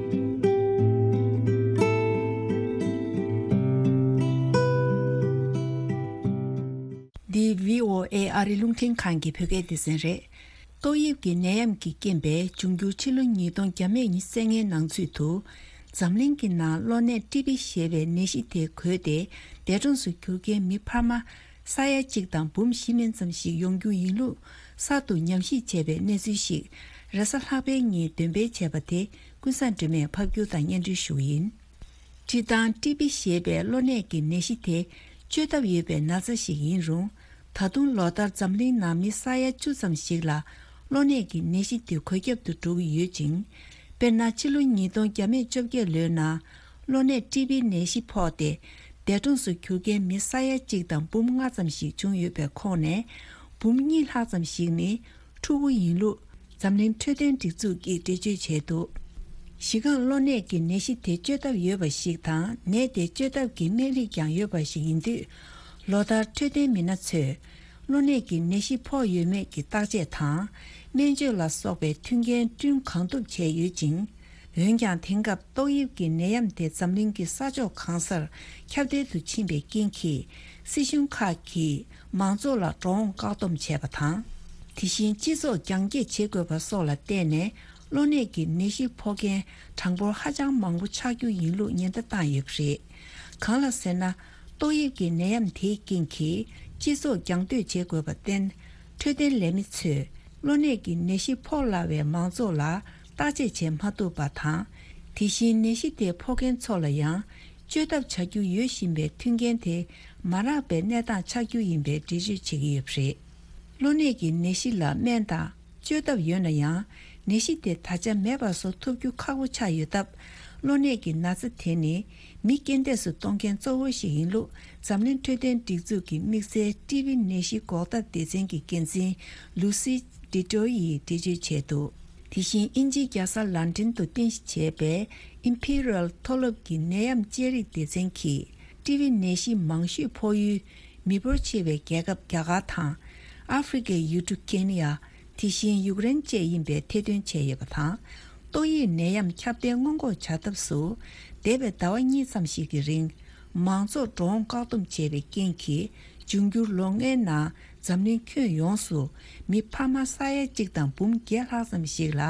འདི་བྷི་ཨོ་ཨེ་ཨ་རི་རླུང་འཕྲིན་ཁང་གི་བོད་སྐད་སྡེ་ཚན་རེད། ཏོག་དབྱིབས་ཀྱི་ནད་ཡམས་ཀྱི་རྐྱེན་པས་འབྱུང་འགྱུར་ཕྱི་ལོ་ཉིས་སྟོང་བརྒྱ་མེད་ཉེར་ལྔའི་ནང་ཚུད་དུ། འཛམ་གླིང་གི་ནང་གློ་ནད་ཀྲི་པི་ཞེས་པའི་ནད་གཞི་དེ་འགོས་ཏེ། འདས་གྲོངས་སུ་གྱུར་མཁན་མི་འཕར་མ་ས་ཡ་གཅིག་དང་འབུམ་བཞི་མན་ཙམ་ཞིག་ཡོང་རྒྱུ་ཡིན་ལུགས་གསར་དུ་ཉམས་ཞིབ་བྱས་པའི་གནས་ཚུལ་ཞིག་རེས་གཟའ་ལྷག་པའི་ཉིན་འདོན་སྤེལ་བྱས་པ་དེ་ཀུན་བཟང་སྒྲོལ་མས་ཕབ་སྒྱུར་དང་སྙན་སྒྲོན་ཞུ་གི་ཡིན། སྤྱིར་བཏང་ཀྲི་པི་ཞེས་པའི་གློ་ནད་ཀྱི་ནད་གཞི་དེ་བཅོས་ཐབས་ཡོད་པའི་ན་ཚ་ཞིག་ཡིན་རུང་། ད་དུང་ལོ་ལྟར་འཛམ་གླིང་ནང་མི་ས་ཡ་བཅུ་ཙམ་ཞིག་ལ་གློ་ནད་ཀྱི་ནད་གཞི་དེ་འགོས་ཁྱབ་ཏུ་འགྲོ་གི་ཡོད་ཅིང་། དཔེར་ན། ཕྱི་ལོ་ཉིས་སྟོང་བརྒྱ་མེད་བཅོ་བརྒྱད་ལོའི་ནང་གློ་ནད་ཀྲི་པི་ནད་གཞི་ཕོག་སྟེ། འདས་གྲོངས་སུ་གྱུར་མཁན་མི་ས་ཡ་གཅིག་དང་འབུམ་ལྔ་ཙམ་ཞིག་བྱུང་ཡོད་པའི་ཁོངས་ནས། འབུམ་གཉིས་ལྷག་ཙམ་ཞིག་ནི། ཕྲུ་གུ་ཡིན་ལུགས་འཛམ་གླིང་འཕྲོད་བསྟེན་སྒྲིག་འཛུགས་ཀྱིས་འགྲེལ་བརྗོད་བྱས་འདུག་གཞི་རྐང་གློ་ནད་ཀྱི་ནད་གཞི་དེ་བཅོས་ཐབས་ཡོད་པ་ཞིག་དང་། ནད་དེ་བཅོས་ཐབས་ཀྱི་སྨན་རིགས་ཀྱང་ཡོད་པ་ཞིག་ཡིན་དུས། ལོ་ལྟར་འཕྲོད་བསྟེན་མི་སྣ་ཚོས་གློ་ནད་ཀྱི་ནད་གཞི་ཕོག་ཡོད་མེད་ཀྱི་བརྟག་དཔྱད་དང་། སྨན་བཅོས་ལ་སོགས་པའི་མཐུན་རྐྱེན་བསྐྲུན་གང་ཐུབ་བྱས་ཡོད་ཅིང་། འོན་ཀྱང་། དེང་སྐབས་ཏོག་དབྱིབས་ཀྱི་ནད་ཡམས་དེ་འཛམ་གླིང་གི་ས་ཕྱོགས་གང་སར་ཁྱབ་གདལ་དུ་ཕྱིན་པའི་རྐྱེན་གྱིས། སྲིད་གཞུང་ཁག་གིས་མང་ཚོགས་ལ་འགྲོ་འོང་བཀག་སྡོམ་བྱས་པ་དང་། དེ་བཞིན་སྤྱི་ཚོགས་རྒྱང་བཀྱེད་བྱེད་དགོས་པ་སོགས་ལ་བརྟེན་ནས། གློ་ནད་ཀྱི་ནད་གཞི་ཕོག་མཁན་གྲངས་འབོར་ཧ་ཅང་མང་པོ་ཆགས་རྒྱུ་ཡིན་ལུགས་ཉེན་བརྡ་བཏང་ཡོད་པ་རེད། གང་ལ་ཟེར་ན། ཏོག་དབྱིབས་ཀྱི་ནད་ཡམས་དེའི་རྐྱེན་གྱིས་སྤྱི་ཚོགས་རྒྱང་སྡོད་བྱེད་དགོས་པར་བརྟེན། འཕྲོད་བསྟེན་ལས་མི་ཚོས་གློ་ནད་ཀྱི་ནད་གཞི་ཕོག་སླ་བའི་མང་ཚོགས་ལ་བརྟག་དཔྱད་བྱེད་མ་ཐུབ་པ་དང་། དེ་བཞིན་ནད་གཞི་དེ་ཕོག་མཁན་ཚོ་ལ་ཡང་བཅོས་ཐབས་བྱ་རྒྱུ་ཡོད་བཞིན་པའི་མཐུན་རྐྱེན་དེ་མ་རག་པའི་གནས་སྟངས་ཆགས་རྒྱུ་ཡིན་པའི་འགྲེལ་བརྗོད་བྱེད་ཀྱི་ཡོད་པ་རེད། གློ་ནད་ཀྱི་ནད་གཞི་ལ་སྨན་དང་། བཅོས་ཐབས་ཡོད་ན་ཡང་། ནད་གཞི་དེ་ད་ཆ་མེད་པ་བཟོ་ཐུབ་རྒྱུ་ཁག་པོ་ཆགས་ཡོད་སྟབས། གློ་ནད་ཀྱི་ན་ཚ་དེ་ནི་མི་རྐྱེན་འདས་སུ་གཏོང་མཁན་གཙོ་བོ་ཞིག་ཡིན་ལུགས། འཛམ་གླིང་འཕྲོད་བསྟེན་སྒྲིག་འཛུགས་ཀྱི་དམིགས་བསལ་ཊི་བི་ནད་གཞི་འགོག་ཐབས་སྡེ་ཚན་གྱི་འགན་འཛིན་ལུ་སི་ཌི་ཏྲོ་ཡིས་འགྲེལ་བརྗོད་བྱས་འདུག་དེ་བཞིན་དབྱིན་ཇིའི་རྒྱལ་ས་ལན་ཀྲན་དུ་རྟེན་གཞི་བྱས་པའི་ཨིམ་ཕི་རལ་མཐོ་སློབ་ཀྱི་ནད་ཡམས་དཔྱད་རིག་སྡེ་ཚན་གྱིས། ཊི་བི་ནད་གཞི་མང་ཤོས་ཕོག་ཡུལ་མི་འབོར་ཆེ་བའི་རྒྱལ་ཁབ་རྒྱ་གར་དང་། ཨ་ཧྥེ་རི་ཁའི་ཡུལ་གྲུ་ཀེ་ནི་ཡ། དེ་བཞིན་ཡུཀ་རེན་བཅས་ཡིན་པའི་ཐེར་འདོན་བྱས་ཡོད་པ་དང་། ཏོག་དབྱིབས་ནད་ཡམས་ཁྱབ་གདལ་སྔོན་འགོག་བྱ་ཐབས་སུ། འདས་པའི་ཟླ་བ་གཉིས་ཙམ་ཞིག་གི་རིང་། མང་ཚོགས་འགྲོ་འོང་བཀག་སྡོམ་བྱས་པའི་རྐྱེན་གྱིས། འབྱུང་འགྱུར་ལོ་ལྔའི་ནང་འཛམ་གླིང་ཁྱོན་ཡོངས་སུ་མི་འཕར་མ་ས་ཡ་གཅིག་དང་འབུམ་བརྒྱད་ལྷག་ཙམ་ཞིག་ལ་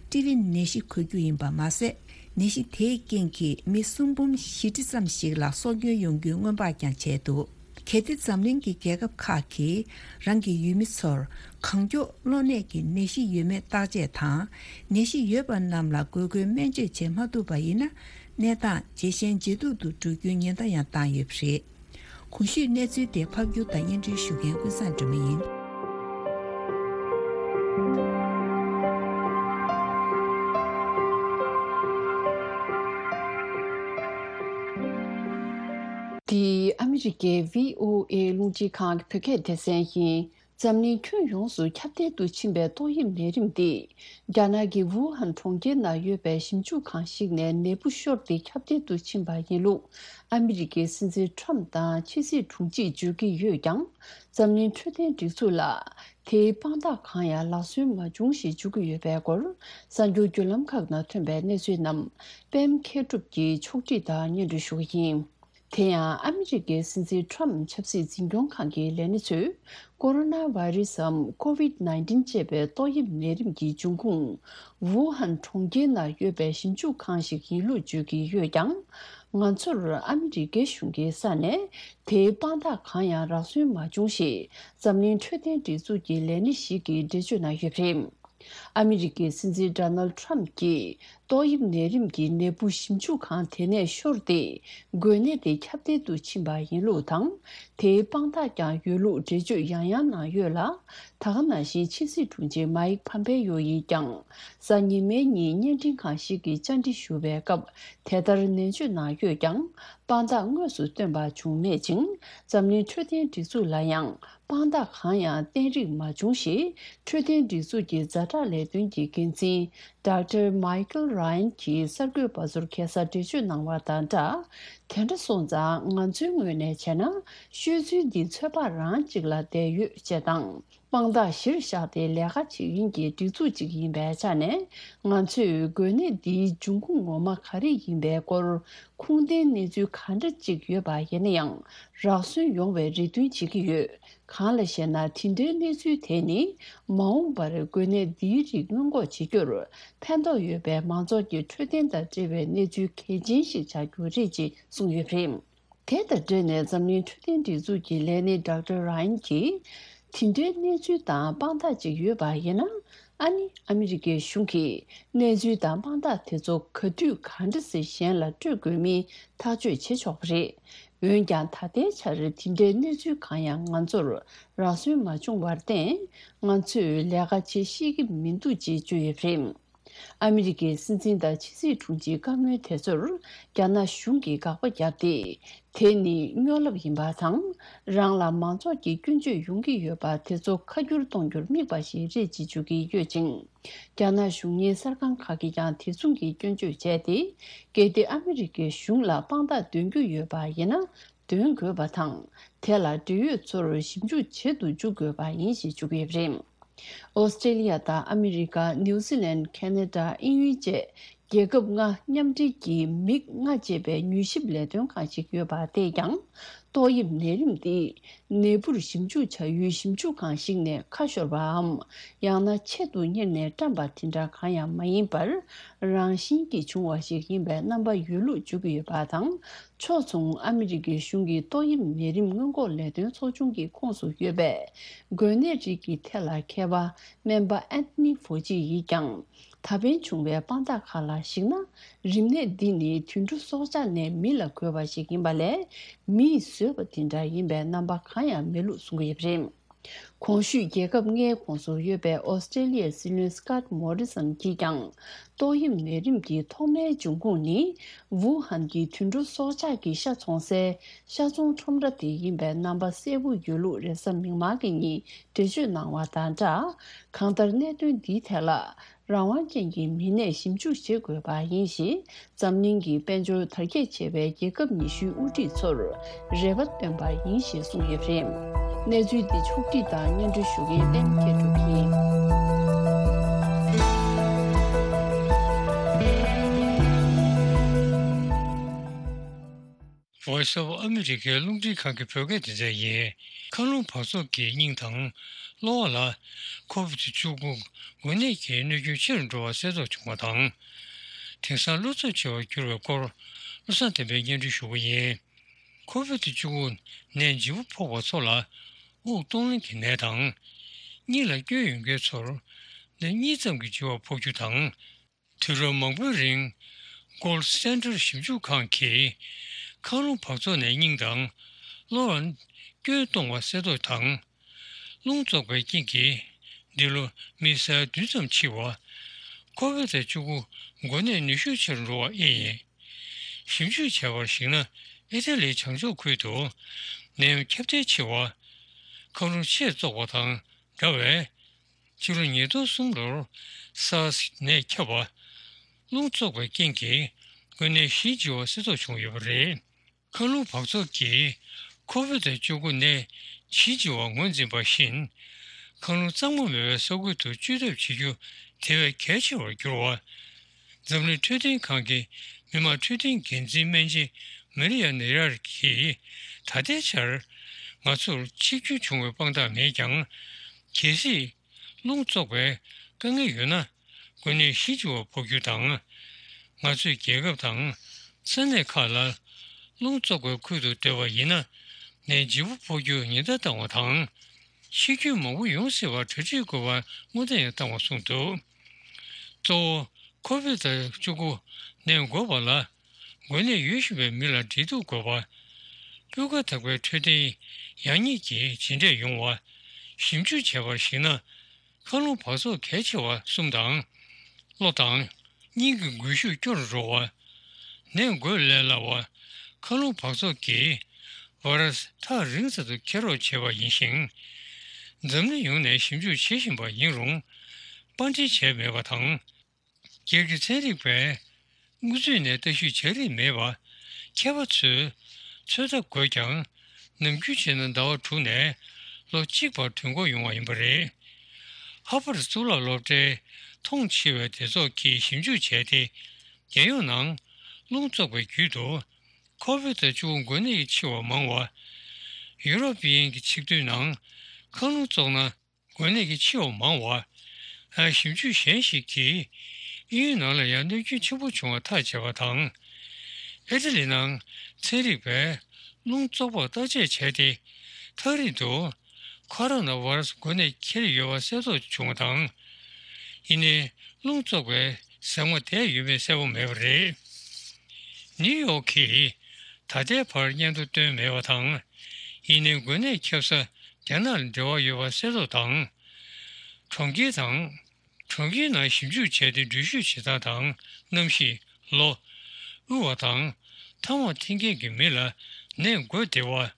ཊི་བི་ནད་གཞི་འགོས་རྒྱུ་ཡིན་པ་མ་ཟད། ནད་གཞི་དེའི་རྐྱེན་གྱིས་མི་སུམ་འབུམ་བཞི་ཁྲི་ཙམ་ཞིག་ལ་སྲོག་སྐྱོན་ཡོང་རྒྱུའི་སྔོན་དཔག་ཀྱང་བྱས་འདུག་གལ་ཏེ་འཛམ་གླིང་གི་རྒྱལ་ཁབ་ཁག་གིས་རང་གི་ཡུལ་མི་ཚོར་གང་མགྱོགས་གློ་ནད་ཀྱི་ནད་གཞི་ཡོད་མེད་བརྟག་དཔྱད་དང་། ནད་གཞི་ཡོད་པ་རྣམས་ལ་དགོས་མཁོའི་སྨན་བཅོས་བྱེད་མ་ཐུབ་པ་ཡིན་ན། གནས་སྟངས་ཇེ་ཞན་ཇེ་སྡུག་ཏུ་འགྲོ་རྒྱུའི་ཉེན་བརྡ་ཡང་བཏང་ཡོད་པ་རེད། གོང་ཞུས་གནས་ཚུལ་དེ་ཕབ་སྒྱུར་དང་སྙན་སྒྲོན་ཞུ་མཁན་ཀུན་བཟང་སྒྲོལ་མ་ཡིན། འདི་ཨ་མི་རི་ཀའི་བྷི་ཨོ་ཨེ་རླུང་འཕྲིན་ཁང་གི་བོད་སྐད་སྡེ་ཚན་ཡིན། འཛམ་གླིང་ཁྱོན་ཡོངས་སུ་ཁྱབ་གདལ་དུ་ཕྱིན་པའི་ཏོག་དབྱིབས་ནད་རིམས་འདི། རྒྱ་ནག་གི་ཝུ་ཧན་གྲོང་ཁྱེར་ནང་ཡོད་པའི་ཞིབ་འཇུག་ཁང་ཞིག་ནས་ནད་འབུ་ཤོར་ཏེ་ཁྱབ་གདལ་དུ་ཕྱིན་པ་ཡིན་ལུགས། ཨ་མི་རི་ཀའི་སྲིད་འཛིན་ཁྲམ་དང་ཕྱི་སྲིད་དྲུང་ཆེས་བརྗོད་ཀྱི་ཡོད་ཀྱང་། འཛམ་གླིང་འཕྲོད་བསྟེན་སྒྲིག་འཛུགས་ལ་དེའི་དཔང་རྟགས་གང་ཡང་ལག་སོན་མ་བྱུང་ཞེས་བརྗོད་ཀྱི་ཡོད་པའི་སྐོར། གསར་འགྱུར་བརྒྱུད་ལམ་ཁག་ནང་ཐོན་པའི་གནས་ཚུལ་རྣམས་པད་མ་མཁས་གྲུབ་ཀྱིས་ཕྱོགས་སྒྲིག་དང་སྙན་སྒྲོན་ཞུ་གི་ཡིན། དེ་ཡང་ཨ་མི་རི་ཀའི་སྲིད་འཛིན་ཁྲམ་ཆབ་སྲིད་འཛིན་སྐྱོང་ཁང་གི་ལས་སྣེ་ཚོས། ཀོ་རོ་ན་བྷ་རི་སིའམ། ཀོ་ཝིད་ནའིན་ཊིན་ཅེས་པའི་ཏོག་དབྱིབས་ནད་རིམས་ཀྱི་འབྱུང་ཁུངས། ཝུ་ཧན་གྲོང་ཁྱེར་ནང་ཡོད་པའི་ཞིབ་འཇུག་ཁང་ཞིག་ཡིན་ལུགས་བརྗོད་ཀྱི་ཡོད་ཀྱང་། ང་ཚོར་ཨ་མི་རི་ཀའི་གཞུང་གི་ས་ནས་དེའི་དཔང་རྟགས་གང་ཡང་རག་སོན་མ་བྱུང་ཞེས། འཛམ་གླིང་འཕྲོད་བསྟེན་སྒྲིག་འཛུགས་ཀྱི་ལས་སྣེ་ཞིག་གིས་འགྲེལ་བརྗོད་གནང་ཡོད་པ་རེད། ཨ་མི་རི་ཀའི་སྲིད་འཛིན་ཌོ་ནལ་ཌི་ཊརམ་གྱིས། ཏོག་དབྱིབས་ནད་རིམས་ཀྱི་ནད་འབུ་ཞིབ་འཇུག་ཁང་དེ་ནས་ཤོར་ཏེ། འགོས་ནད་དེ་ཁྱབ་གདལ་དུ་ཕྱིན་པ་ཡིན་ལུགས་དང་། དེའི་དཔང་རྟགས་ཀྱང་ཡོད་ལུགས་འགྲེལ་བརྗོད་ཡང་ཡང་གནང་ཡོད་ལ། ད་ག་ནང་བཞིན་ཕྱི་སྲིད་དྲུང་ཆེ་མཱིག་ཕམ་པེ་ཡོ་ཡིས་ཀྱང་། གཟའ་ཉི་མའི་ཉིན་བརྙན་འཕྲིན་ཁང་ཞིག་གིས་བཅར་འདྲི་ཞུ་བའི་སྐབས་དེ་ལྟར་ནན་བརྗོད་གནང་ཡོད་ཀྱང་། དཔང་རྟགས་དངོས་སུ་བཏོན་པ་བྱུང་མེད་ཅིང་། འཛམ་གླིང་འཕྲོད་བསྟེན་སྒྲིག་འཛུགས་ལ་ཡང་། དཔང་རྟགས་གང་ཡང་བསྟན་རིགས་མ་བྱུང་ཞེས། འཕྲོད་བསྟེན་སྒྲིག་འཛུགས་ཀྱི་ཛ་དྲག་ལས་དོན་གྱི་འགན་འཛིན། ཌོག་ཊར་མའི་ཀལ་ར་ཡན་གྱིས་གསར་འགོད་པ་ཚོར་ཁ་སང་འགྲེལ་བརྗོད་གནང་བ་དང་སྦྲགས། དེ་འདྲ་སོང་ཙང་ང་ཚོའི་ངོས་ནས་བྱས་ན། ཤོད་ཚུལ་འདི་ཚོད་དཔག་རང་གཅིག་ལ་བསྡད་ཡོད་ཅེས་དང་། དཔང་རྟགས་གཞིར་བཞག་སྟེ་ལས་ཀ་བྱེད་མཁན་གྱི་སྒྲིག་འཛུགས་གཅིག་ཡིན་པའི་ཆ་ནས། ང་ཚོས་འགོས་ནད་འདིའི་འབྱུང་ཁུངས་ངོ་མ་ག་རེ་ཡིན་པའི་སྐོར། ཁུངས་ལྡན་གནས་ཚུལ་ག་འདྲ་ཅིག་ཡོད་པ་ཡིན་ན་ཡང་། རག་སོན་ཡོང་བའི་རེ་འདུན་བྱེད་ཀྱི་ཡོད། གང་ལ་ཞེ་ན། དེ་འདྲའི་གནས་ཚུལ་དེ་ནི། མ་འོངས་པར་འགོས་ནད་འདིའི་རིགས་སྔོན་འགོག་བྱེད་རྒྱུར། ཕན་ཐོགས་ཡོད་པའི་མང་ཚོགས་ཀྱི་འཕྲོད་བསྟེན་དང་འབྲེལ་བའི་གནས་ཚུལ་གལ་ཆེན་ཞིག་ཆགས་རྒྱུ་རེད་ཅེས་གསུངས་ཡོད་པ་རེད། དེ་དང་འབྲེལ་ནས་འཛམ་གླིང་འཕྲོད་བསྟེན་སྒྲིག་འཛུགས་ཀྱི་ལས་སྣེ་ཌོག་ཊར་ར་ཡན་གྱིས། དེ་འདྲའི་གནས་ཚུལ་དང་དཔང་རྟགས་ཅིག་ཡོད་པ་ཡིན་ན། ཨ་ནི་ཨ་མི་རི་ཀའི་གཞུང་གིས་གནས་ཚུལ་དང་དཔང་རྟགས་དེ་ཚོ་ག་དུས་ག་འདྲ་སེ་གཞན་ལ་སྤྲོད་དགོས་མིན་ཐག་གཅོད་བྱེད་ཆོག་པ་རེད། འོན་ཀྱང་ད་ལྟའི་ཆར་དེ་འདྲའི་གནས་ཚུལ་གང་ཡང་ང་ཚོར་རག་སོན་མ་བྱུང་བར་བརྟེན། ང་ཚོས་ལས་ཀ་བྱེད་ཤེས་ཀྱི་མི་འདུག་ཅེས་བརྗོད་ཡོད་པ་རེད། ཨ་མི་རི་ཀའི་སྲིད་འཛིན་དང་ཕྱི་སྲིད་དྲུང་ཆེའི་བཀའ་མོལ་དེ་ཚོར་རྒྱ་ནག་གཞུང་གིས་དགག་པ་བརྒྱབ་སྟེ། དེ་ནི་སྨྱོ་ལབ་ཡིན་པ་དང་། རང་ལ་མང་ཚོགས་ཀྱི་སྐྱོན་བརྗོད་ཡོང་གི་ཡོད་པ་དེ་ཚོ་ཁ་བསྒྱུར་གཏོང་རྒྱུར་དམིགས་པ་ཞིག་རེད་ཅེས་བརྗོད་ཀྱི་ཡོད་ཅིང་། རྒྱ་ནག་གཞུང་གཉེར་གསར་ཁང་ཁག་གིས་ཀྱང་དེ་མཚུངས་ཀྱི་སྐྱོན་བརྗོད་བྱས་ཏེ། གལ་ཏེ་ཨ་མི་རི་ཀའི་གཞུང་ལ་དཔང་རྟགས་འདོན་རྒྱུ་ཡོད་པ་ཡིན་ན། འདོན་དགོས་པ་དང་། དེ་ལ་འབྲེལ་ཡོད་ཚོར་ཞིབ་འཇུག་བྱེད་དུ་འཇུག་དགོས་པ་ཡིན་ཞེས་བརྗོད་ཀྱི་ཡོད་པ་རེད། ཨོ་སི་ཀྲེ་ལི་ཡ་དང་ཨ་མི་རི་ཀ། ནིའུ་ཛི་ལན། ཁེ་ན་ཌ། དབྱིན་ཡུལ་བཅས་ རྒྱལ་ཁབ་ལྔ་མཉམ་འབྲེལ་གྱི་མིག་ལྔ་ཅེས་པའི་མྱུལ་ཞིབ་ལས་དོན་ཁང་ཞིག་ཡོད་པ་དེས་ཀྱང་། ཏོག་དབྱིབས་ནད་རིམས་འདི་ནད་འབུར་ཞིབ་འཇུག་བྱ་ཡུལ་ཞིབ་འཇུག་ཁང་ཞིག་ནས་ཁ་ཤོར་བའམ། ཡང་ན་ཆེད་དུ་གཉེར་ནས་བཀྲམ་པ་དེ་འདྲ་གང་ཡང་མ་ཡིན་པར། རང་བཞིན་གྱིས་བྱུང་བ་ཞིག་ཡིན་པའི་རྣམ་པ་ཡོད་ལུགས་བརྗོད་ཀྱི་ཡོད་པ་དང་། ཕྱོགས་མཚུངས་ཨ་མི་རི་ཀའི་གཞུང་གི་ཏོག་དབྱིབས་ནད་རིམས་སྔོན་འགོག་ལས་དོན་ཚོགས་ཆུང་གི་ཁོངས་སུ་ཡོད་པའི་འགོས་ནད་རིགས་ཀྱི་ཐད་ལ་མཁས་པ་སྨན་པ་ཨན་ཐོ་ནི་ཧྥོ་ཅི་ཡིས་ཀྱང་། ད་ཕན་བྱུང་བའི་དཔང་རྟགས་ཁག་ལ་གཞིགས་ན། རིམས་ནད་འདི་ནི་དུད་འགྲོ་སྲོག་ཆགས་ནས་མི་ལ་འགོས་པ་ཞིག་ཡིན་པ་ལས། མིས་བཟོས་པ་དེ་འདྲ་ཡིན་པའི་རྣམ་པ་གང་ཡང་མེད་ལུགས་གསུང་གི་ཡོད་པ་རེད། གོང་ཞུས་རྒྱལ་ཁབ་ལྔའི་ཁོངས་སུ་ཡོད་པའི་ཨོ་སི་ཀྲེ་ལི་ཡའི་སྲིད་བློན་སི་ཀོཊ་མོ་རི་སན་གྱིས་ཀྱང་། ཏོག་དབྱིབས་ནད་རིམས་ཀྱི་ཐོག་མའི་འབྱུང་ཁུངས་ནི། ཝུ་ཧན་གྱི་དུད་འགྲོ་སྲོག་ཆགས་ཀྱི་ཤ་འཚོང་སའི་ཤ་ཚོང་ཁྲོམ་ར་དེ་ཡིན་པའི་རྣམ་པ་གསལ་པོ་ཡོད་ལུགས་རེས་གཟའ་མིག་དམར་གྱི་ཉིན་འགྲེལ་བརྗོད་གནང་བ་དང་སྦྲགས། གང་ལྟར་གནད་དོན་འདིའི་ཐད་ལ། རང་དབང་ཅན་གྱི་མི་སྣས་ཞིབ་འཇུག་བྱེད་དགོས་པ་ཡིན་ཞེས། འཛམ་གླིང་གི་དཔལ་འབྱོར་དར་རྒྱས་ཆེ་བའི་རྒྱལ་ཁབ་ཉི་ཤུའི་དབུ་ཁྲིད་ཚོར་རེ་བ་བཏོན་པ་ཡིན་ཞེས་གསུངས་ཡོད་པ་རེད། གནས་ཚུལ་འདི་ཕྱོགས་བསྒྲིགས་དང་སྙན་སྒྲོན་ཞུ་མཁན་པད་མ་མཁས་གྲུབ་ཡིན། Voice of America རླུང་འཕྲིན་ཁང་གི་བོད་སྐད་སྡེ་ཚན་ཡིན། མཁའ་རླུང་འབག་བཙོག་གིས་སྙིང་དང་གློ་བ་ལ་ཁོ་བིད་བཅུ་དགུ་འགོས་ནད་ཀྱི་གནོད་སྐྱོན་ཆེ་རུ་འགྲོ་བ་གསལ་རྟོགས་བྱུང་བ་དང་། དེང་སང་གློ་ཚབས་ཆེ་བར་གྱུར་བའི་སྐོར་བློ་བཟང་བསྟན་པས་སྙན་སྒྲོན་ཞུ་གི་ཡིན། ཁོ་བིད་བཅུ་དགུ་ནད་ལྗིད་པོ་ཕོག་པ་ཚོ་ལ་དབུགས་གཏོང་ལེན་གྱི་ནད་དང་། སྙིང་ལ་སྐྱོན་ཡོད་མཁན་ཚོར་ནད་གཉིས་ཙམ་གྱི་ལྗིད་པ་ཕོག་རྒྱུ་དང་། དུས་རབས་མང་པོའི་རིང་Gold Standard ཞིབ་འཇུག་ཁང་གིས་མཁའ་རླུང་འབག་བཙོག་ནས་སྙིང་དང་གློ་བར་སྐྱོན་གཏོང་བ་གསལ་རྟོགས་དང་། རླུང་བཙོག་པའི་རྐྱེན་གྱིས་འདི་ལོ་མི་ས་ཡ་བདུན་ཙམ་འཆི་བ། ཁོ་བིད་བཅུ་དགུ་འགོས་ནད་ནུས་ཤུགས་ཆེ་རུ་འགྲོ་བ་ཨེ་ཡིན། ཞིབ་འཇུག་བྱས་པར་གཞིགས་ན་ཨི་ཏ་ལིའི་བྱང་ཕྱོགས་ཁུལ་དུ་ནད་ཡམས་ཁྱབ་གདལ་ཆེ་བ། མཁའ་རླུང་ཆེས་བཙོག་པ་དང་འདྲ་བས། ཕྱི་ལོ་ཉིས་སྟོང་གསུམ་ལོར་སཱར་སི་ནད་ཁྱབ་པ། རླུང་བཙོག་པའི་རྐྱེན་གྱིས་འགོས་ནད་བཞི་འཆི་བ་གསལ་རྟོགས་བྱུང་ཡོད་པ་རེད། མཁའ་རླུང་འབག་བཙོག་གིས་ཁོ་བིད་བཅུ་དགུ་ནད་བཞི་འཆི་བ་ངོས་འཛིན་པ་བཞིན། མཁའ་རླུང་གཙང་མ་མེད་པའི་ས་ཁུལ་དུ་བཅོས་ཐབས་བྱེད་རྒྱུ་དེ་བས་གལ་ཆེ་བར་གྱུར་བ། འཛམ་གླིང་འཕྲོད་བསྟེན་ཁང་གི་མི་དམངས་འཕྲོད་བསྟེན་འགན་འཛིན་སྨན་ཆེན་མ་རི་ཡ་ནེ་ཡར་གྱིས་ད་ལྟའི་ཆར་ང་ཚོར་འཆི་སྐྱོན་བྱུང་བའི་དཔང་རྟགས་མེད་ཀྱང་། གལ་སྲིད་རླུང་བཙོག་པའི་དཀའ་ངལ་ཡོད་ན། འགོས་ནད་བཞི་འཆི་བ་ཕོག་རྒྱུ་དང་། ང་ཚོས་རྒྱལ་ཁབ་དང་ས་གནས་ཁག་ལ་རླུང་བཙོག་པའི་ཁུལ་དུ་སྡོད་པ་ཡིན་ན། ནད་ལྗིད་པོ་ཕོག་རྒྱུར་ཉེན་བརྡ་བཏང་བ་དང་། འཆི་སྐྱོན་མང་པོ་ཡོང་སྲིད་པར་གྲ་སྒྲིག་དགོས་པར་སྔོན་བརྡ་ཡང་བཏང་བ་གསུངས་འདུག། གཙོ་བོ་ཁོ་བིད་བཅུ་དགུ་ནད་འགོས་པ་ལ་འགོས་ནད་ཡོད་བཞིན་པའི་མི་ལ་འབྲེལ་གཏུག་དགོས་པ། སྤུས་ཀ་དག་པའི་འཕྲོད་བསྟེན་ཡག་ཉེས་ཀྱི་བྱས་འབྲས་ཡོང་བ། ཞིབ་འཇུག་བྱས་པར་གཞིགས་ན། མཁའ་རླུང་འབག་བཙོག་གལ་ཆེ་བ་གསུམ་དང་། གློ་དང་། སྙིང་གི་འགུལ་ཤུགས་སྐྱོ་རུ་འགྲོ་བ། ནད་འགོས་ལས་སླ་བ། མཁའ་རླུང་འབག་བཙོག་གིས་ཝེ་རུ་སི་ཐག་རིང་ཙམ་དུ་འཁྱེར་རོགས་བྱེད་པ་ཡིན་ཞིང་། འཛམ་གླིང་ཡོངས་ནས་ཞིབ་འཇུག་བྱེད་བཞིན་པ་ཡིན་རུང་། པར་འདྲེན་བྱས་མེད་པ་དང་། སྒེར་གྱི་ཚན་རིག་པས་དངོས་ཚུལ་ནས་ལྟ་ཞིབ་བྱ་རིན་མེད་པ། མཁས་པ་ཚོས་ཚོད་ལྟ་དགོས་ཀྱང་། ནམ་རྒྱུན་བྱས་ན་ཟླ་བ་དྲུག་ནས་ལོ་གཅིག་བར་དུས་འགོར་ཡོང་བ་ཡིན་པ་རེད། ཧར་བར་གཙུག་ལག་སློབ་གྲྭའི་མཐོང་ཆེ་བའི་སྡེ་ཚོགས་ཀྱིས་ཞིབ་འཇུག་བྱས་ཏེ། རྒྱལ་ཡོངས་ནང་རླུང་བཙོག་པའི་བརྒྱུད་དུ་ཁོ་བིད་བཅུ་དགུ་འགོས་ནད་ཀྱིས་འཆི་བ་མང་བ། ཡུ་རོབ་དབྱིན་གྱི་ཆིག་སྡུད་ནང་མཁའ་རླུང་བཙོག་ན། འགོས་ནད་ཀྱིས་འཆི་བ་མང་བ། ཨ། ཞིབ་འཇུག་གཞན་ཞིག་གིས་དབྱིན་ཡུལ་ནང་ལ་ཡང་གནོད་སྐྱོན་ཆེན་པོ་བྱུང་བ་ཐག་བཅད་པ་དང་། ཨི་ཏ་ལི་ནང་ཚན་རིག་པས་རླུང་བཙོག་པར་བརྟག་དཔྱད་བྱས་ཏེ། ཐག་རིང་དུ་ཁོ་རོ་ན་ཝེ་རུ་སི་འགོས་ནད་འཁྱེར་ཡོད་པ་གསལ་རྟོགས་བྱུང་བ་དང་། ཡིན་ནའི་རླུང་བཙོག་པའི་ཟེགས་མ་དེ་ཡོད་མེད་གསལ་པོ་མེད་པ་རེད། ནིའུ་ཡོག་གིས་ད་ལྟའི་བར་སྙན་ཐོ་བཏོན་མེད་པ་དང་། ཡིན་ནའི་འགོས་ནད་ཁྱབ་ས་རྒྱ་ནག་ལ་འབྲེལ་བ་ཡོད་པ་གསལ་རྟོགས་དང་། གྲོང་ཁྱེར་དང་། གྲོང་ཁྱེར་ནང་ཞིབ་འཇུག་བྱས་ཏེ་འགྲུལ་བཞུད་བྱེད་སྟངས་དང་གནམ་གཤིས། ལོ། དབུལ་བ་དང་། ཐ་མག་འཐེན་མཁན་གྱི་མི་ལ་ནད་འགོས་བདེ་བ།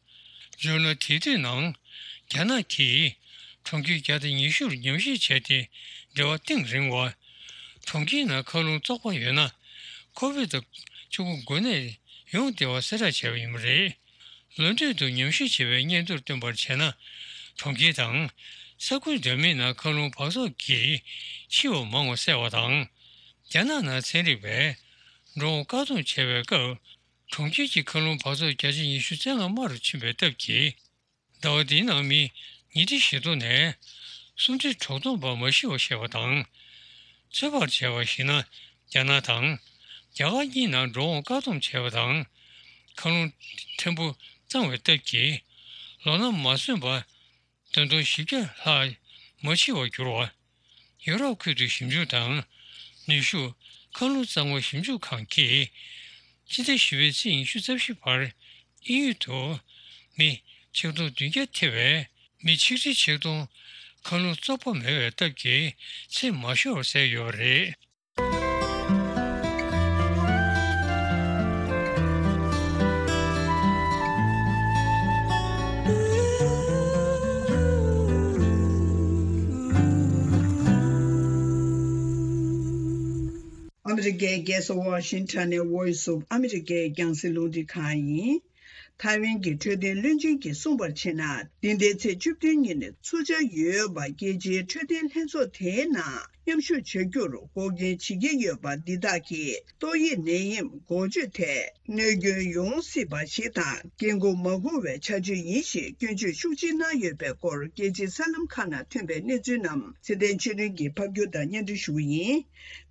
སྦྱོར་ན་དེ་དུས་ནང་རྒྱ་ནག་གིས་གྲོང་ཁྱེར་བརྒྱ་དང་ཉི་ཤུར་ཉམས་ཞིབ་བྱས་ཏེ་འབྲེལ་བ་གཏིང་རིང་བ། གྲོང་ཁྱེར་ནང་མཁའ་རླུང་བཙོག་པ་ཡོད་ན་ཁོ་བིད་བཅུ་དགུ་འགོས་ནད་ཡོང་བདེ་བ་གསལ་བསྒྲགས་བྱས་པ་ཡིན་པ་རེད། ལོ་མདུན་དུ་ཉམས་ཞིབ་བྱས་པའི་སྙན་ཐོར་བཏོན་པར་བྱས་ན། གྲོང་ཁྱེར་དང་ས་ཁུལ་འདྲ་མིན་ནང་མཁའ་རླུང་འབག་བཙོག་གིས་འཆི་བ་མང་བ་བསལ་བ་དང་། རྒྱ་ནག་ནང་ཚན་རིག་པས་འགྲོ་འོང་བཀག་སྡོམ་བྱས་པའི་སྐབས། གྲོང་ཁྱེར་གྱི་མཁའ་རླུང་འབག་བཙོག་བརྒྱ་ཆ་ཉི་ཤུ་རྩ་ལྔ་དམའ་རུ་ཕྱིན་པའི་སྟབས་ཀྱིས། ཟླ་བ་འདིའི་ནང་མི་ཉིས་ཁྲི་བཞི་སྟོང་ནས་སུམ་ཁྲི་དྲུག་སྟོང་བར་མ་ཤི་བ་བཤད་པ་དང་། ཚོད་དཔག་བྱས་པར་གཞིགས་ན། རྒྱ་ནག་དང་རྒྱ་གར་གཉིས་ནང་འགྲོ་འོང་བཀག་སྡོམ་བྱས་པ་དང་། མཁའ་རླུང་ཕྲན་བུ་གཙང་བའི་སྟབས་ཀྱིས། ལོ་ན་མ་སོན་པ་བདུན་སྟོང་བཞི་བརྒྱ་ལྷག་མ་འཆི་བར་གྱུར་བ། ཡོ་རོབ་ཁུལ་དུ་ཞིབ་འཇུག་དང་ནུས་ཤུགས་མཁའ་རླུང་གཙང་མ་ཞིབ་འཇུག་ཁང་གིས། སྤྱི་ཟླ་བཞི་པའི་ཚེས་ཉི་ཤུ་རྩ་བཞི་བར་དབྱིན་ཡུལ་དུ་མི་ཆིག་སྟོང་བདུན་བརྒྱ་ཐེ་བའི་མི་ཆིག་ཁྲི་ཆིག་སྟོང་མཁའ་རླུང་བཙོག་པ་མེད་པའི་སྟབས་ཀྱིས་ཚེ་མ་ཤོར་བར་བསལ་ཡོད་པ་རེད། ཨ་མི་རི་ཀའི་རྒྱལ་ས་ཝ་ཤིང་ཊོན་ནས་Voice of America རྒྱང་སྲིང་རླུང་འཕྲིན་ཁང་ཡིན། ཐའེ་ཝན་གྱི་འཕྲོད་བསྟེན་བློན་ཆེན་གྱིས་གསུངས་པར་བྱས་ན། འདི་ཟླའི་ཚེས་བཅུ་བདུན་ཉིན་ཚུགས་འཆར་ཡོད་པ། རྒྱལ་སྤྱིའི་འཕྲོད་བསྟེན་ལྷན་ཚོགས་དེའི་ནང་མཉམ་ཞུགས་བྱ་རྒྱུར་འགོག་རྐྱེན་བྱེད་ཀྱི་ཡོད་པ་འདི་དག་གིས་ཏོག་དབྱིབས་ནད་ཡམས་འགོག་བཅོས་ཐད་གནོད་སྐྱོན་ཡོང་སྲིད་པ་ཞིག་དང་། འགན་འཁུར་མ་དགོས་པའི་བྱ་སྤྱོད་ཡིན་ཞེས་སྐྱོན་བརྗོད་ཤུགས་ཆེ་གནང་ཡོད་པའི་སྐོར། རྒྱལ་སྤྱིའི་གསར་ལམ་ཁག་ནང་ཐོན་པའི་གནས་ཚུལ་རྣམས་ཚེ་བརྟན་ཆོས་སྒྲོན་གྱིས་ཕབ་སྒྱུར་དང་སྙན་སྒྲོན་ཞུ་གི་ཡིན།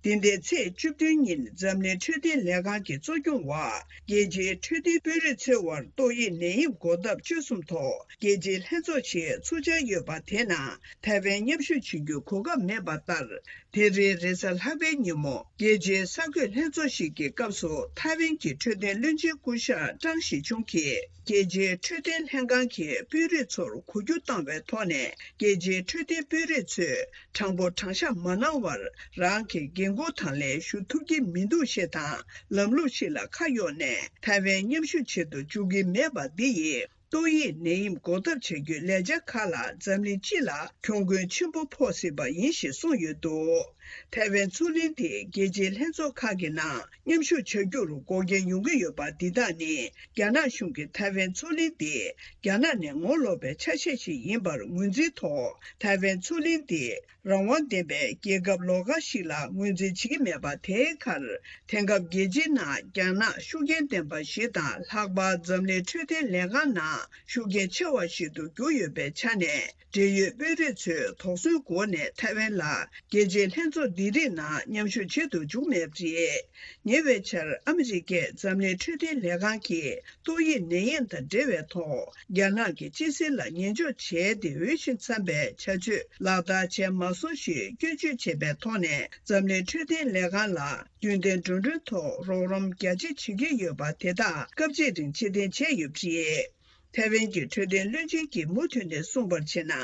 འདི་ཟླའི་ཚེས་བཅུ་བདུན་ཉིན་འཛམ་གླིང་འཕྲོད་བསྟེན་ལས་ཁང་གི་གཙོ་སྐྱོང་འོག་རྒྱལ་སྤྱིའི་འཕྲོད་བསྟེན་དཔོན་རིགས་ཚོའི་དབར་ཏོག་དབྱིབས་ནད་ཡམས་འགོག་ཐབས་བཅོས་གསུམ་ཐོག་རྒྱལ་སྤྱིའི་ལྷན་ཚོགས་ཤིག་ཚུགས་འཆར་ཡོད་པ་དེ་ནང་ཐའེ་ཝན་མཉམ་ཞུགས་བྱེད་རྒྱུའི་གོ་སྐབས་མེད་པ་ལྟར། དེ་རིང་རེས་གཟའ་ལྷག་པའི་ཉིན་མོ་རྒྱལ་སྤྱིའི་གསར་འགོད་ལྷན་ཚོགས་ཤིག་གི་སྐབས་སུ་ཐའེ་ཝན་གྱི་འཕྲོད་བསྟེན་བློན་ཆེན་སྐུ་ཞབས་ཀྲང་ཞི་ཆུང་གིས་རྒྱལ་སྤྱིའི་འཕྲོད་བསྟེན་ལྷན་ཁང་གི་དཔོན་རིགས་ཚོར་གོ་རྒྱུ་བཏང་བའི་ཐོག་ནས། རྒྱལ་སྤྱིའི་འཕྲོད་བསྟེན་དཔོན་རིགས་ཚོས་དྲང་པོ་དྲང་བཞག་མ་གནང་བར། རང་གི་འགན་ཁུར་དང་ལེན་ཞུ་ཐུབ་ཀྱི་མི་འདུག་ཞེས་དང་། ལམ་ལུགས་ཤིག་ལ་ཁ་གཡོགས་ནས་ཐའེ་ཝན་མཉམ་ཞུགས་བྱེད་དུ་འཇུག་གི་མེད་པ་འདི་ཡིས། ཏོག་དབྱིབས་ནད་ཡམས་འགོག་ཐབས་བྱ་རྒྱུའི་ལས་འཆར་ཁག་ལ་འཛམ་གླིང་སྤྱི་ལ་གྱོང་གུན་ཆེན་པོ་ཕོག་སྲིད་པ་ཡིན་ཞེས་གསུངས་ཡོད་འདུག་ཐའེ་ཝན་མཚོ་གླིང་དེ་རྒྱལ་སྤྱིའི་ལྷན་ཚོགས་ཁག་གི་ནང་མཉམ་ཞུགས་བྱ་རྒྱུར་འགོག་རྐྱེན་ཡོང་གི་ཡོད་པ་འདི་དག་ནི། རྒྱ་ནག་གཞུང་གིས་ཐའེ་ཝན་མཚོ་གླིང་འདི་རྒྱ་ནག་ནས་ངོ་ལོག་པའི་ཆ་ཤས་ཤིག་ཡིན་པར་ངོས་འཛིན་ཐོག་ཐའེ་ཝན་མཚོ་གླིང་འདི་རང་དབང་ལྡན་པའི་རྒྱལ་ཁབ་ལོགས་ཀ་ཞིག་ལ་ངོས་འཛིན་བྱེད་ཀྱི་མེད་པ་དེའི་ཁར། དེང་སྐབས་རྒྱལ་སྤྱིའི་ནང་རྒྱ་ནག་ཤུགས་རྐྱེན་ལྡན་པ་ཞིག་དང་། ལྷག་པར་འཛམ་གླིང་འཕྲོད་བསྟེན་ལས་ཁང་ནང་ཤུགས་རྐྱེན་ཆེ་བ་ཞིག་ཏུ་གྱུར་ཡོད་པའི་ཆ་ནས། འབྲེལ་ཡོད་དཔོན་རིགས་ཚོས་དོགས་ཟོན་སྒོ་ནས་ཐའེ་ཝན་ལ་རྒྱལ་སྤྱིའི་ལྷན་ཚོགས་འདི་རིགས་ནང་མཉམ་ཞུགས་བྱེད་དུ་འཇུག་མེད་པ་རེད། ཉེ་བའི་ཆར་ཨ་མི་རི་ཀས་འཛམ་གླིང་འཕྲོད་བསྟེན་ལས་ཁང་གིས་ཏོག་དབྱིབས་ནད་ཡམས་དང་འབྲེལ་བའི་ཐོག་རྒྱ་ནག་གི་སྤྱི་སེལ་ལ་ཉན་འཇོག་བྱས་ཏེ། འོས་ཤིང་འཚམ་པའི་བྱ་སྤྱོད་ལག་བསྟར་བྱས་མ་སོང་ཞེས་སྐྱོན་བརྗོད་བྱས་པའི་ཐོག་ནས། འཛམ་གླིང་འཕྲོད་བསྟེན་ལས་ཁང་ལ་རྒྱུན་ལྡན་འགྲོ་གྲོན་ཐོག་རོགས་རམ་རྒྱ་ཆེ་བྱེད་ཀྱི་ཡོད་པ་དེ་དག་སྐབས་གཅིག་རིང་ཕྱིར་འཐེན་བྱས་ཡོད་པ་རེད། ཐའེ་ཝན་གྱི་འཕྲོད་བསྟེན་བློན་ཆེན་གྱིས་མུ་མཐུད་ནས་གསུངས་པར་བྱས་ན།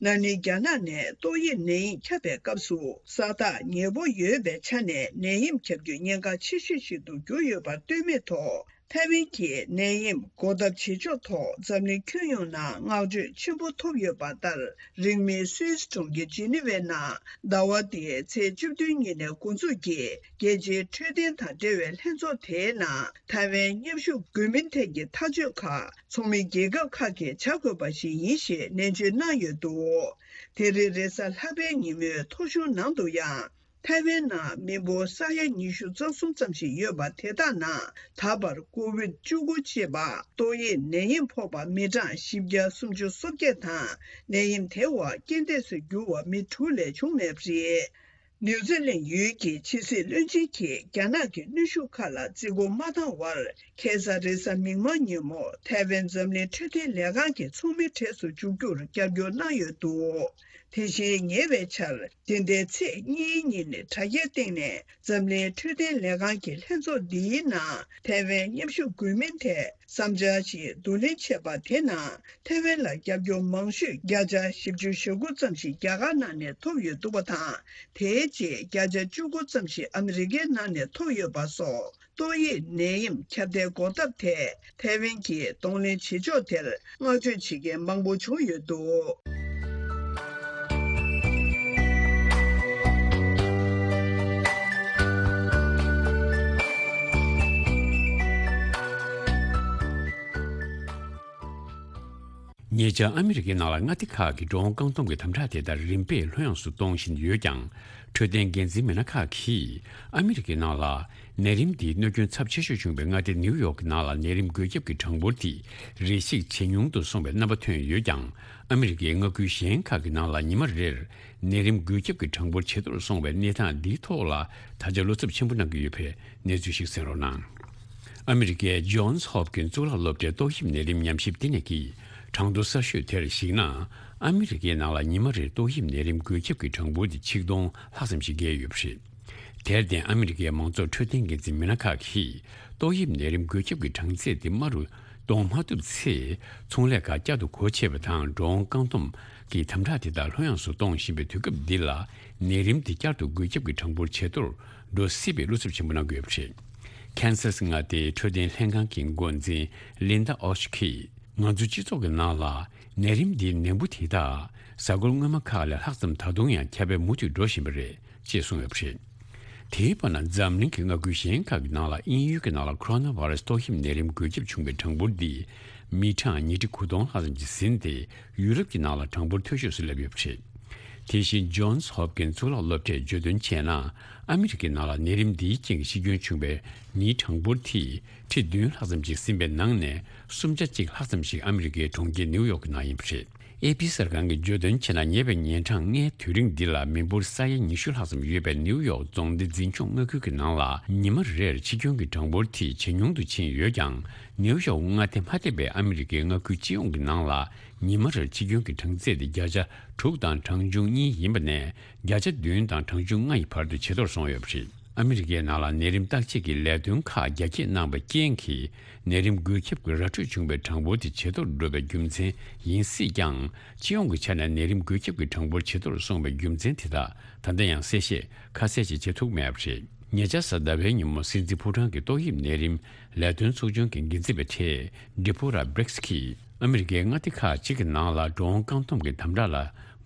ན་ནིང་རྒྱ་ནག་ནས་ཏོག་དབྱིབས་ནད་ཡམས་ཁྱབ་པའི་སྐབས་སུ་ས་ཐག་ཉེ་པོ་ཡོད་པའི་ཆ་ནས་ནད་ཡམས་ཁྱབ་རྒྱུའི་ཉེན་ཁ་ཆེ་ཤོས་ཤིག་ཏུ་གྱུར་ཡོད་པར་ལྟོས་མེད་ཐོག་ཐའེ་ཝན་གྱིས་ནད་ཡམས་འགོག་ཐབས་བྱེད་ཕྱོགས་ཐོག་འཛམ་གླིང་ཁྱོན་ཡོངས་ནང་བསྔགས་བརྗོད་ཆེན་པོ་ཐོབ་ཡོད་པ་ལྟར། རིང་མིན་སུད་སི་གྲོང་ཁྱེར་ཇི་ནི་ཝའི་ནང་ཟླ་བ་འདིའི་ཚེས་བཅུ་བདུན་ཉིན་ནས་འགོ་འཛུགས་ཀྱིས་རྒྱལ་སྤྱིའི་འཕྲོད་བསྟེན་དང་འབྲེལ་བའི་ལྷན་ཚོགས་དེའི་ནང་ཐའེ་ཝན་མཉམ་ཞུགས་དགོས་མིན་ཐད་ཀྱི་ཐག་གཅོད་ཁག་ཚོགས་མི་རྒྱལ་ཁབ་ཁག་གིས་བྱ་དགོས་པ་ཞིག་ཡིན་ཞེས་ནན་བརྗོད་གནང་ཡོད་འདུག་དེ་རིང་རེས་གཟའ་ལྷག་པའི་ཉིན་མོའི་ཐོ་གཞུང་ནང་དུ་ཡང་། ཐའེ་ཝན་ནང་མི་འབོར་ས་ཡ་ཉི་ཤུ་རྩ་གསུམ་ཙམ་ཞིག་ཡོད་པ་དེ་དག་ནང་ད་བར་ཀོ་ཝིད་བཅུ་དགུ་ཅེས་པ་ཏོག་དབྱིབས་ནད་ཡམས་ཕོག་པ་མི་གྲངས་བཞི་བརྒྱ་སུམ་ཅུ་སོ་བརྒྱད་དང་། ནད་ཡམས་དེ་བ་རྐྱེན་འདས་སུ་གྱུར་བ་མི་དྲུག་ལས་བྱུང་མེད་པ་རེད། ནིའུ་ཛི་ལན་ཡུལ་གྱི་ཕྱི་སྲིད་བློན་ཆེན་གྱིས་རྒྱ་ནག་གི་གནོན་ཤུགས་ཁག་ལ་བརྩི་བཀུར་མ་བཏང་བར། ཁ་སང་རེས་གཟའ་མིག་དམར་ཉིན་མོ་ཐའེ་ཝན་འཛམ་གླིང་འཕྲོད་བསྟེན་ལས་ཁང་གི་ཚོགས་མི་གྲས་སུ་འཇུག་རྒྱུར་རྒྱབ་སྐྱོར་གནང་ཡོད་འདུག་དེ་བཞིན་ཉེ་བའི་ཆར། འདི་ཟླའི་ཚེས་གཉིས་ཉིན་དྲ་རྒྱའི་སྟེང་ནས་འཛམ་གླིང་འཕྲོད་བསྟེན་ལས་ཁང་གི་ལྷན་ཚོགས་འདིའི་ནང་ཐའེ་ཝན་མཉམ་ཞུགས་དགོས་མིན་ཐད་བསམ་འཆར་ཞིག་བསྡུ་ལེན་བྱས་པ་དེ་ནང་། ཐའེ་ཝན་ལ་རྒྱབ་སྐྱོར་མང་ཤོས་བརྒྱ་ཆ་བཞི་བཅུ་ཞེ་དགུ་ཙམ་ཞིག་རྒྱ་གར་ནང་ནས་ཐོབ་ཡོད་འདུག་པ་དང་། དེའི་རྗེས་བརྒྱ་ཆ་བཅུ་དགུ་ཙམ་ཞིག་ཨ་མི་རི་ཀའི་ནང་ནས་ཐོབ་ཡོད་པ་སོགས། ཏོག་དབྱིབས་ནད་ཡམས་ཁྱབ་གདལ་འགོག་ཐབས་ཐད་ཐའེ་ཝན་གྱིས་གདོང་ལེན་བྱེད་ཕྱོགས་དེར་བསྔགས་བརྗོད་བྱེད་མཁན་མང་པོ་བྱུང་ཡོད་འདུག་ཉེ་ཆར་ཨ་མི་རི་ཀའི་ནང་ལ་མངའ་སྡེ་ཁག་གི་འགྲོ་འོང་བཀག་སྡོམ་གྱི་དམ་དྲག་དེ་ལྟར་རིམ་པས་ལྷོད་ཡངས་སུ་གཏོང་བཞིན་ཡོད་ཀྱང་། འཕྲོད་བསྟེན་འགན་འཛིན་མི་སྣ་ཁག་གིས་ཨ་མི་རི་ཀའི་ནང་ལ་ནད་རིམས་འདིའི་གནོད་སྐྱོན་ཚབས་ཆེ་ཤོས་བྱུང་བའི་མངའ་སྡེ་ནིའུ་ཡོག་གི་ནང་ལ་ནད་རིམས་འགོས་ཁྱབ་ཀྱི་གྲངས་འབོར་དེ་རེ་ཞིག་ཇེ་ཉུང་དུ་སོང་བའི་རྣམ་པ་ཐོན་ཡོད་ཀྱང་། ཨ་མི་རི་ཀའི་མངའ་ཁུལ་གཞན་ཁག་གི་ནང་ལ་ཉི་མ་རེར་ནད་རིམས་འགོས་ཁྱབ་ཀྱི་གྲངས་འབོར་ཇེ་མཐོར་སོང་བའི་གནས་སྟངས་འདིའི་ཐོག་ལ་ད་ཆ་བློ་འཚབ་ཆེན་པོ་གནང་གི་ཡོད་པའི་གནས་ཚུལ་ཞིག་གསན་རོགས་གནང་། ཨ་མི་རི་ཀའི་ཇོན་སི་ཧོབ་ཀིན་གཙུག་ལག་སློབ་གྲྭའི་ཏོག་དབྱིབས་ནད་རིམས་ཉམས་ཞིབ་ལྟེ་གནས་ཀྱིས་གྲངས་ཐོ་གསར་ཤོས་དེར་གཞིགས་ན། ཨ་མི་རི་ཀའི་ནང་ལ་ཉི་མ་རེར་ཏོག་དབྱིབས་ནད་རིམས་འགོས་ཁྱབ་ཀྱི་གྲངས་འབོར་དེ་ཆིག་སྟོང་ལྷག་ཙམ་ཞིག་བརྒལ་ཡོད་པ་རེད། དེར་བརྟེན་ཨ་མི་རི་ཀའི་མང་ཚོགས་འཕྲོད་བསྟེན་འགན་འཛིན་མི་སྣ་ཁག་གིས་ཏོག་དབྱིབས་ནད་རིམས་འགོས་ཁྱབ་ཀྱི་གྲངས་ཚད་དེ་དམའ་རུ་གཏོང་མ་ཐུབ་ཚེ། ཚོང་ལས་ཁག་བསྐྱར་དུ་སྒོ་ཕྱེ་བ་དང་འགྲོ་འོང་བཀག་སྡོམ་གྱི་དམ་དྲག་དེ་དག་ལྷོད་ཡངས་སུ་གཏོང་བཞིན་པའི་དུས་སྐབས་འདི་ལ། ནད་རིམས་དེ་བསྐྱར་དུ་འགོས་ཁྱབ་ཀྱི་གྲངས་འབོར་ཇེ་མཐོར་འགྲོ་སྲིད་པའི་བློ་འཚབ་ཆེན་པོ་གནང་གི་ཡོད་པ་རེད། ཁེན་སཱ་སི་མངའ་སྡེའི་འཕྲོད་བསྟེན་ལྷན་ཁང་གི་འགོ་འཛིན་ལིན་ད་ཨོ་ཤི་གིས། ང་ཚོའི་སྤྱི་ཚོགས་ཀྱི་ནང་ལ་ནད་རིམས་འདིའི་ནད་འབུ་དེ་དག་གཟའ་འཁོར་སྔོན་མ་ཁག་ལས་ལྷག་ཙམ་ད་དུང་ཡང་ཁྱབ་སྤེལ་མུ་མཐུད་འགྲོ་བཞིན་པ་རེད་ཅེས་གསུངས་ཡོད་པ་རེད། དེའི་བར་ན་འཛམ་གླིང་གི་མངའ་ཁུལ་གཞན་ཁག་གི་ནང་ལ་དབྱིན་ཡུལ་གྱི་ནང་ལ་ཁོ་རོ་ན་བྷ་ར་སི་ཏོག་དབྱིབས་ནད་རིམས་འགོས་ཁྱབ་བྱུང་བའི་གྲངས་འབོར་འདི་མི་གྲངས་ཉིས་ཁྲི་དགུ་སྟོང་ལྷག་ཙམ་ཅིག་ཟིན་ཏེ། ཡུ་རོབ་ཀྱི་ནང་ལ་གྲངས་འབོར་མཐོ་ཤོས་སུ་སླེབས་ཡོད་པ་རེད། དེ་བཞིན་ཇོན་སི་ཧོབ་ཀིན་གཙུག་ལག་སློབ་གྲྭས་བརྗོད་དོན་བྱས་ན། ཨ་མི་རི་ཀའི་ནང་ལ་ནད་རིམས་འདིའི་རྐྱེན་གྱིས་ཤི་སྐྱོན་བྱུང་བའི་མིའི་གྲངས་འབོར་དེ་ཁྲི་བདུན་ལྷག་ཙམ་ཞིག་ཟིན་པའི་ནང་ནས་གསུམ་ཆ་གཅིག་ལྷག་ཙམ་ཞིག་ཨ་མི་རི་ཀའི་གྲོང་ཁྱེར་ནིའུ་ཡོག་གི་ནང་ཡིན་པ་རེད། ཨེ་པི་གསར་ཁང་གིས་བརྗོད་དོན་བྱས་ན། ཉེ་བའི་ཉིན་གྲངས་ལྔའི་དུས་རིང་འདི་ལ་མི་འབོར་ས་ཡ་ཉི་ཤུ་ལྷག་ཙམ་ཡོད་པའི་ནིའུ་ཡོག་རྫོང་སྡེ་འཛིན་སྐྱོང་མངའ་ཁུལ་གྱི་ནང་ལ་ཉི་མ་རེར་འཆི་སྐྱོན་གྱི་གྲངས་འབོར་དེ་ཇེ་ཉུང་དུ་ཕྱིན་ཡོད་ཀྱང་། ནིའུ་ཡོག་མངའ་སྡེ་མ་ཐེ་བའི་ཨ་མི་རི་ཀའི་མངའ་ཁུལ་སྤྱི་ཡོངས་ཀྱི་ནང་ལ། ཉི་མ་རེར་འཆི་སྐྱོན་གྱི་གྲངས་ཚད་དེ་བརྒྱ་ཆ་དྲུག་དང་གྲངས་ཆུང་གཉིས་ཡིན་པ་ནས། བརྒྱ་ཆ་བདུན་དང་གྲངས་ཆུང་ལྔ་ཡི་བར་དུ་ཇེ་མཐོར་སོང་ཡོད་པ་རེད། ཨ་མི་རི་ཀའི་ནང་ལ་ནད་རིམས་བརྟག་དཔྱད་ཀྱི་ལས་དོན་ཁག་རྒྱ་སྐྱེད་གནང་བའི་རྐྱེན་གྱིས། ནད་རིམས་འགོས་ཁྱབ་ཀྱི་ར་འཕྲོད་བྱུང་བའི་གྲངས་འབོར་དེ་ཇེ་མཐོར་འགྲོ་བའི་རྒྱུ་མཚན་ཡིན་སྲིད་ཀྱང་། སྤྱི་ཡོངས་ཀྱི་ཆ་ནས་ནད་རིམས་འགོས་ཁྱབ་ཀྱི་གྲངས་འབོར་ཇེ་མཐོར་སོང་བའི་རྒྱུ་མཚན་དེ་དག་ད་ལྟ་ཡང་གསལ་བཤད་ཁ་གསལ་ཞིག་བྱེད་ཐུབ་མེད་པ་རེད། ཉེ་ཆར་གཟའ་ཟླ་བའི་ཉིན་མོ་སྲིད་འཛིན་ཕོ་བྲང་གི་ཏོག་དབྱིབས་ནད་རིམས་ལས་དོན་ཚོགས་ཆུང་གི་འགན་འཛིན་པ་ཁྲེ་ཌི་ཕོ་ར་བྷི་རིགས་ཀྱིས། ཨ་མི་རི་ཀའི་མངའ་སྡེ་ཁག་ཅིག་གི་ནང་ལ་འགྲོ་འོང་བཀག་སྡོམ་གྱི་དམ་དྲག་ལ་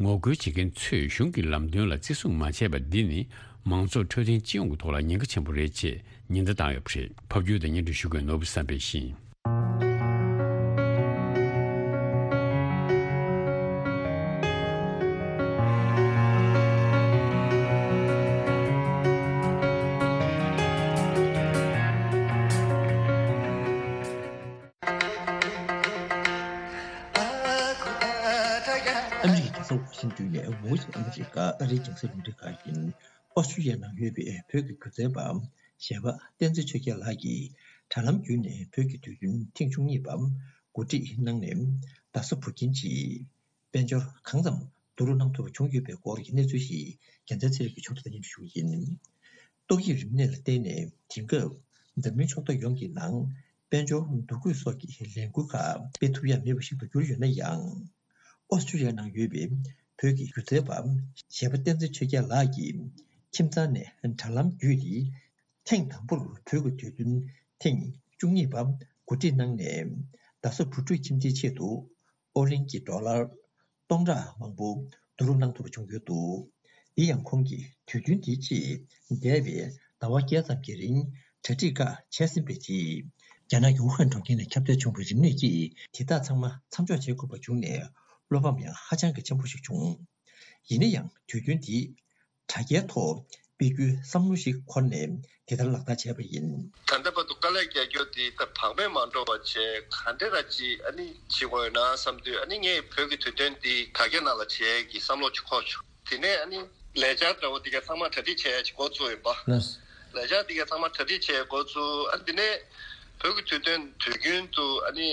ངོ་རྒོལ་བྱེད་མཁན་ཚོས་གཞུང་གི་ལམ་སྟོན་ལ་བརྩི་སྲུང་མ་བྱས་པ་འདི་ནི་མང་ཚོགས་འཕྲོད་བསྟེན་སྤྱི་ཡོངས་ཀྱི་ཐོག་ལ་ཉེན་ཁ་ཆེན་པོ་རེད་ཅེས་ཉེན་བརྡ་བཏང་ཡོད་པ་རེད། ཕབ་སྒྱུར་དང་སྙན་སྒྲོན་ཞུ་མཁན་ནོར་བུ་བསམ་འཕེལ་ཡིན། ཨ་མི་རི་ཀའི་རྒྱལ་ས་ཝ་ཤིང་ཏོན་ནས་Voice of America ཨ་རིའི་རྒྱང་སྲིང་རླུང་འཕྲིན་ཁང་ཡིན། ཨོ་སི་ཀྲི་ཡ་ནང་ཡོད་པའི་བོད་ཀྱི་སྒྱུ་རྩལ་པ་གཞས་པ་བསྟན་འཛིན་ཆོས་རྒྱལ་ལགས་ཀྱིས་དྲ་ལམ་བརྒྱུད་ནས་བོད་ཀྱི་དུས་སྟོན་ཐེངས་བཅུ་གཉིས་པ་གོ་སྒྲིག་གནང་ནས། རྡ་ས་བུ་ཁྱིམ་གྱི་དཔལ་འབྱོར་གང་ཙམ་བསྡུ་རུབ་གནང་ཐུབ་པ་བྱུང་ཡོད་པའི་སྐོར་གྱི་གནས་ཚུལ་ཞིག་རྒྱལ་མཚན་ཚེ་རིང་གིས་ཕྱོགས་བསྒྲིགས་དང་སྙན་སྒྲོན་ཞུ་གི་ཡིན། ཏོག་དབྱིབས་རིམས་ནད་ལ་བརྟེན་ནས་དེང་སྐབས་འཛམ་གླིང་ཕྱོགས་མཐའ་ཡོངས་ཀྱི་ནང་དཔལ་འབྱོར་འདུ་འགོད་སོགས་ཀྱི་ལས་འགུལ་ཁག་སྤེལ་ཐུབ་ཡ་མེད་པ་ཞིག་ཏུ་གྱུར་ཡོད་ན་ཡང་། ཨོ་སི་ཀྲི་ཡ་ནང་ཡོད་པའི་བོད་ཀྱི་སྒྱུ་རྩལ་པ་གཞས་པ་བསྟན་འཛིན་ཆོས་རྒྱལ་ལགས་ཀྱིས་ཁྱིམ་ཚང་ནས་དྲ་ལམ་བརྒྱུད་དེ། ཐེངས་དང་པོར་བོད་ཀྱི་དུས་སྟོན་ཐེངས་བཅུ་གཉིས་པ་གོ་སྒྲིག་གནང་ནས། རྡ་ས་བུ་ཕྲུག་ཁྱིམ་སྡེའི་ཆེད་དུ་ཨོ་གླིང་གི་ཌོ་ལར་སྟོང་ཕྲག་མང་པོ་བསྡུ་རུབ་གནང་ཐུབ་པ་བྱུང་ཡོད་འདུག་འདི་ཡང་ཁོང་གིས་དུས་སྟོན་དེའི་ཆེད་འདས་པའི་ཟླ་བ་བརྒྱད་ཙམ་གྱི་རིང་གྲ་སྒྲིག་ཁག་བྱས་ཟིན་པའི་རྗེས། རྒྱ་ནག་གི་ཝུ་ཧན་གྲོང་ཁྱེར་ནས་ཁྱབ་གདལ་བྱུང་བའི་རིམས་ནད་ཀྱིས་དེ་དག་ཚང་མ་མཚམས་འཇོག་བྱེད་དགོས་པ་བྱུང་ནས། བློ་ཕམ་ཡང་ཧ་ཅང་གི་ཆེན་པོ་ཞིག་བྱུང་། ཡིན་ན་ཡང་དུས་སྟོན་འདི་དྲ་རྒྱའི་ཐོག་སྤེལ་རྒྱུའི་བསམ་བློ་ཞིག་འཁོར་ནས་དེ་ལྟར་ལག་བསྟར་བྱས་པ་ཡིན། ད་ལྟ་བར་དུ་དཀའ་ལས་རྒྱག་རྒྱུ་དེ་ད་བག་མེད་མ་འགྲོ་བ་བྱས་ག་འདྲ་ར་ཅིག་ཨ་ནི་བྱེད་དགོས་ཡོད་ན་བསམ་དུས། ཨ་ནི་ངས་བོད་ཀྱི་དུས་སྟོན་འདི་དྲ་རྒྱ་ནང་ལ་བྱེད་ཀྱི་བསམ་བློ་ཅིག་འཁོར་བྱུང་། དེ་ནས་ཨ་ནི་ལས་འཆར་འདྲ་བོ་དེ་ག་ཚང་མ་གྲ་སྒྲིག་བྱས་ཡ་ཅིག་འགོ་བཙུགས་ཡིན་པ། ལགས། ལས་འཆར་དེ་ག་ཚང་མ་གྲ་སྒྲིག་བྱས་འགོ་བཙུགས། ཨ་ནི་དེ་ནས་བོད་ཀྱི་དུས་སྟོན་དུས་རྒྱུན་དུ་ཨ་ནི་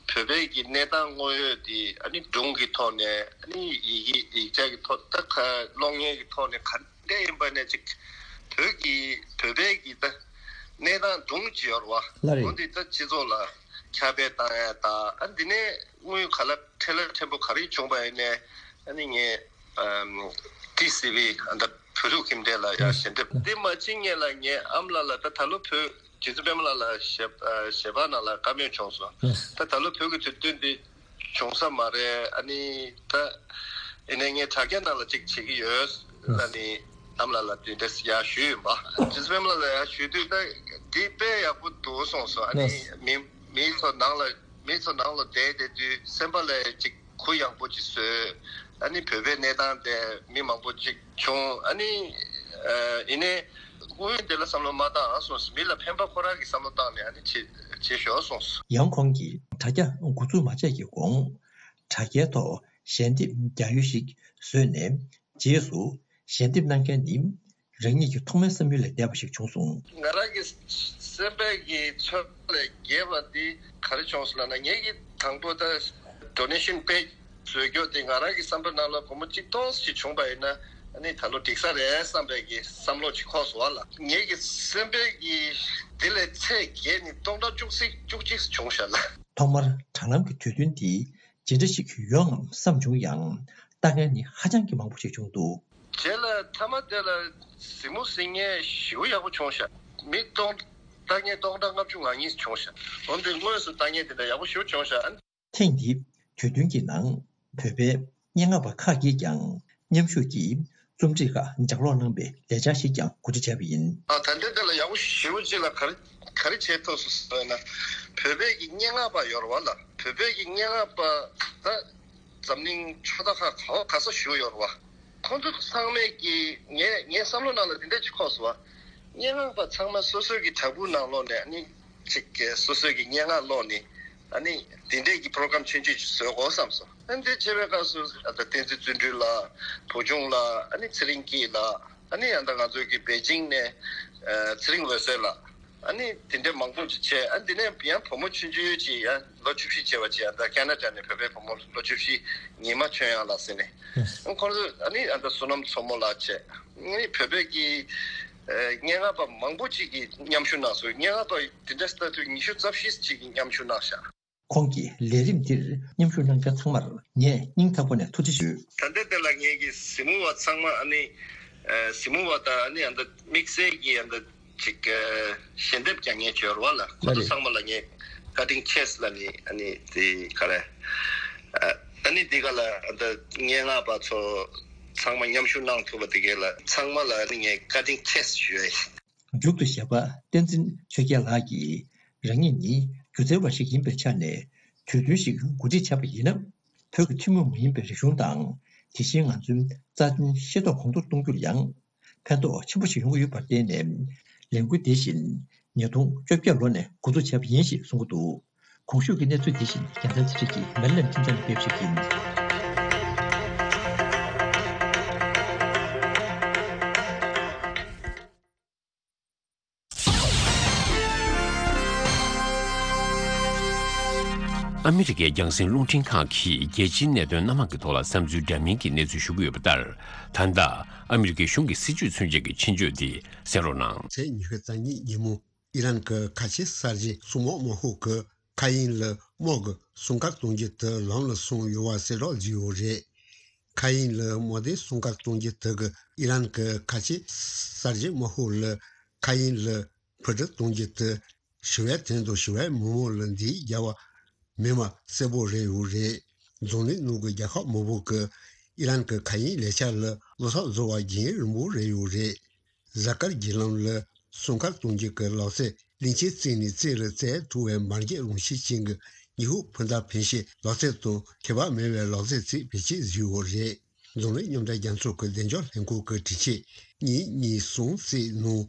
བོད་པའི་གི་གནས་སྟངས་དངོས་ཡོད་དེ་ཨ་ནི་སྒྲུང་གི་ཐོག་ནས། ཨ་ནི་ཡི་གེ་ཡིག་ཆ་གི་ཐོག་ད་ག་གློག་བརྙན་གི་ཐོག་ནས་ག་འདྲ་ཡིན་པ་ནས་ཅིག་བོད་ཀྱི་བོད་པའི་གི་ད་གནས་སྟངས་སྒྲུང་ཅིག་ཡོད་རེད་བ། ལགས་རེད། འོ་འདི་ད་སྤྱི་ཚོགས་ལ་ཁྱབ་སྤེལ་བཏང་ཡ་དང་། ཨ་འདི་ནས་དངུལ་ག་ལ་ཁྲལ་ལ་ཕྲན་བུ་ག་རེ་བྱུང་བ་ཡིན་ནའི་ཨ་ནི་ངས་ཨམ་ཊི་སི་ཝི་ཨ་ད་བོད་ཕྲུག་ཁྱིམ་སྡེ་ལ་ཡ་ཞལ་འདེབས། འདི་མ་ཕྱིན་སྔོན་ལ་ངའི་ཨ་མ་ལགས་ལ་ད་ད་ལོ་བོད་རྗེ་བཙུན་པད་མ་ལགས་ལ་ཞལ་ཨ་ཞལ་པར་ནང་ལ་བཀའ་མོལ་བྱུང་སོང་། ད་ད་ལོ་བོད་ཀྱི་དུས་སྟོན་འདི་བྱུང་ས་མ་རེད། ཨ་ནི་ད་ཡིན་ནའི་ངས་དྲ་རྒྱ་ནང་ལ་ཅིག་བྱེད་ཀྱི་ཡོད། ཨ་ནི་ཨ་མ་ལགས་ལ་དེ་འདྲས་ཡར་ཞུས་ཡིན་པ། རྗེ་བཙུན་པད་མ་ལགས་ལ་ཡར་ཞུས་དུས་ད་འདི་དཔེ་ཡག་པོ་འདུག་གསུངས་སོང་། ཨ་ནི་མི་མི་ཚོ་ནང་ལ་ མི་ཚོ་ནང་ལ་བསྡད་བསྡད་དུས་སེམས་པ་ལ་ཅིག་གུ་ཡངས་པོ་ཅིག་བཟོས། ཨ་ནི་བོད་པའི་གནས་སྟངས་དེ་མི་མང་པོ་ཅིག་བྱུང་། ཨ་ནི་ཨ་ཡིན་ནའི་སྔོན་ཡོན་དེ་ལ་བསམ་བློ་མ་བཏང་ཨ་སོང་། མི་ལ་ཕན་པ་ཁོ་རང་གི་བསམ་བློ་བཏང་ནས་ཨ་ནི་བྱེད་བྱེད་ཤོག་སོང་། ཡང་ཁོང་གིས་དྲ་རྒྱ་འགོ་འཛུགས་མ་བྱས་ཀྱི་གོང་དྲ་རྒྱའི་ཐོག་ཞལ་འདེབས་རྒྱག་ཡུལ་ཞིག་བཟོས་ནས། རྗེས་སུ་ཞལ་འདེབས་གནང་མཁན་ནི་རང་ཉིད་ཀྱི་ཐོག་མའི་བསམ་ཡུལ་ལས་འདས་པ་ཞིག་བྱུང་སོང་། ང་རང་གི་སེམས་པའི་གི་ཚོར་བ་ལས་བརྒལ་བ་འདི་ག་རེ་བྱུང་སོང་ལབ་ན། ངེད་ཀྱི་དང་པོ་ད་donation page བཟོས་རྒྱུ་དེ་ང་རང་གི་བསམ་པའི་ནང་ལ་སྒོར་མོ་གཅིག་སྟོང་ཞིག་བྱུང་པ་ཡིན་ན་ཨ་ནི་ད་ལོ་འགྲིག་ས་རེད་བསམ་པའི་གི་བསམ་བློ་ཅིག་འཁོར་སོང་བ་ལ། ངེད་ཀྱི་སེམས་པའི་གི་དེ་ལས་ཚད་བརྒལ་ནས་སྟོང་ཕྲག་བཅུ་གཅིག་བཅུ་གཅིག་བྱུང་ཤག་ལ། ཐོག་མར་དྲ་ལམ་གྱི་དུས་སྟོན་འདི་ཇི་འདྲ་ཞིག་ཡོང་ངམ་བསམ་བྱུང་ཡང་། ལྟ་མཁན་ནི་ཧ་ཅང་གི་མང་པོ་ཞིག་བྱུང་འདུག། རྗེས་ལ་མཐའ་མ་དེ་ལ་གཟིགས་མོ་གཟིགས་མཁན་ཞེ་པོ་ཡག་པོ་བྱུང་ཤག། མི་སྟོང་ལྟ་མཁན་སྟོང་ཕྲག་ལྔ་བཅུ་ང་གཉིས་བྱུང་ཤག། འོན་ཏེ་དངོས་སུ་ལྟ་མཁན་དེ་འདྲ་ཡག་པོ་ཞེ་པོ་བྱུང་ཤག། ཨ། ཐེངས་འདིའི་དུས་སྟོན་གྱི་ནང་བོད་པའི་སྙན་ངག་པ་ཁག་གིས་ཀྱང་མཉམ་ཞུགས་ཀྱིས་རྩོམ་སྒྲིག་ཁག་ལྗགས་ཀློག་གནང་བའི་ལས་འཆར་ཞིག་ཀྱང་གོ་སྒྲིག་བྱས་པ་ཡིན། ཨ། ད་ལྟའི་དེ་ལ་ཡག་པོ་ཞེ་པོ་ཅིག་ལ་ག་རེ་ག་རེ་བྱས་ཐུབ་སོང་ཟེར་ན། བོད་པའི་གི་སྙན་ངག་པ་ཡོད་རེད་བ་ལ། བོད་པའི་གི་སྙན་ངག་པ་ད་འཛམ་གླིང་ཕྱོགས་མཐའ་ཁག་ག་བ་ག་ས་བཞུགས་ཡོད་རེད་བ། ཁོང་ཚོ་ཚང་མས་ཀྱི་ངས་ངའི་བསམ་བློ་ནང་ལ་འདི་འདྲ་ཅིག་འཁོར་སོང་བ། སྙན་ངག་པ་ཚང་མ་སོ་སོའི་གི་བྲག་ཕུག་ནང་ལོགས་ནས་ཨ་ནི་ཅིག་གི་སོ་སོའི་གི་སྙན་ངག་ཀློག་ནས་ཨ་ནི་འདི་འདྲའི་གི་program་ཆུང་ཆུང་ཅིག་བཟོ་དགོས་བསམ་སོང་། ཨ་ནི་འདི་བྱེད་པའི་སྐབས་སུ་ཨ་ད་བསྟན་འཛིན་བརྩོན་འགྲུས་ལགས། བུ་ཆུང་ལགས། ཨ་ནི་ཚེ་རིང་སྐྱིད་ལགས། ཨ་ནི་ཨ་ད་ང་ཚོའི་གི་པེ་ཅིང་ནས་ཨ་ཚེ་རིང་འོད་ཟེར་ལགས། ཨ་ནི་དེ་འདྲའི་མང་པོ་ཅིག་བྱས། ཨ་འདི་ནས་ཡང་བུ་མོ་ཆུང་ཆུང་ཅིག་ཡང་ལོ་བཅུ་བཞི་བྱས་པ་ཅིག་ཡང་ད་ཁ་ན་ཌ་ནས་བོད་པའི་བུ་མོ་ལོ་བཅུ་བཞི་ཉི་མ་ཆོས་དབྱངས་ལགས་ཟེར་ནས། ཨ་ཁོང་ཚོ་ཨ་ནི་ཨ་ད་བསོད་ནམས་མཚོ་མོ་ལགས་བྱས། ཨ་ནི་བོད་པའི་གི་ཨ་སྙན་ངག་པ་མང་པོ་ཅིག་གིས་མཉམ་ཞུགས་གནང་སོང་། སྙན་ངག་པ་དེ་འདྲ་ལྟ་དུས་ཉི་ཤུ་རྩ་བཞི་ཅིག་གིས་མཉམ་ཞུགས་གནང་ཤག། ཁོང་གིས་ལས་རིམ་འདིར་མཉམ་ཞུགས་གནང་མཁན་ཚང་མར་ངས་སྙིང་ཐག་པ་ནས་ཐུགས་རྗེ་ཞུ། ད་ལྟའི་དེ་ལ་ངེད་ཀྱི་གཟིགས་མོ་བ་ཚང་མ་ཨ་ནི་ཨ་གཟིགས་མོ་བ་དང་ཨ་ནི་ཨ་ད་དམིགས་བསལ་གྱི་ཨ་ད་ཅིག་ཨ་ཞལ་འདེབས་རྒྱག་མཁན་ཅིག་ཡོད་རེད་བ་ལ། ཁོ་ཚོ་ཚང་མ་ལ་ངས་cutting chance་ལབ་ནི་ཨ་ནི་དེ་ག་རེ་ཨ་ནི་འདི་ག་ལ་ཨ་ད་སྙན་ངག་པ་ཚོ་ཚང་མ་མཉམ་ཞུགས་གནང་ཐུབ་པ་དེ་ག་ལ་ཚང་མ་ལ་ཨ་ནི་ངས་cutting chance་ཞུ་ཡ་ཡིན། མཇུག་ཏུ་གཞས་པ་བསྟན་འཛིན་ཆོས་རྒྱལ་ལགས་ཀྱིས་རང་ཉིད་ནི་སྒྱུ་རྩལ་བ་ཞིག་ཡིན་པའི་ཆ་ནས་དུས་སྟོན་ཞིག་གོ་སྒྲིག་བྱས་པ་ཡིན་ན། བོད་ཀྱི་ཐུན་མོང་མ་ཡིན་པའི་རིག་གཞུང་དང་། དེ་བཞིན་ང་ཚོའི་རྩ་དོན་ཤེས་རྟོགས་གོང་མཐོར་གཏོང་རྒྱུར་ཡང་ཕན་ཐོགས་ཆེན་པོ་ཞིག་ཡོང་གི་ཡོད་པར་བརྟེན་ནས། ལས་འགུལ་འདི་བཞིན་ཉིས་སྟོང་བཅོ་བརྒྱད་ལོ་ནས་འགོ་འཛུགས་བྱས་པ་ཡིན་ཞེས་གསུངས་ཀྱི་འདུག། གོང་ཞུས་ཀྱི་གནས་ཚུལ་འདི་བཞིན་རྒྱལ་མཚན་ཚེ་རིང་གིས་མེ་ལན་ཁྲིམས་ཚང་ནས་སྤེལ་བ་ཞིག་ཡིན། ཨ་མི་རི་ཀའི་རྒྱང་སྲིང་རླུང་འཕྲིན་ཁང་གིས་རྒྱལ་སྤྱིའི་གནད་དོན་སྣ་མང་གི་ཐོག་ལ་བསམ་ཚུལ་འདྲ་མིན་གྱི་གནས་ཚུལ་ཞུ་གི་ཡོད་པ་ལྟར། ད་ལྟ་ཨ་མི་རི་ཀའི་གཞུང་གི་སྲིད་བྱུས་མཚོན་བྱེད་ཀྱི་ཆེད་བརྗོད་དེ་གསན་རོགས་གནང་། ཚེས་ཉི་ཤུ་རྩ་གཉིས་ཉིན་མོ། ཨི་རན་གྱི་ཁ་ཆེ་གསར་བརྗེ་སྲུང་དམག་དམག་ཤོག་གིས་མཁའ་དབྱིངས་ལ་དམག་གི་སྲུང་སྐར་གཏོང་རྒྱུ་དེ་ལམ་ལ་སོང་ཡོད་པ་གསལ་བསྒྲགས་བྱས་ཡོད་རེད། མཁའ་དབྱིངས་ལ་དམག་སྡེའི་སྲུང་སྐར་གཏོང་རྒྱུ་དེ་གིས་ཨི་རན་གྱི་ཁ་ཆེ་གསར་བརྗེ་དམག་ཤོག་ལ་མཁའ་དབྱིངས་ལ་འཕུར་གྲུ་གཏོང་རྒྱུ་དེ་ཞི་བའི་དོན་དུ་ཞི་བའི་མི་མང་ལ་འདི་རྒྱལ་བ་མི་མ་གསལ་པོ་རེད་ཡོད་རེད། འཛམ་གླིང་ནང་གི་རྒྱལ་ཁབ་མང་པོ་གིས་ཨི་རན་གྱི་མཁའ་དབྱིངས་ལས་འཆར་ལ་བློ་འཚབ་བཟོ་བ་རྒྱུན་རིང་པོ་རེད་ཡོད་རེད། གཟའ་སྐར་བརྒྱུད་ལམ་ལ་སྲུང་སྐར་གཏོང་རྒྱུ་གི་ལག་རྩལ་གླིང་ཆེན་རྩེ་ནས་རྩེ་རུ་རྩེ་ཐུབ་པའི་འབར་གས་རང་བཞིན་ཅན་གྱི་ཉི་ཧོང་འཕུར་མདའ་འཕེན་ཤེས་ལག་རྩལ་དང་ཁྱད་པར་མེད་པའི་ལག་རྩལ་ཅིག་བེད་སྤྱོད་བཟོས་ཡོད་རེད། འཛམ་གླིང་མཉམ་འབྲེལ་རྒྱལ་ཚོགས་ཀྱི་བདེ་འཇགས་ལྷན་ཁང་གི་དྲི་ཆེན་གཉིས་གཉིས་གསུམ་གཅིག་ནང་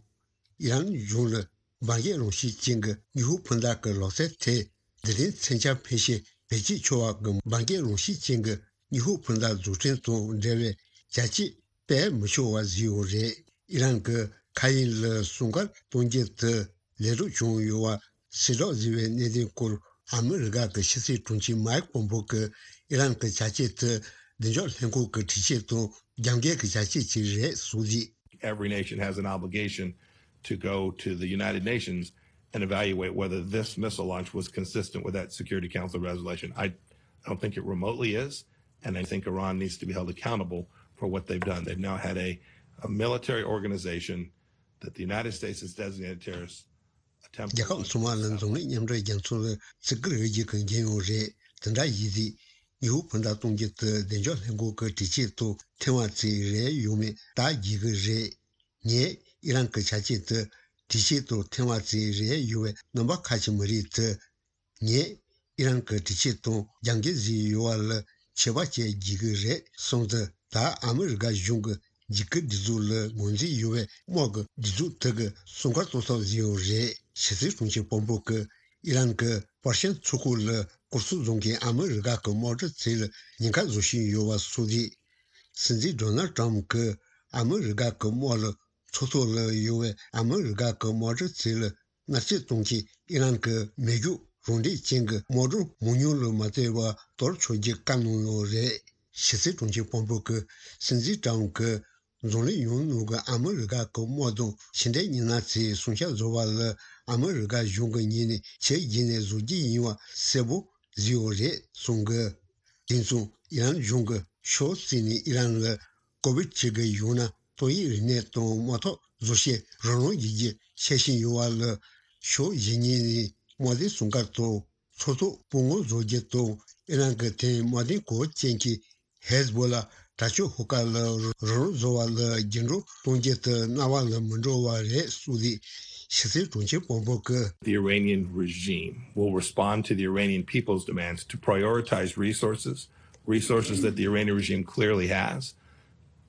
ཨི་རན་གཞུང་ལ་འབར་གས་རང་བཞིན་ཅན་གྱི་ཉི་ཧོང་འཕུར་མདའ་གི་ལག་རྩལ་ཐད་འདི་རིང་མཚོན་ཆ་འཕེན་ཤེས་བེད་སྤྱོད་ཆོག་པ་གི་འབར་གས་རང་བཞིན་ཅན་གྱི་ཉི་ཧོང་འཕུར་མདའ་འཛུགས་སྐྲུན་དང་འབྲེལ་བའི་བྱ་སྤྱོད་སྤེལ་མི་ཆོག་པ་བཟོས་ཡོད་རེད། ཨི་རན་གྱི་མཁའ་དབྱིངས་ལ་སྲུང་སྐར་གཏོང་རྒྱུ་དེ་ལས་སྒྲུབ་བྱུང་ཡོད་པ་གསལ་བསྒྲགས་བཟོས་པའི་གནད་དོན་སྐོར་ཨ་མི་རི་ཀ་གི་ཕྱི་སྲིད་དྲུང་ཆེ་མའེ་ཁི་པོམ་པེ་ཡོ་གིས་ཨི་རན་གྱི་བྱ་སྤྱོད་དེ་བདེ་འཇགས་ལྷན་ཁང་གི་དྲི་ཆེན་དང་རྒྱབ་འགལ་གྱི་བྱ་སྤྱོད་ཅིག་རེད་གསུངས་རྗེས། Every nation has an obligation to go to the United Nations and evaluate whether this missile launch was consistent with that Security Council resolution. I don't think it remotely is, and I think Iran needs to be held accountable for what they've done. They've now had a, a military organization that the United States has designated terrorist attempt. རྒྱལ་ཁབ་ཚང་མ་ལ་འཛམ་གླིང་མཉམ་འབྲེལ་རྒྱལ་ཚོགས་ལ་བརྩི་བཀུར་ཡོད་རྒྱུ་གི་འགན་ཡོད་རེད། དེ་འདྲ་ཡིན་དུས་ཉི་ཧོང་འཕུར་མདའ་གཏོང་རྒྱུ་དེ་བདེ་འཇགས་ལྷན་ཁང་གི་དྲི་ཆེན་དང་འཐེན་པ་ཅིག་རེད་ཡོད་མེད་བརྟག་དགོས་ཀྱི་རེད། ངས་ཨི་རན་གྱི་བྱ་སྤྱོད་དེ་དྲི་ཆེན་དང་འཐེན་པ་ཅིག་རེད་ཡོད་པའི་རྣམ་པ་ཁ་ཕྱེ་མི་རིགས་དེ། ངས་ ཨི་རན་གྱི་དྲི་ཆབ་དང་རྒྱབ་འགལ་བཟོས་ཡོད་པ་ལ་ཆད་པ་བཅད་དགོས་ཀྱི་རེད་གསུངས་ཏེ། ད་ཨ་མི་རི་ཀ་གཞུང་གི་འཇིགས་སྐུལ་སྒྲིག་འཛུགས་ལ་ངོས་འཛིན་ཡོད་པའི་དམག་གི་སྒྲིག་འཛུགས་དེ་གི་སྲུང་སྐར་གཏོང་ཐབས་བཟོས་ཡོད་རེད། ཕྱི་སྲིད་དྲུང་ཆེ་ཕོམ་པེ་གིས་ཨི་རན་གྱི་པར་ཤན་མཚོ་ཁུག་ལ་སྐོར་ཚོགས་བཟོ་མཁན་ཨ་མི་རི་ཀ་གི་དམག་གྲུ་ཚོ་ལ་ཉེན་ཁ་བཟོ་བཞིན་ཡོད་པ་སོགས་རེད། སྲིད་འཛིན་ཌོ་ནལ་ཊམ་གྱིས་ཨ་མི་རི་ཀ་གི་དམག་ལ་མཚོ་ཐོག་ལ་ཡོད་པའི་ཨ་མི་རི་ཀ་གི་དམག་གྲུ་ཚོ་ལ་མནར་གཅོད་གཏོང་ཆེད་ཨི་རན་གྱི་མེ་སྒྱོགས་རང་འདྲེན་ཅན་གྱི་དམག་སྒྲོམ་མང་ཉུང་ལ་མ་ལྟོས་པར་གཏོར་ཆོག་རྒྱུ་བཀའ་གནང་ཡོད་རེད། ཕྱི་སྲིད་དྲུང་ཆེ་ཕོམ་པེ་གིས་སྲིད་འཛིན་ཊམ་གྱིས་འཛམ་གླིང་ཡོངས་ནང་གི་ཨ་མི་རི་ཀ་གི་དམག་དང་ཕྱི་འབྲེལ་མི་སྣ་ཚོས་སྲུང་སྐྱོབ་བཟོ་བ་ལ་ཨ་མི་རི་ཀ་གཞུང་གི་ངོས་ནས་ཆེས་རྗེས་ནས་བཟོ་རྒྱུ་ཡིན་པ་གསལ་པོ་བཟོས་ཡོད་རེད་གསུངས་གི། དེ་མཚུངས་ཨི་རན་གཞུང་གིས་ཕྱོགས་གཅིག་ནས་ཨི་རན་ལ་ཀོ་བིཌ་བཅུ་དགུ་ཡང་ན་ཏོག་དབྱིབས་རིམས་ནད་དང་དམག་འཐབ་བཟོ་བྱེད་རོགས་རམ་བྱེད་རྒྱུ་འཆར་བཞིན་ཡོད་པ་ལ། ཕྱོགས་གཞན་གཉིས་ནས་དམག་དོན་སྲུང་སྐར་དང་མཚོ་ཐོག་སྤོ་སྔོན་བཟོ་རྒྱུ་དང་ཨི་རན་གྱི་དེང་དམག་དོན་གོ་སྐབས་ཅན་གྱི་ཧེ་ཟ་བོ་ལ་དྲག་སྤྱོད་ཤོག་ཁག་ལ་རོགས་རམ་བཟོ་བ་ལ་རྒྱུན་སྒྲོག་གཏོང་རྒྱུ་དེ་སྣང་བ་ལ་མི་འགྲོ་བ་རེད་གསུངས་ཏེ། ཕྱི་སྲིད་དྲུང་ཆེ་ཕོམ་པེ་གིས། The Iranian regime will respond to the Iranian people's demands to prioritize resources, resources that the Iranian regime clearly has,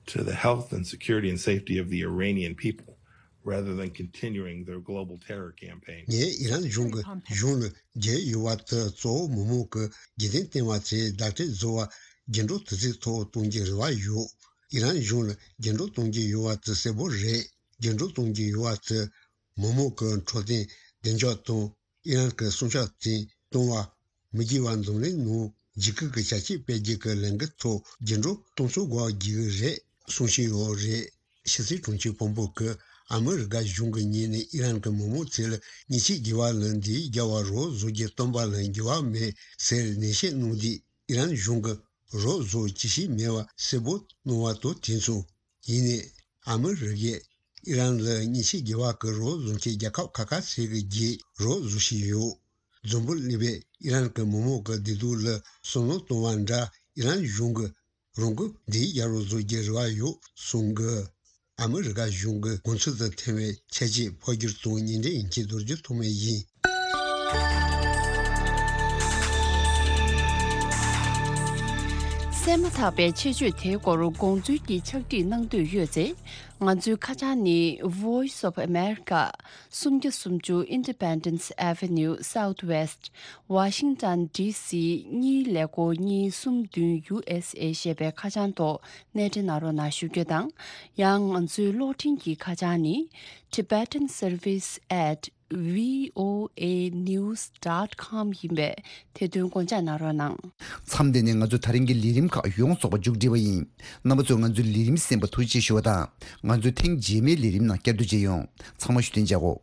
to the health and security and safety of the Iranian people, rather than continuing their global terror campaign. ངས་ཨི་རན་གཞུང་གི་གཞུང་ལ་རྒྱབ་ཡོད་པ་དེ་གཙོ་བོ་མི་མང་གི་རྒྱུན་ལྡན་བསྟན་པ་ཚོས་བརྡ་སྤྲོད་བཟོ་བར་རྒྱུན་སྒྲོག་དུས་ཚོད་ཐོག་གཏོང་རྒྱུའི་རེ་བ་ཡོད། ཨི་རན་གཞུང་ལ་རྒྱུན་སྒྲོག་གཏོང་རྒྱུ་ཡོད་པ་དེ་གསལ་པོ་རེད། རྒྱུན་སྒྲོག་གཏོང་རྒྱུ་ཡོད་པ་དེ་མི་མང་གི་འཕྲོད་བསྟེན་བདེ་འཇགས་དང་ཨི་རན་གྱི་སྲུང་སྐྱོབ་བརྟན་གཏོང་བ། མི་དགེ་བ་འཛམ་གླིང་ནང་འཇིགས་སྐུལ་གྱི་བྱ་སྤྱོད་སྤེལ་རྒྱུ་གི་ལས་འགུལ་ཐོག་རྒྱུན་སྒྲོག་གཏོང་ཚུགས་དགོས་ཀྱི་རེད་གསུང་བཞིན་ཡོད་རེད། ཕྱི་སྲིད་དྲུང་ཆེ་ཕོམ་པེ་གིས་ཨ་མི་རི་ཀ་གཞུང་གི་ངོས་ནས་ཨི་རན་གྱི་མི་མང་ཚོ་ལ་མཉེན་ཆས་བརྒྱུད་པ་ལ་འདི་རྒྱལ་བ་རོགས་བཟོ་རྒྱུ་བཏོན་པ་ལ་འགྱུར་བ་མེད་ཟེར་ནན་བཤད་གནང་དུས། ཨི་རན་གཞུང་གིས་རོགས་བཟོ་ཅི་ཞིག་མེད་པ་གསལ་པོ་གནང་བ་དང་དེ་མཚུངས། ཡིན་ནའི་ཨ་མི་རི་ཀས་ཨི་རན་ལ་མཉེན་ཆས་བརྒྱུད་པ་གི་རོགས་བཟོ་མཁན་རྒྱལ་ཁབ་ཁ་ཁ་ཤས་ཀྱི་རྗེས་རོགས་བཟོ་བཞིན་ཡོད། འཛམ་བུ་གླིང་པས་ཨི་རན་གྱི་མི་མང་གི་བདེ་སྡུག་ལ་བསམ་བློ་གཏོང་བ་འདྲ་ཨི་རན་གཞུང་གིས་རང་གི་འདི་རྒྱལ་རོགས་བཟོ་རྒྱུའི་རེ་བ་ཡོད་གསུང་གི། ཨ་མི་རི་ཀ་གཞུང་གི་དགོངས་ཚུལ་དང་མཐུན་པའི་ཁྱད་ཆོས་ཕབ་སྒྱུར་དང་ཉིན་རེའི་ཡིན་གྱི་རྡོ་རྗེ་ཐོགས་མེད་ཡིན། གསན་མ་ཐག་པའི་ཆེད་བརྗོད་དེའི་སྐོར་དགོངས་ཚུལ་གྱི་ཕྱག་བྲིས་གནང་འདོད་ཡོད་ཚེ། ང་ཚོའི་ཁ་བྱང་ནི། Voice of America། སུམ་བརྒྱ་སུམ་ཅུ་Independence Avenue Southwest། Washington D C གཉིས་ཀླད་ཀོར་གཉིས་གསུམ་བདུན་U S A ཞེས་པའི་ཁ་བྱང་ཐོག་གནས་འབྲེལ་གནང་རོགས་གནང་ཞུ་རྒྱུ་དང་། ཡང་ང་ཚོའི་གློག་འཕྲིན་གྱི་ཁ་བྱང་ནི། Tibetan Service at V O A news dot com ཡིན་པས་དེ་དོན་དགོངས་འཇགས་གནང་རོགས་གནང་། མཚམས་འདི་ནས་ང་ཚོ་ད་རིང་གི་ལས་རིམ་ཁག་ཡོངས་རྫོགས་པ་མཇུག་སྒྲིལ་བ་ཡིན། རྣམ་པ་ཚོས་ང་ཚོའི་ལས་རིམ་གསན་པར་ཐུགས་རྗེ་ཆེ་ཞུ་བ་དང་། ང་ཚོའི་ཐེངས་རྗེས་མའི་ལས་རིམ་ནང་བསྐྱར་དུ་མཇལ་ཡོང་། ཚང་མ་བཞུགས་གདན་འཇགས་གོ།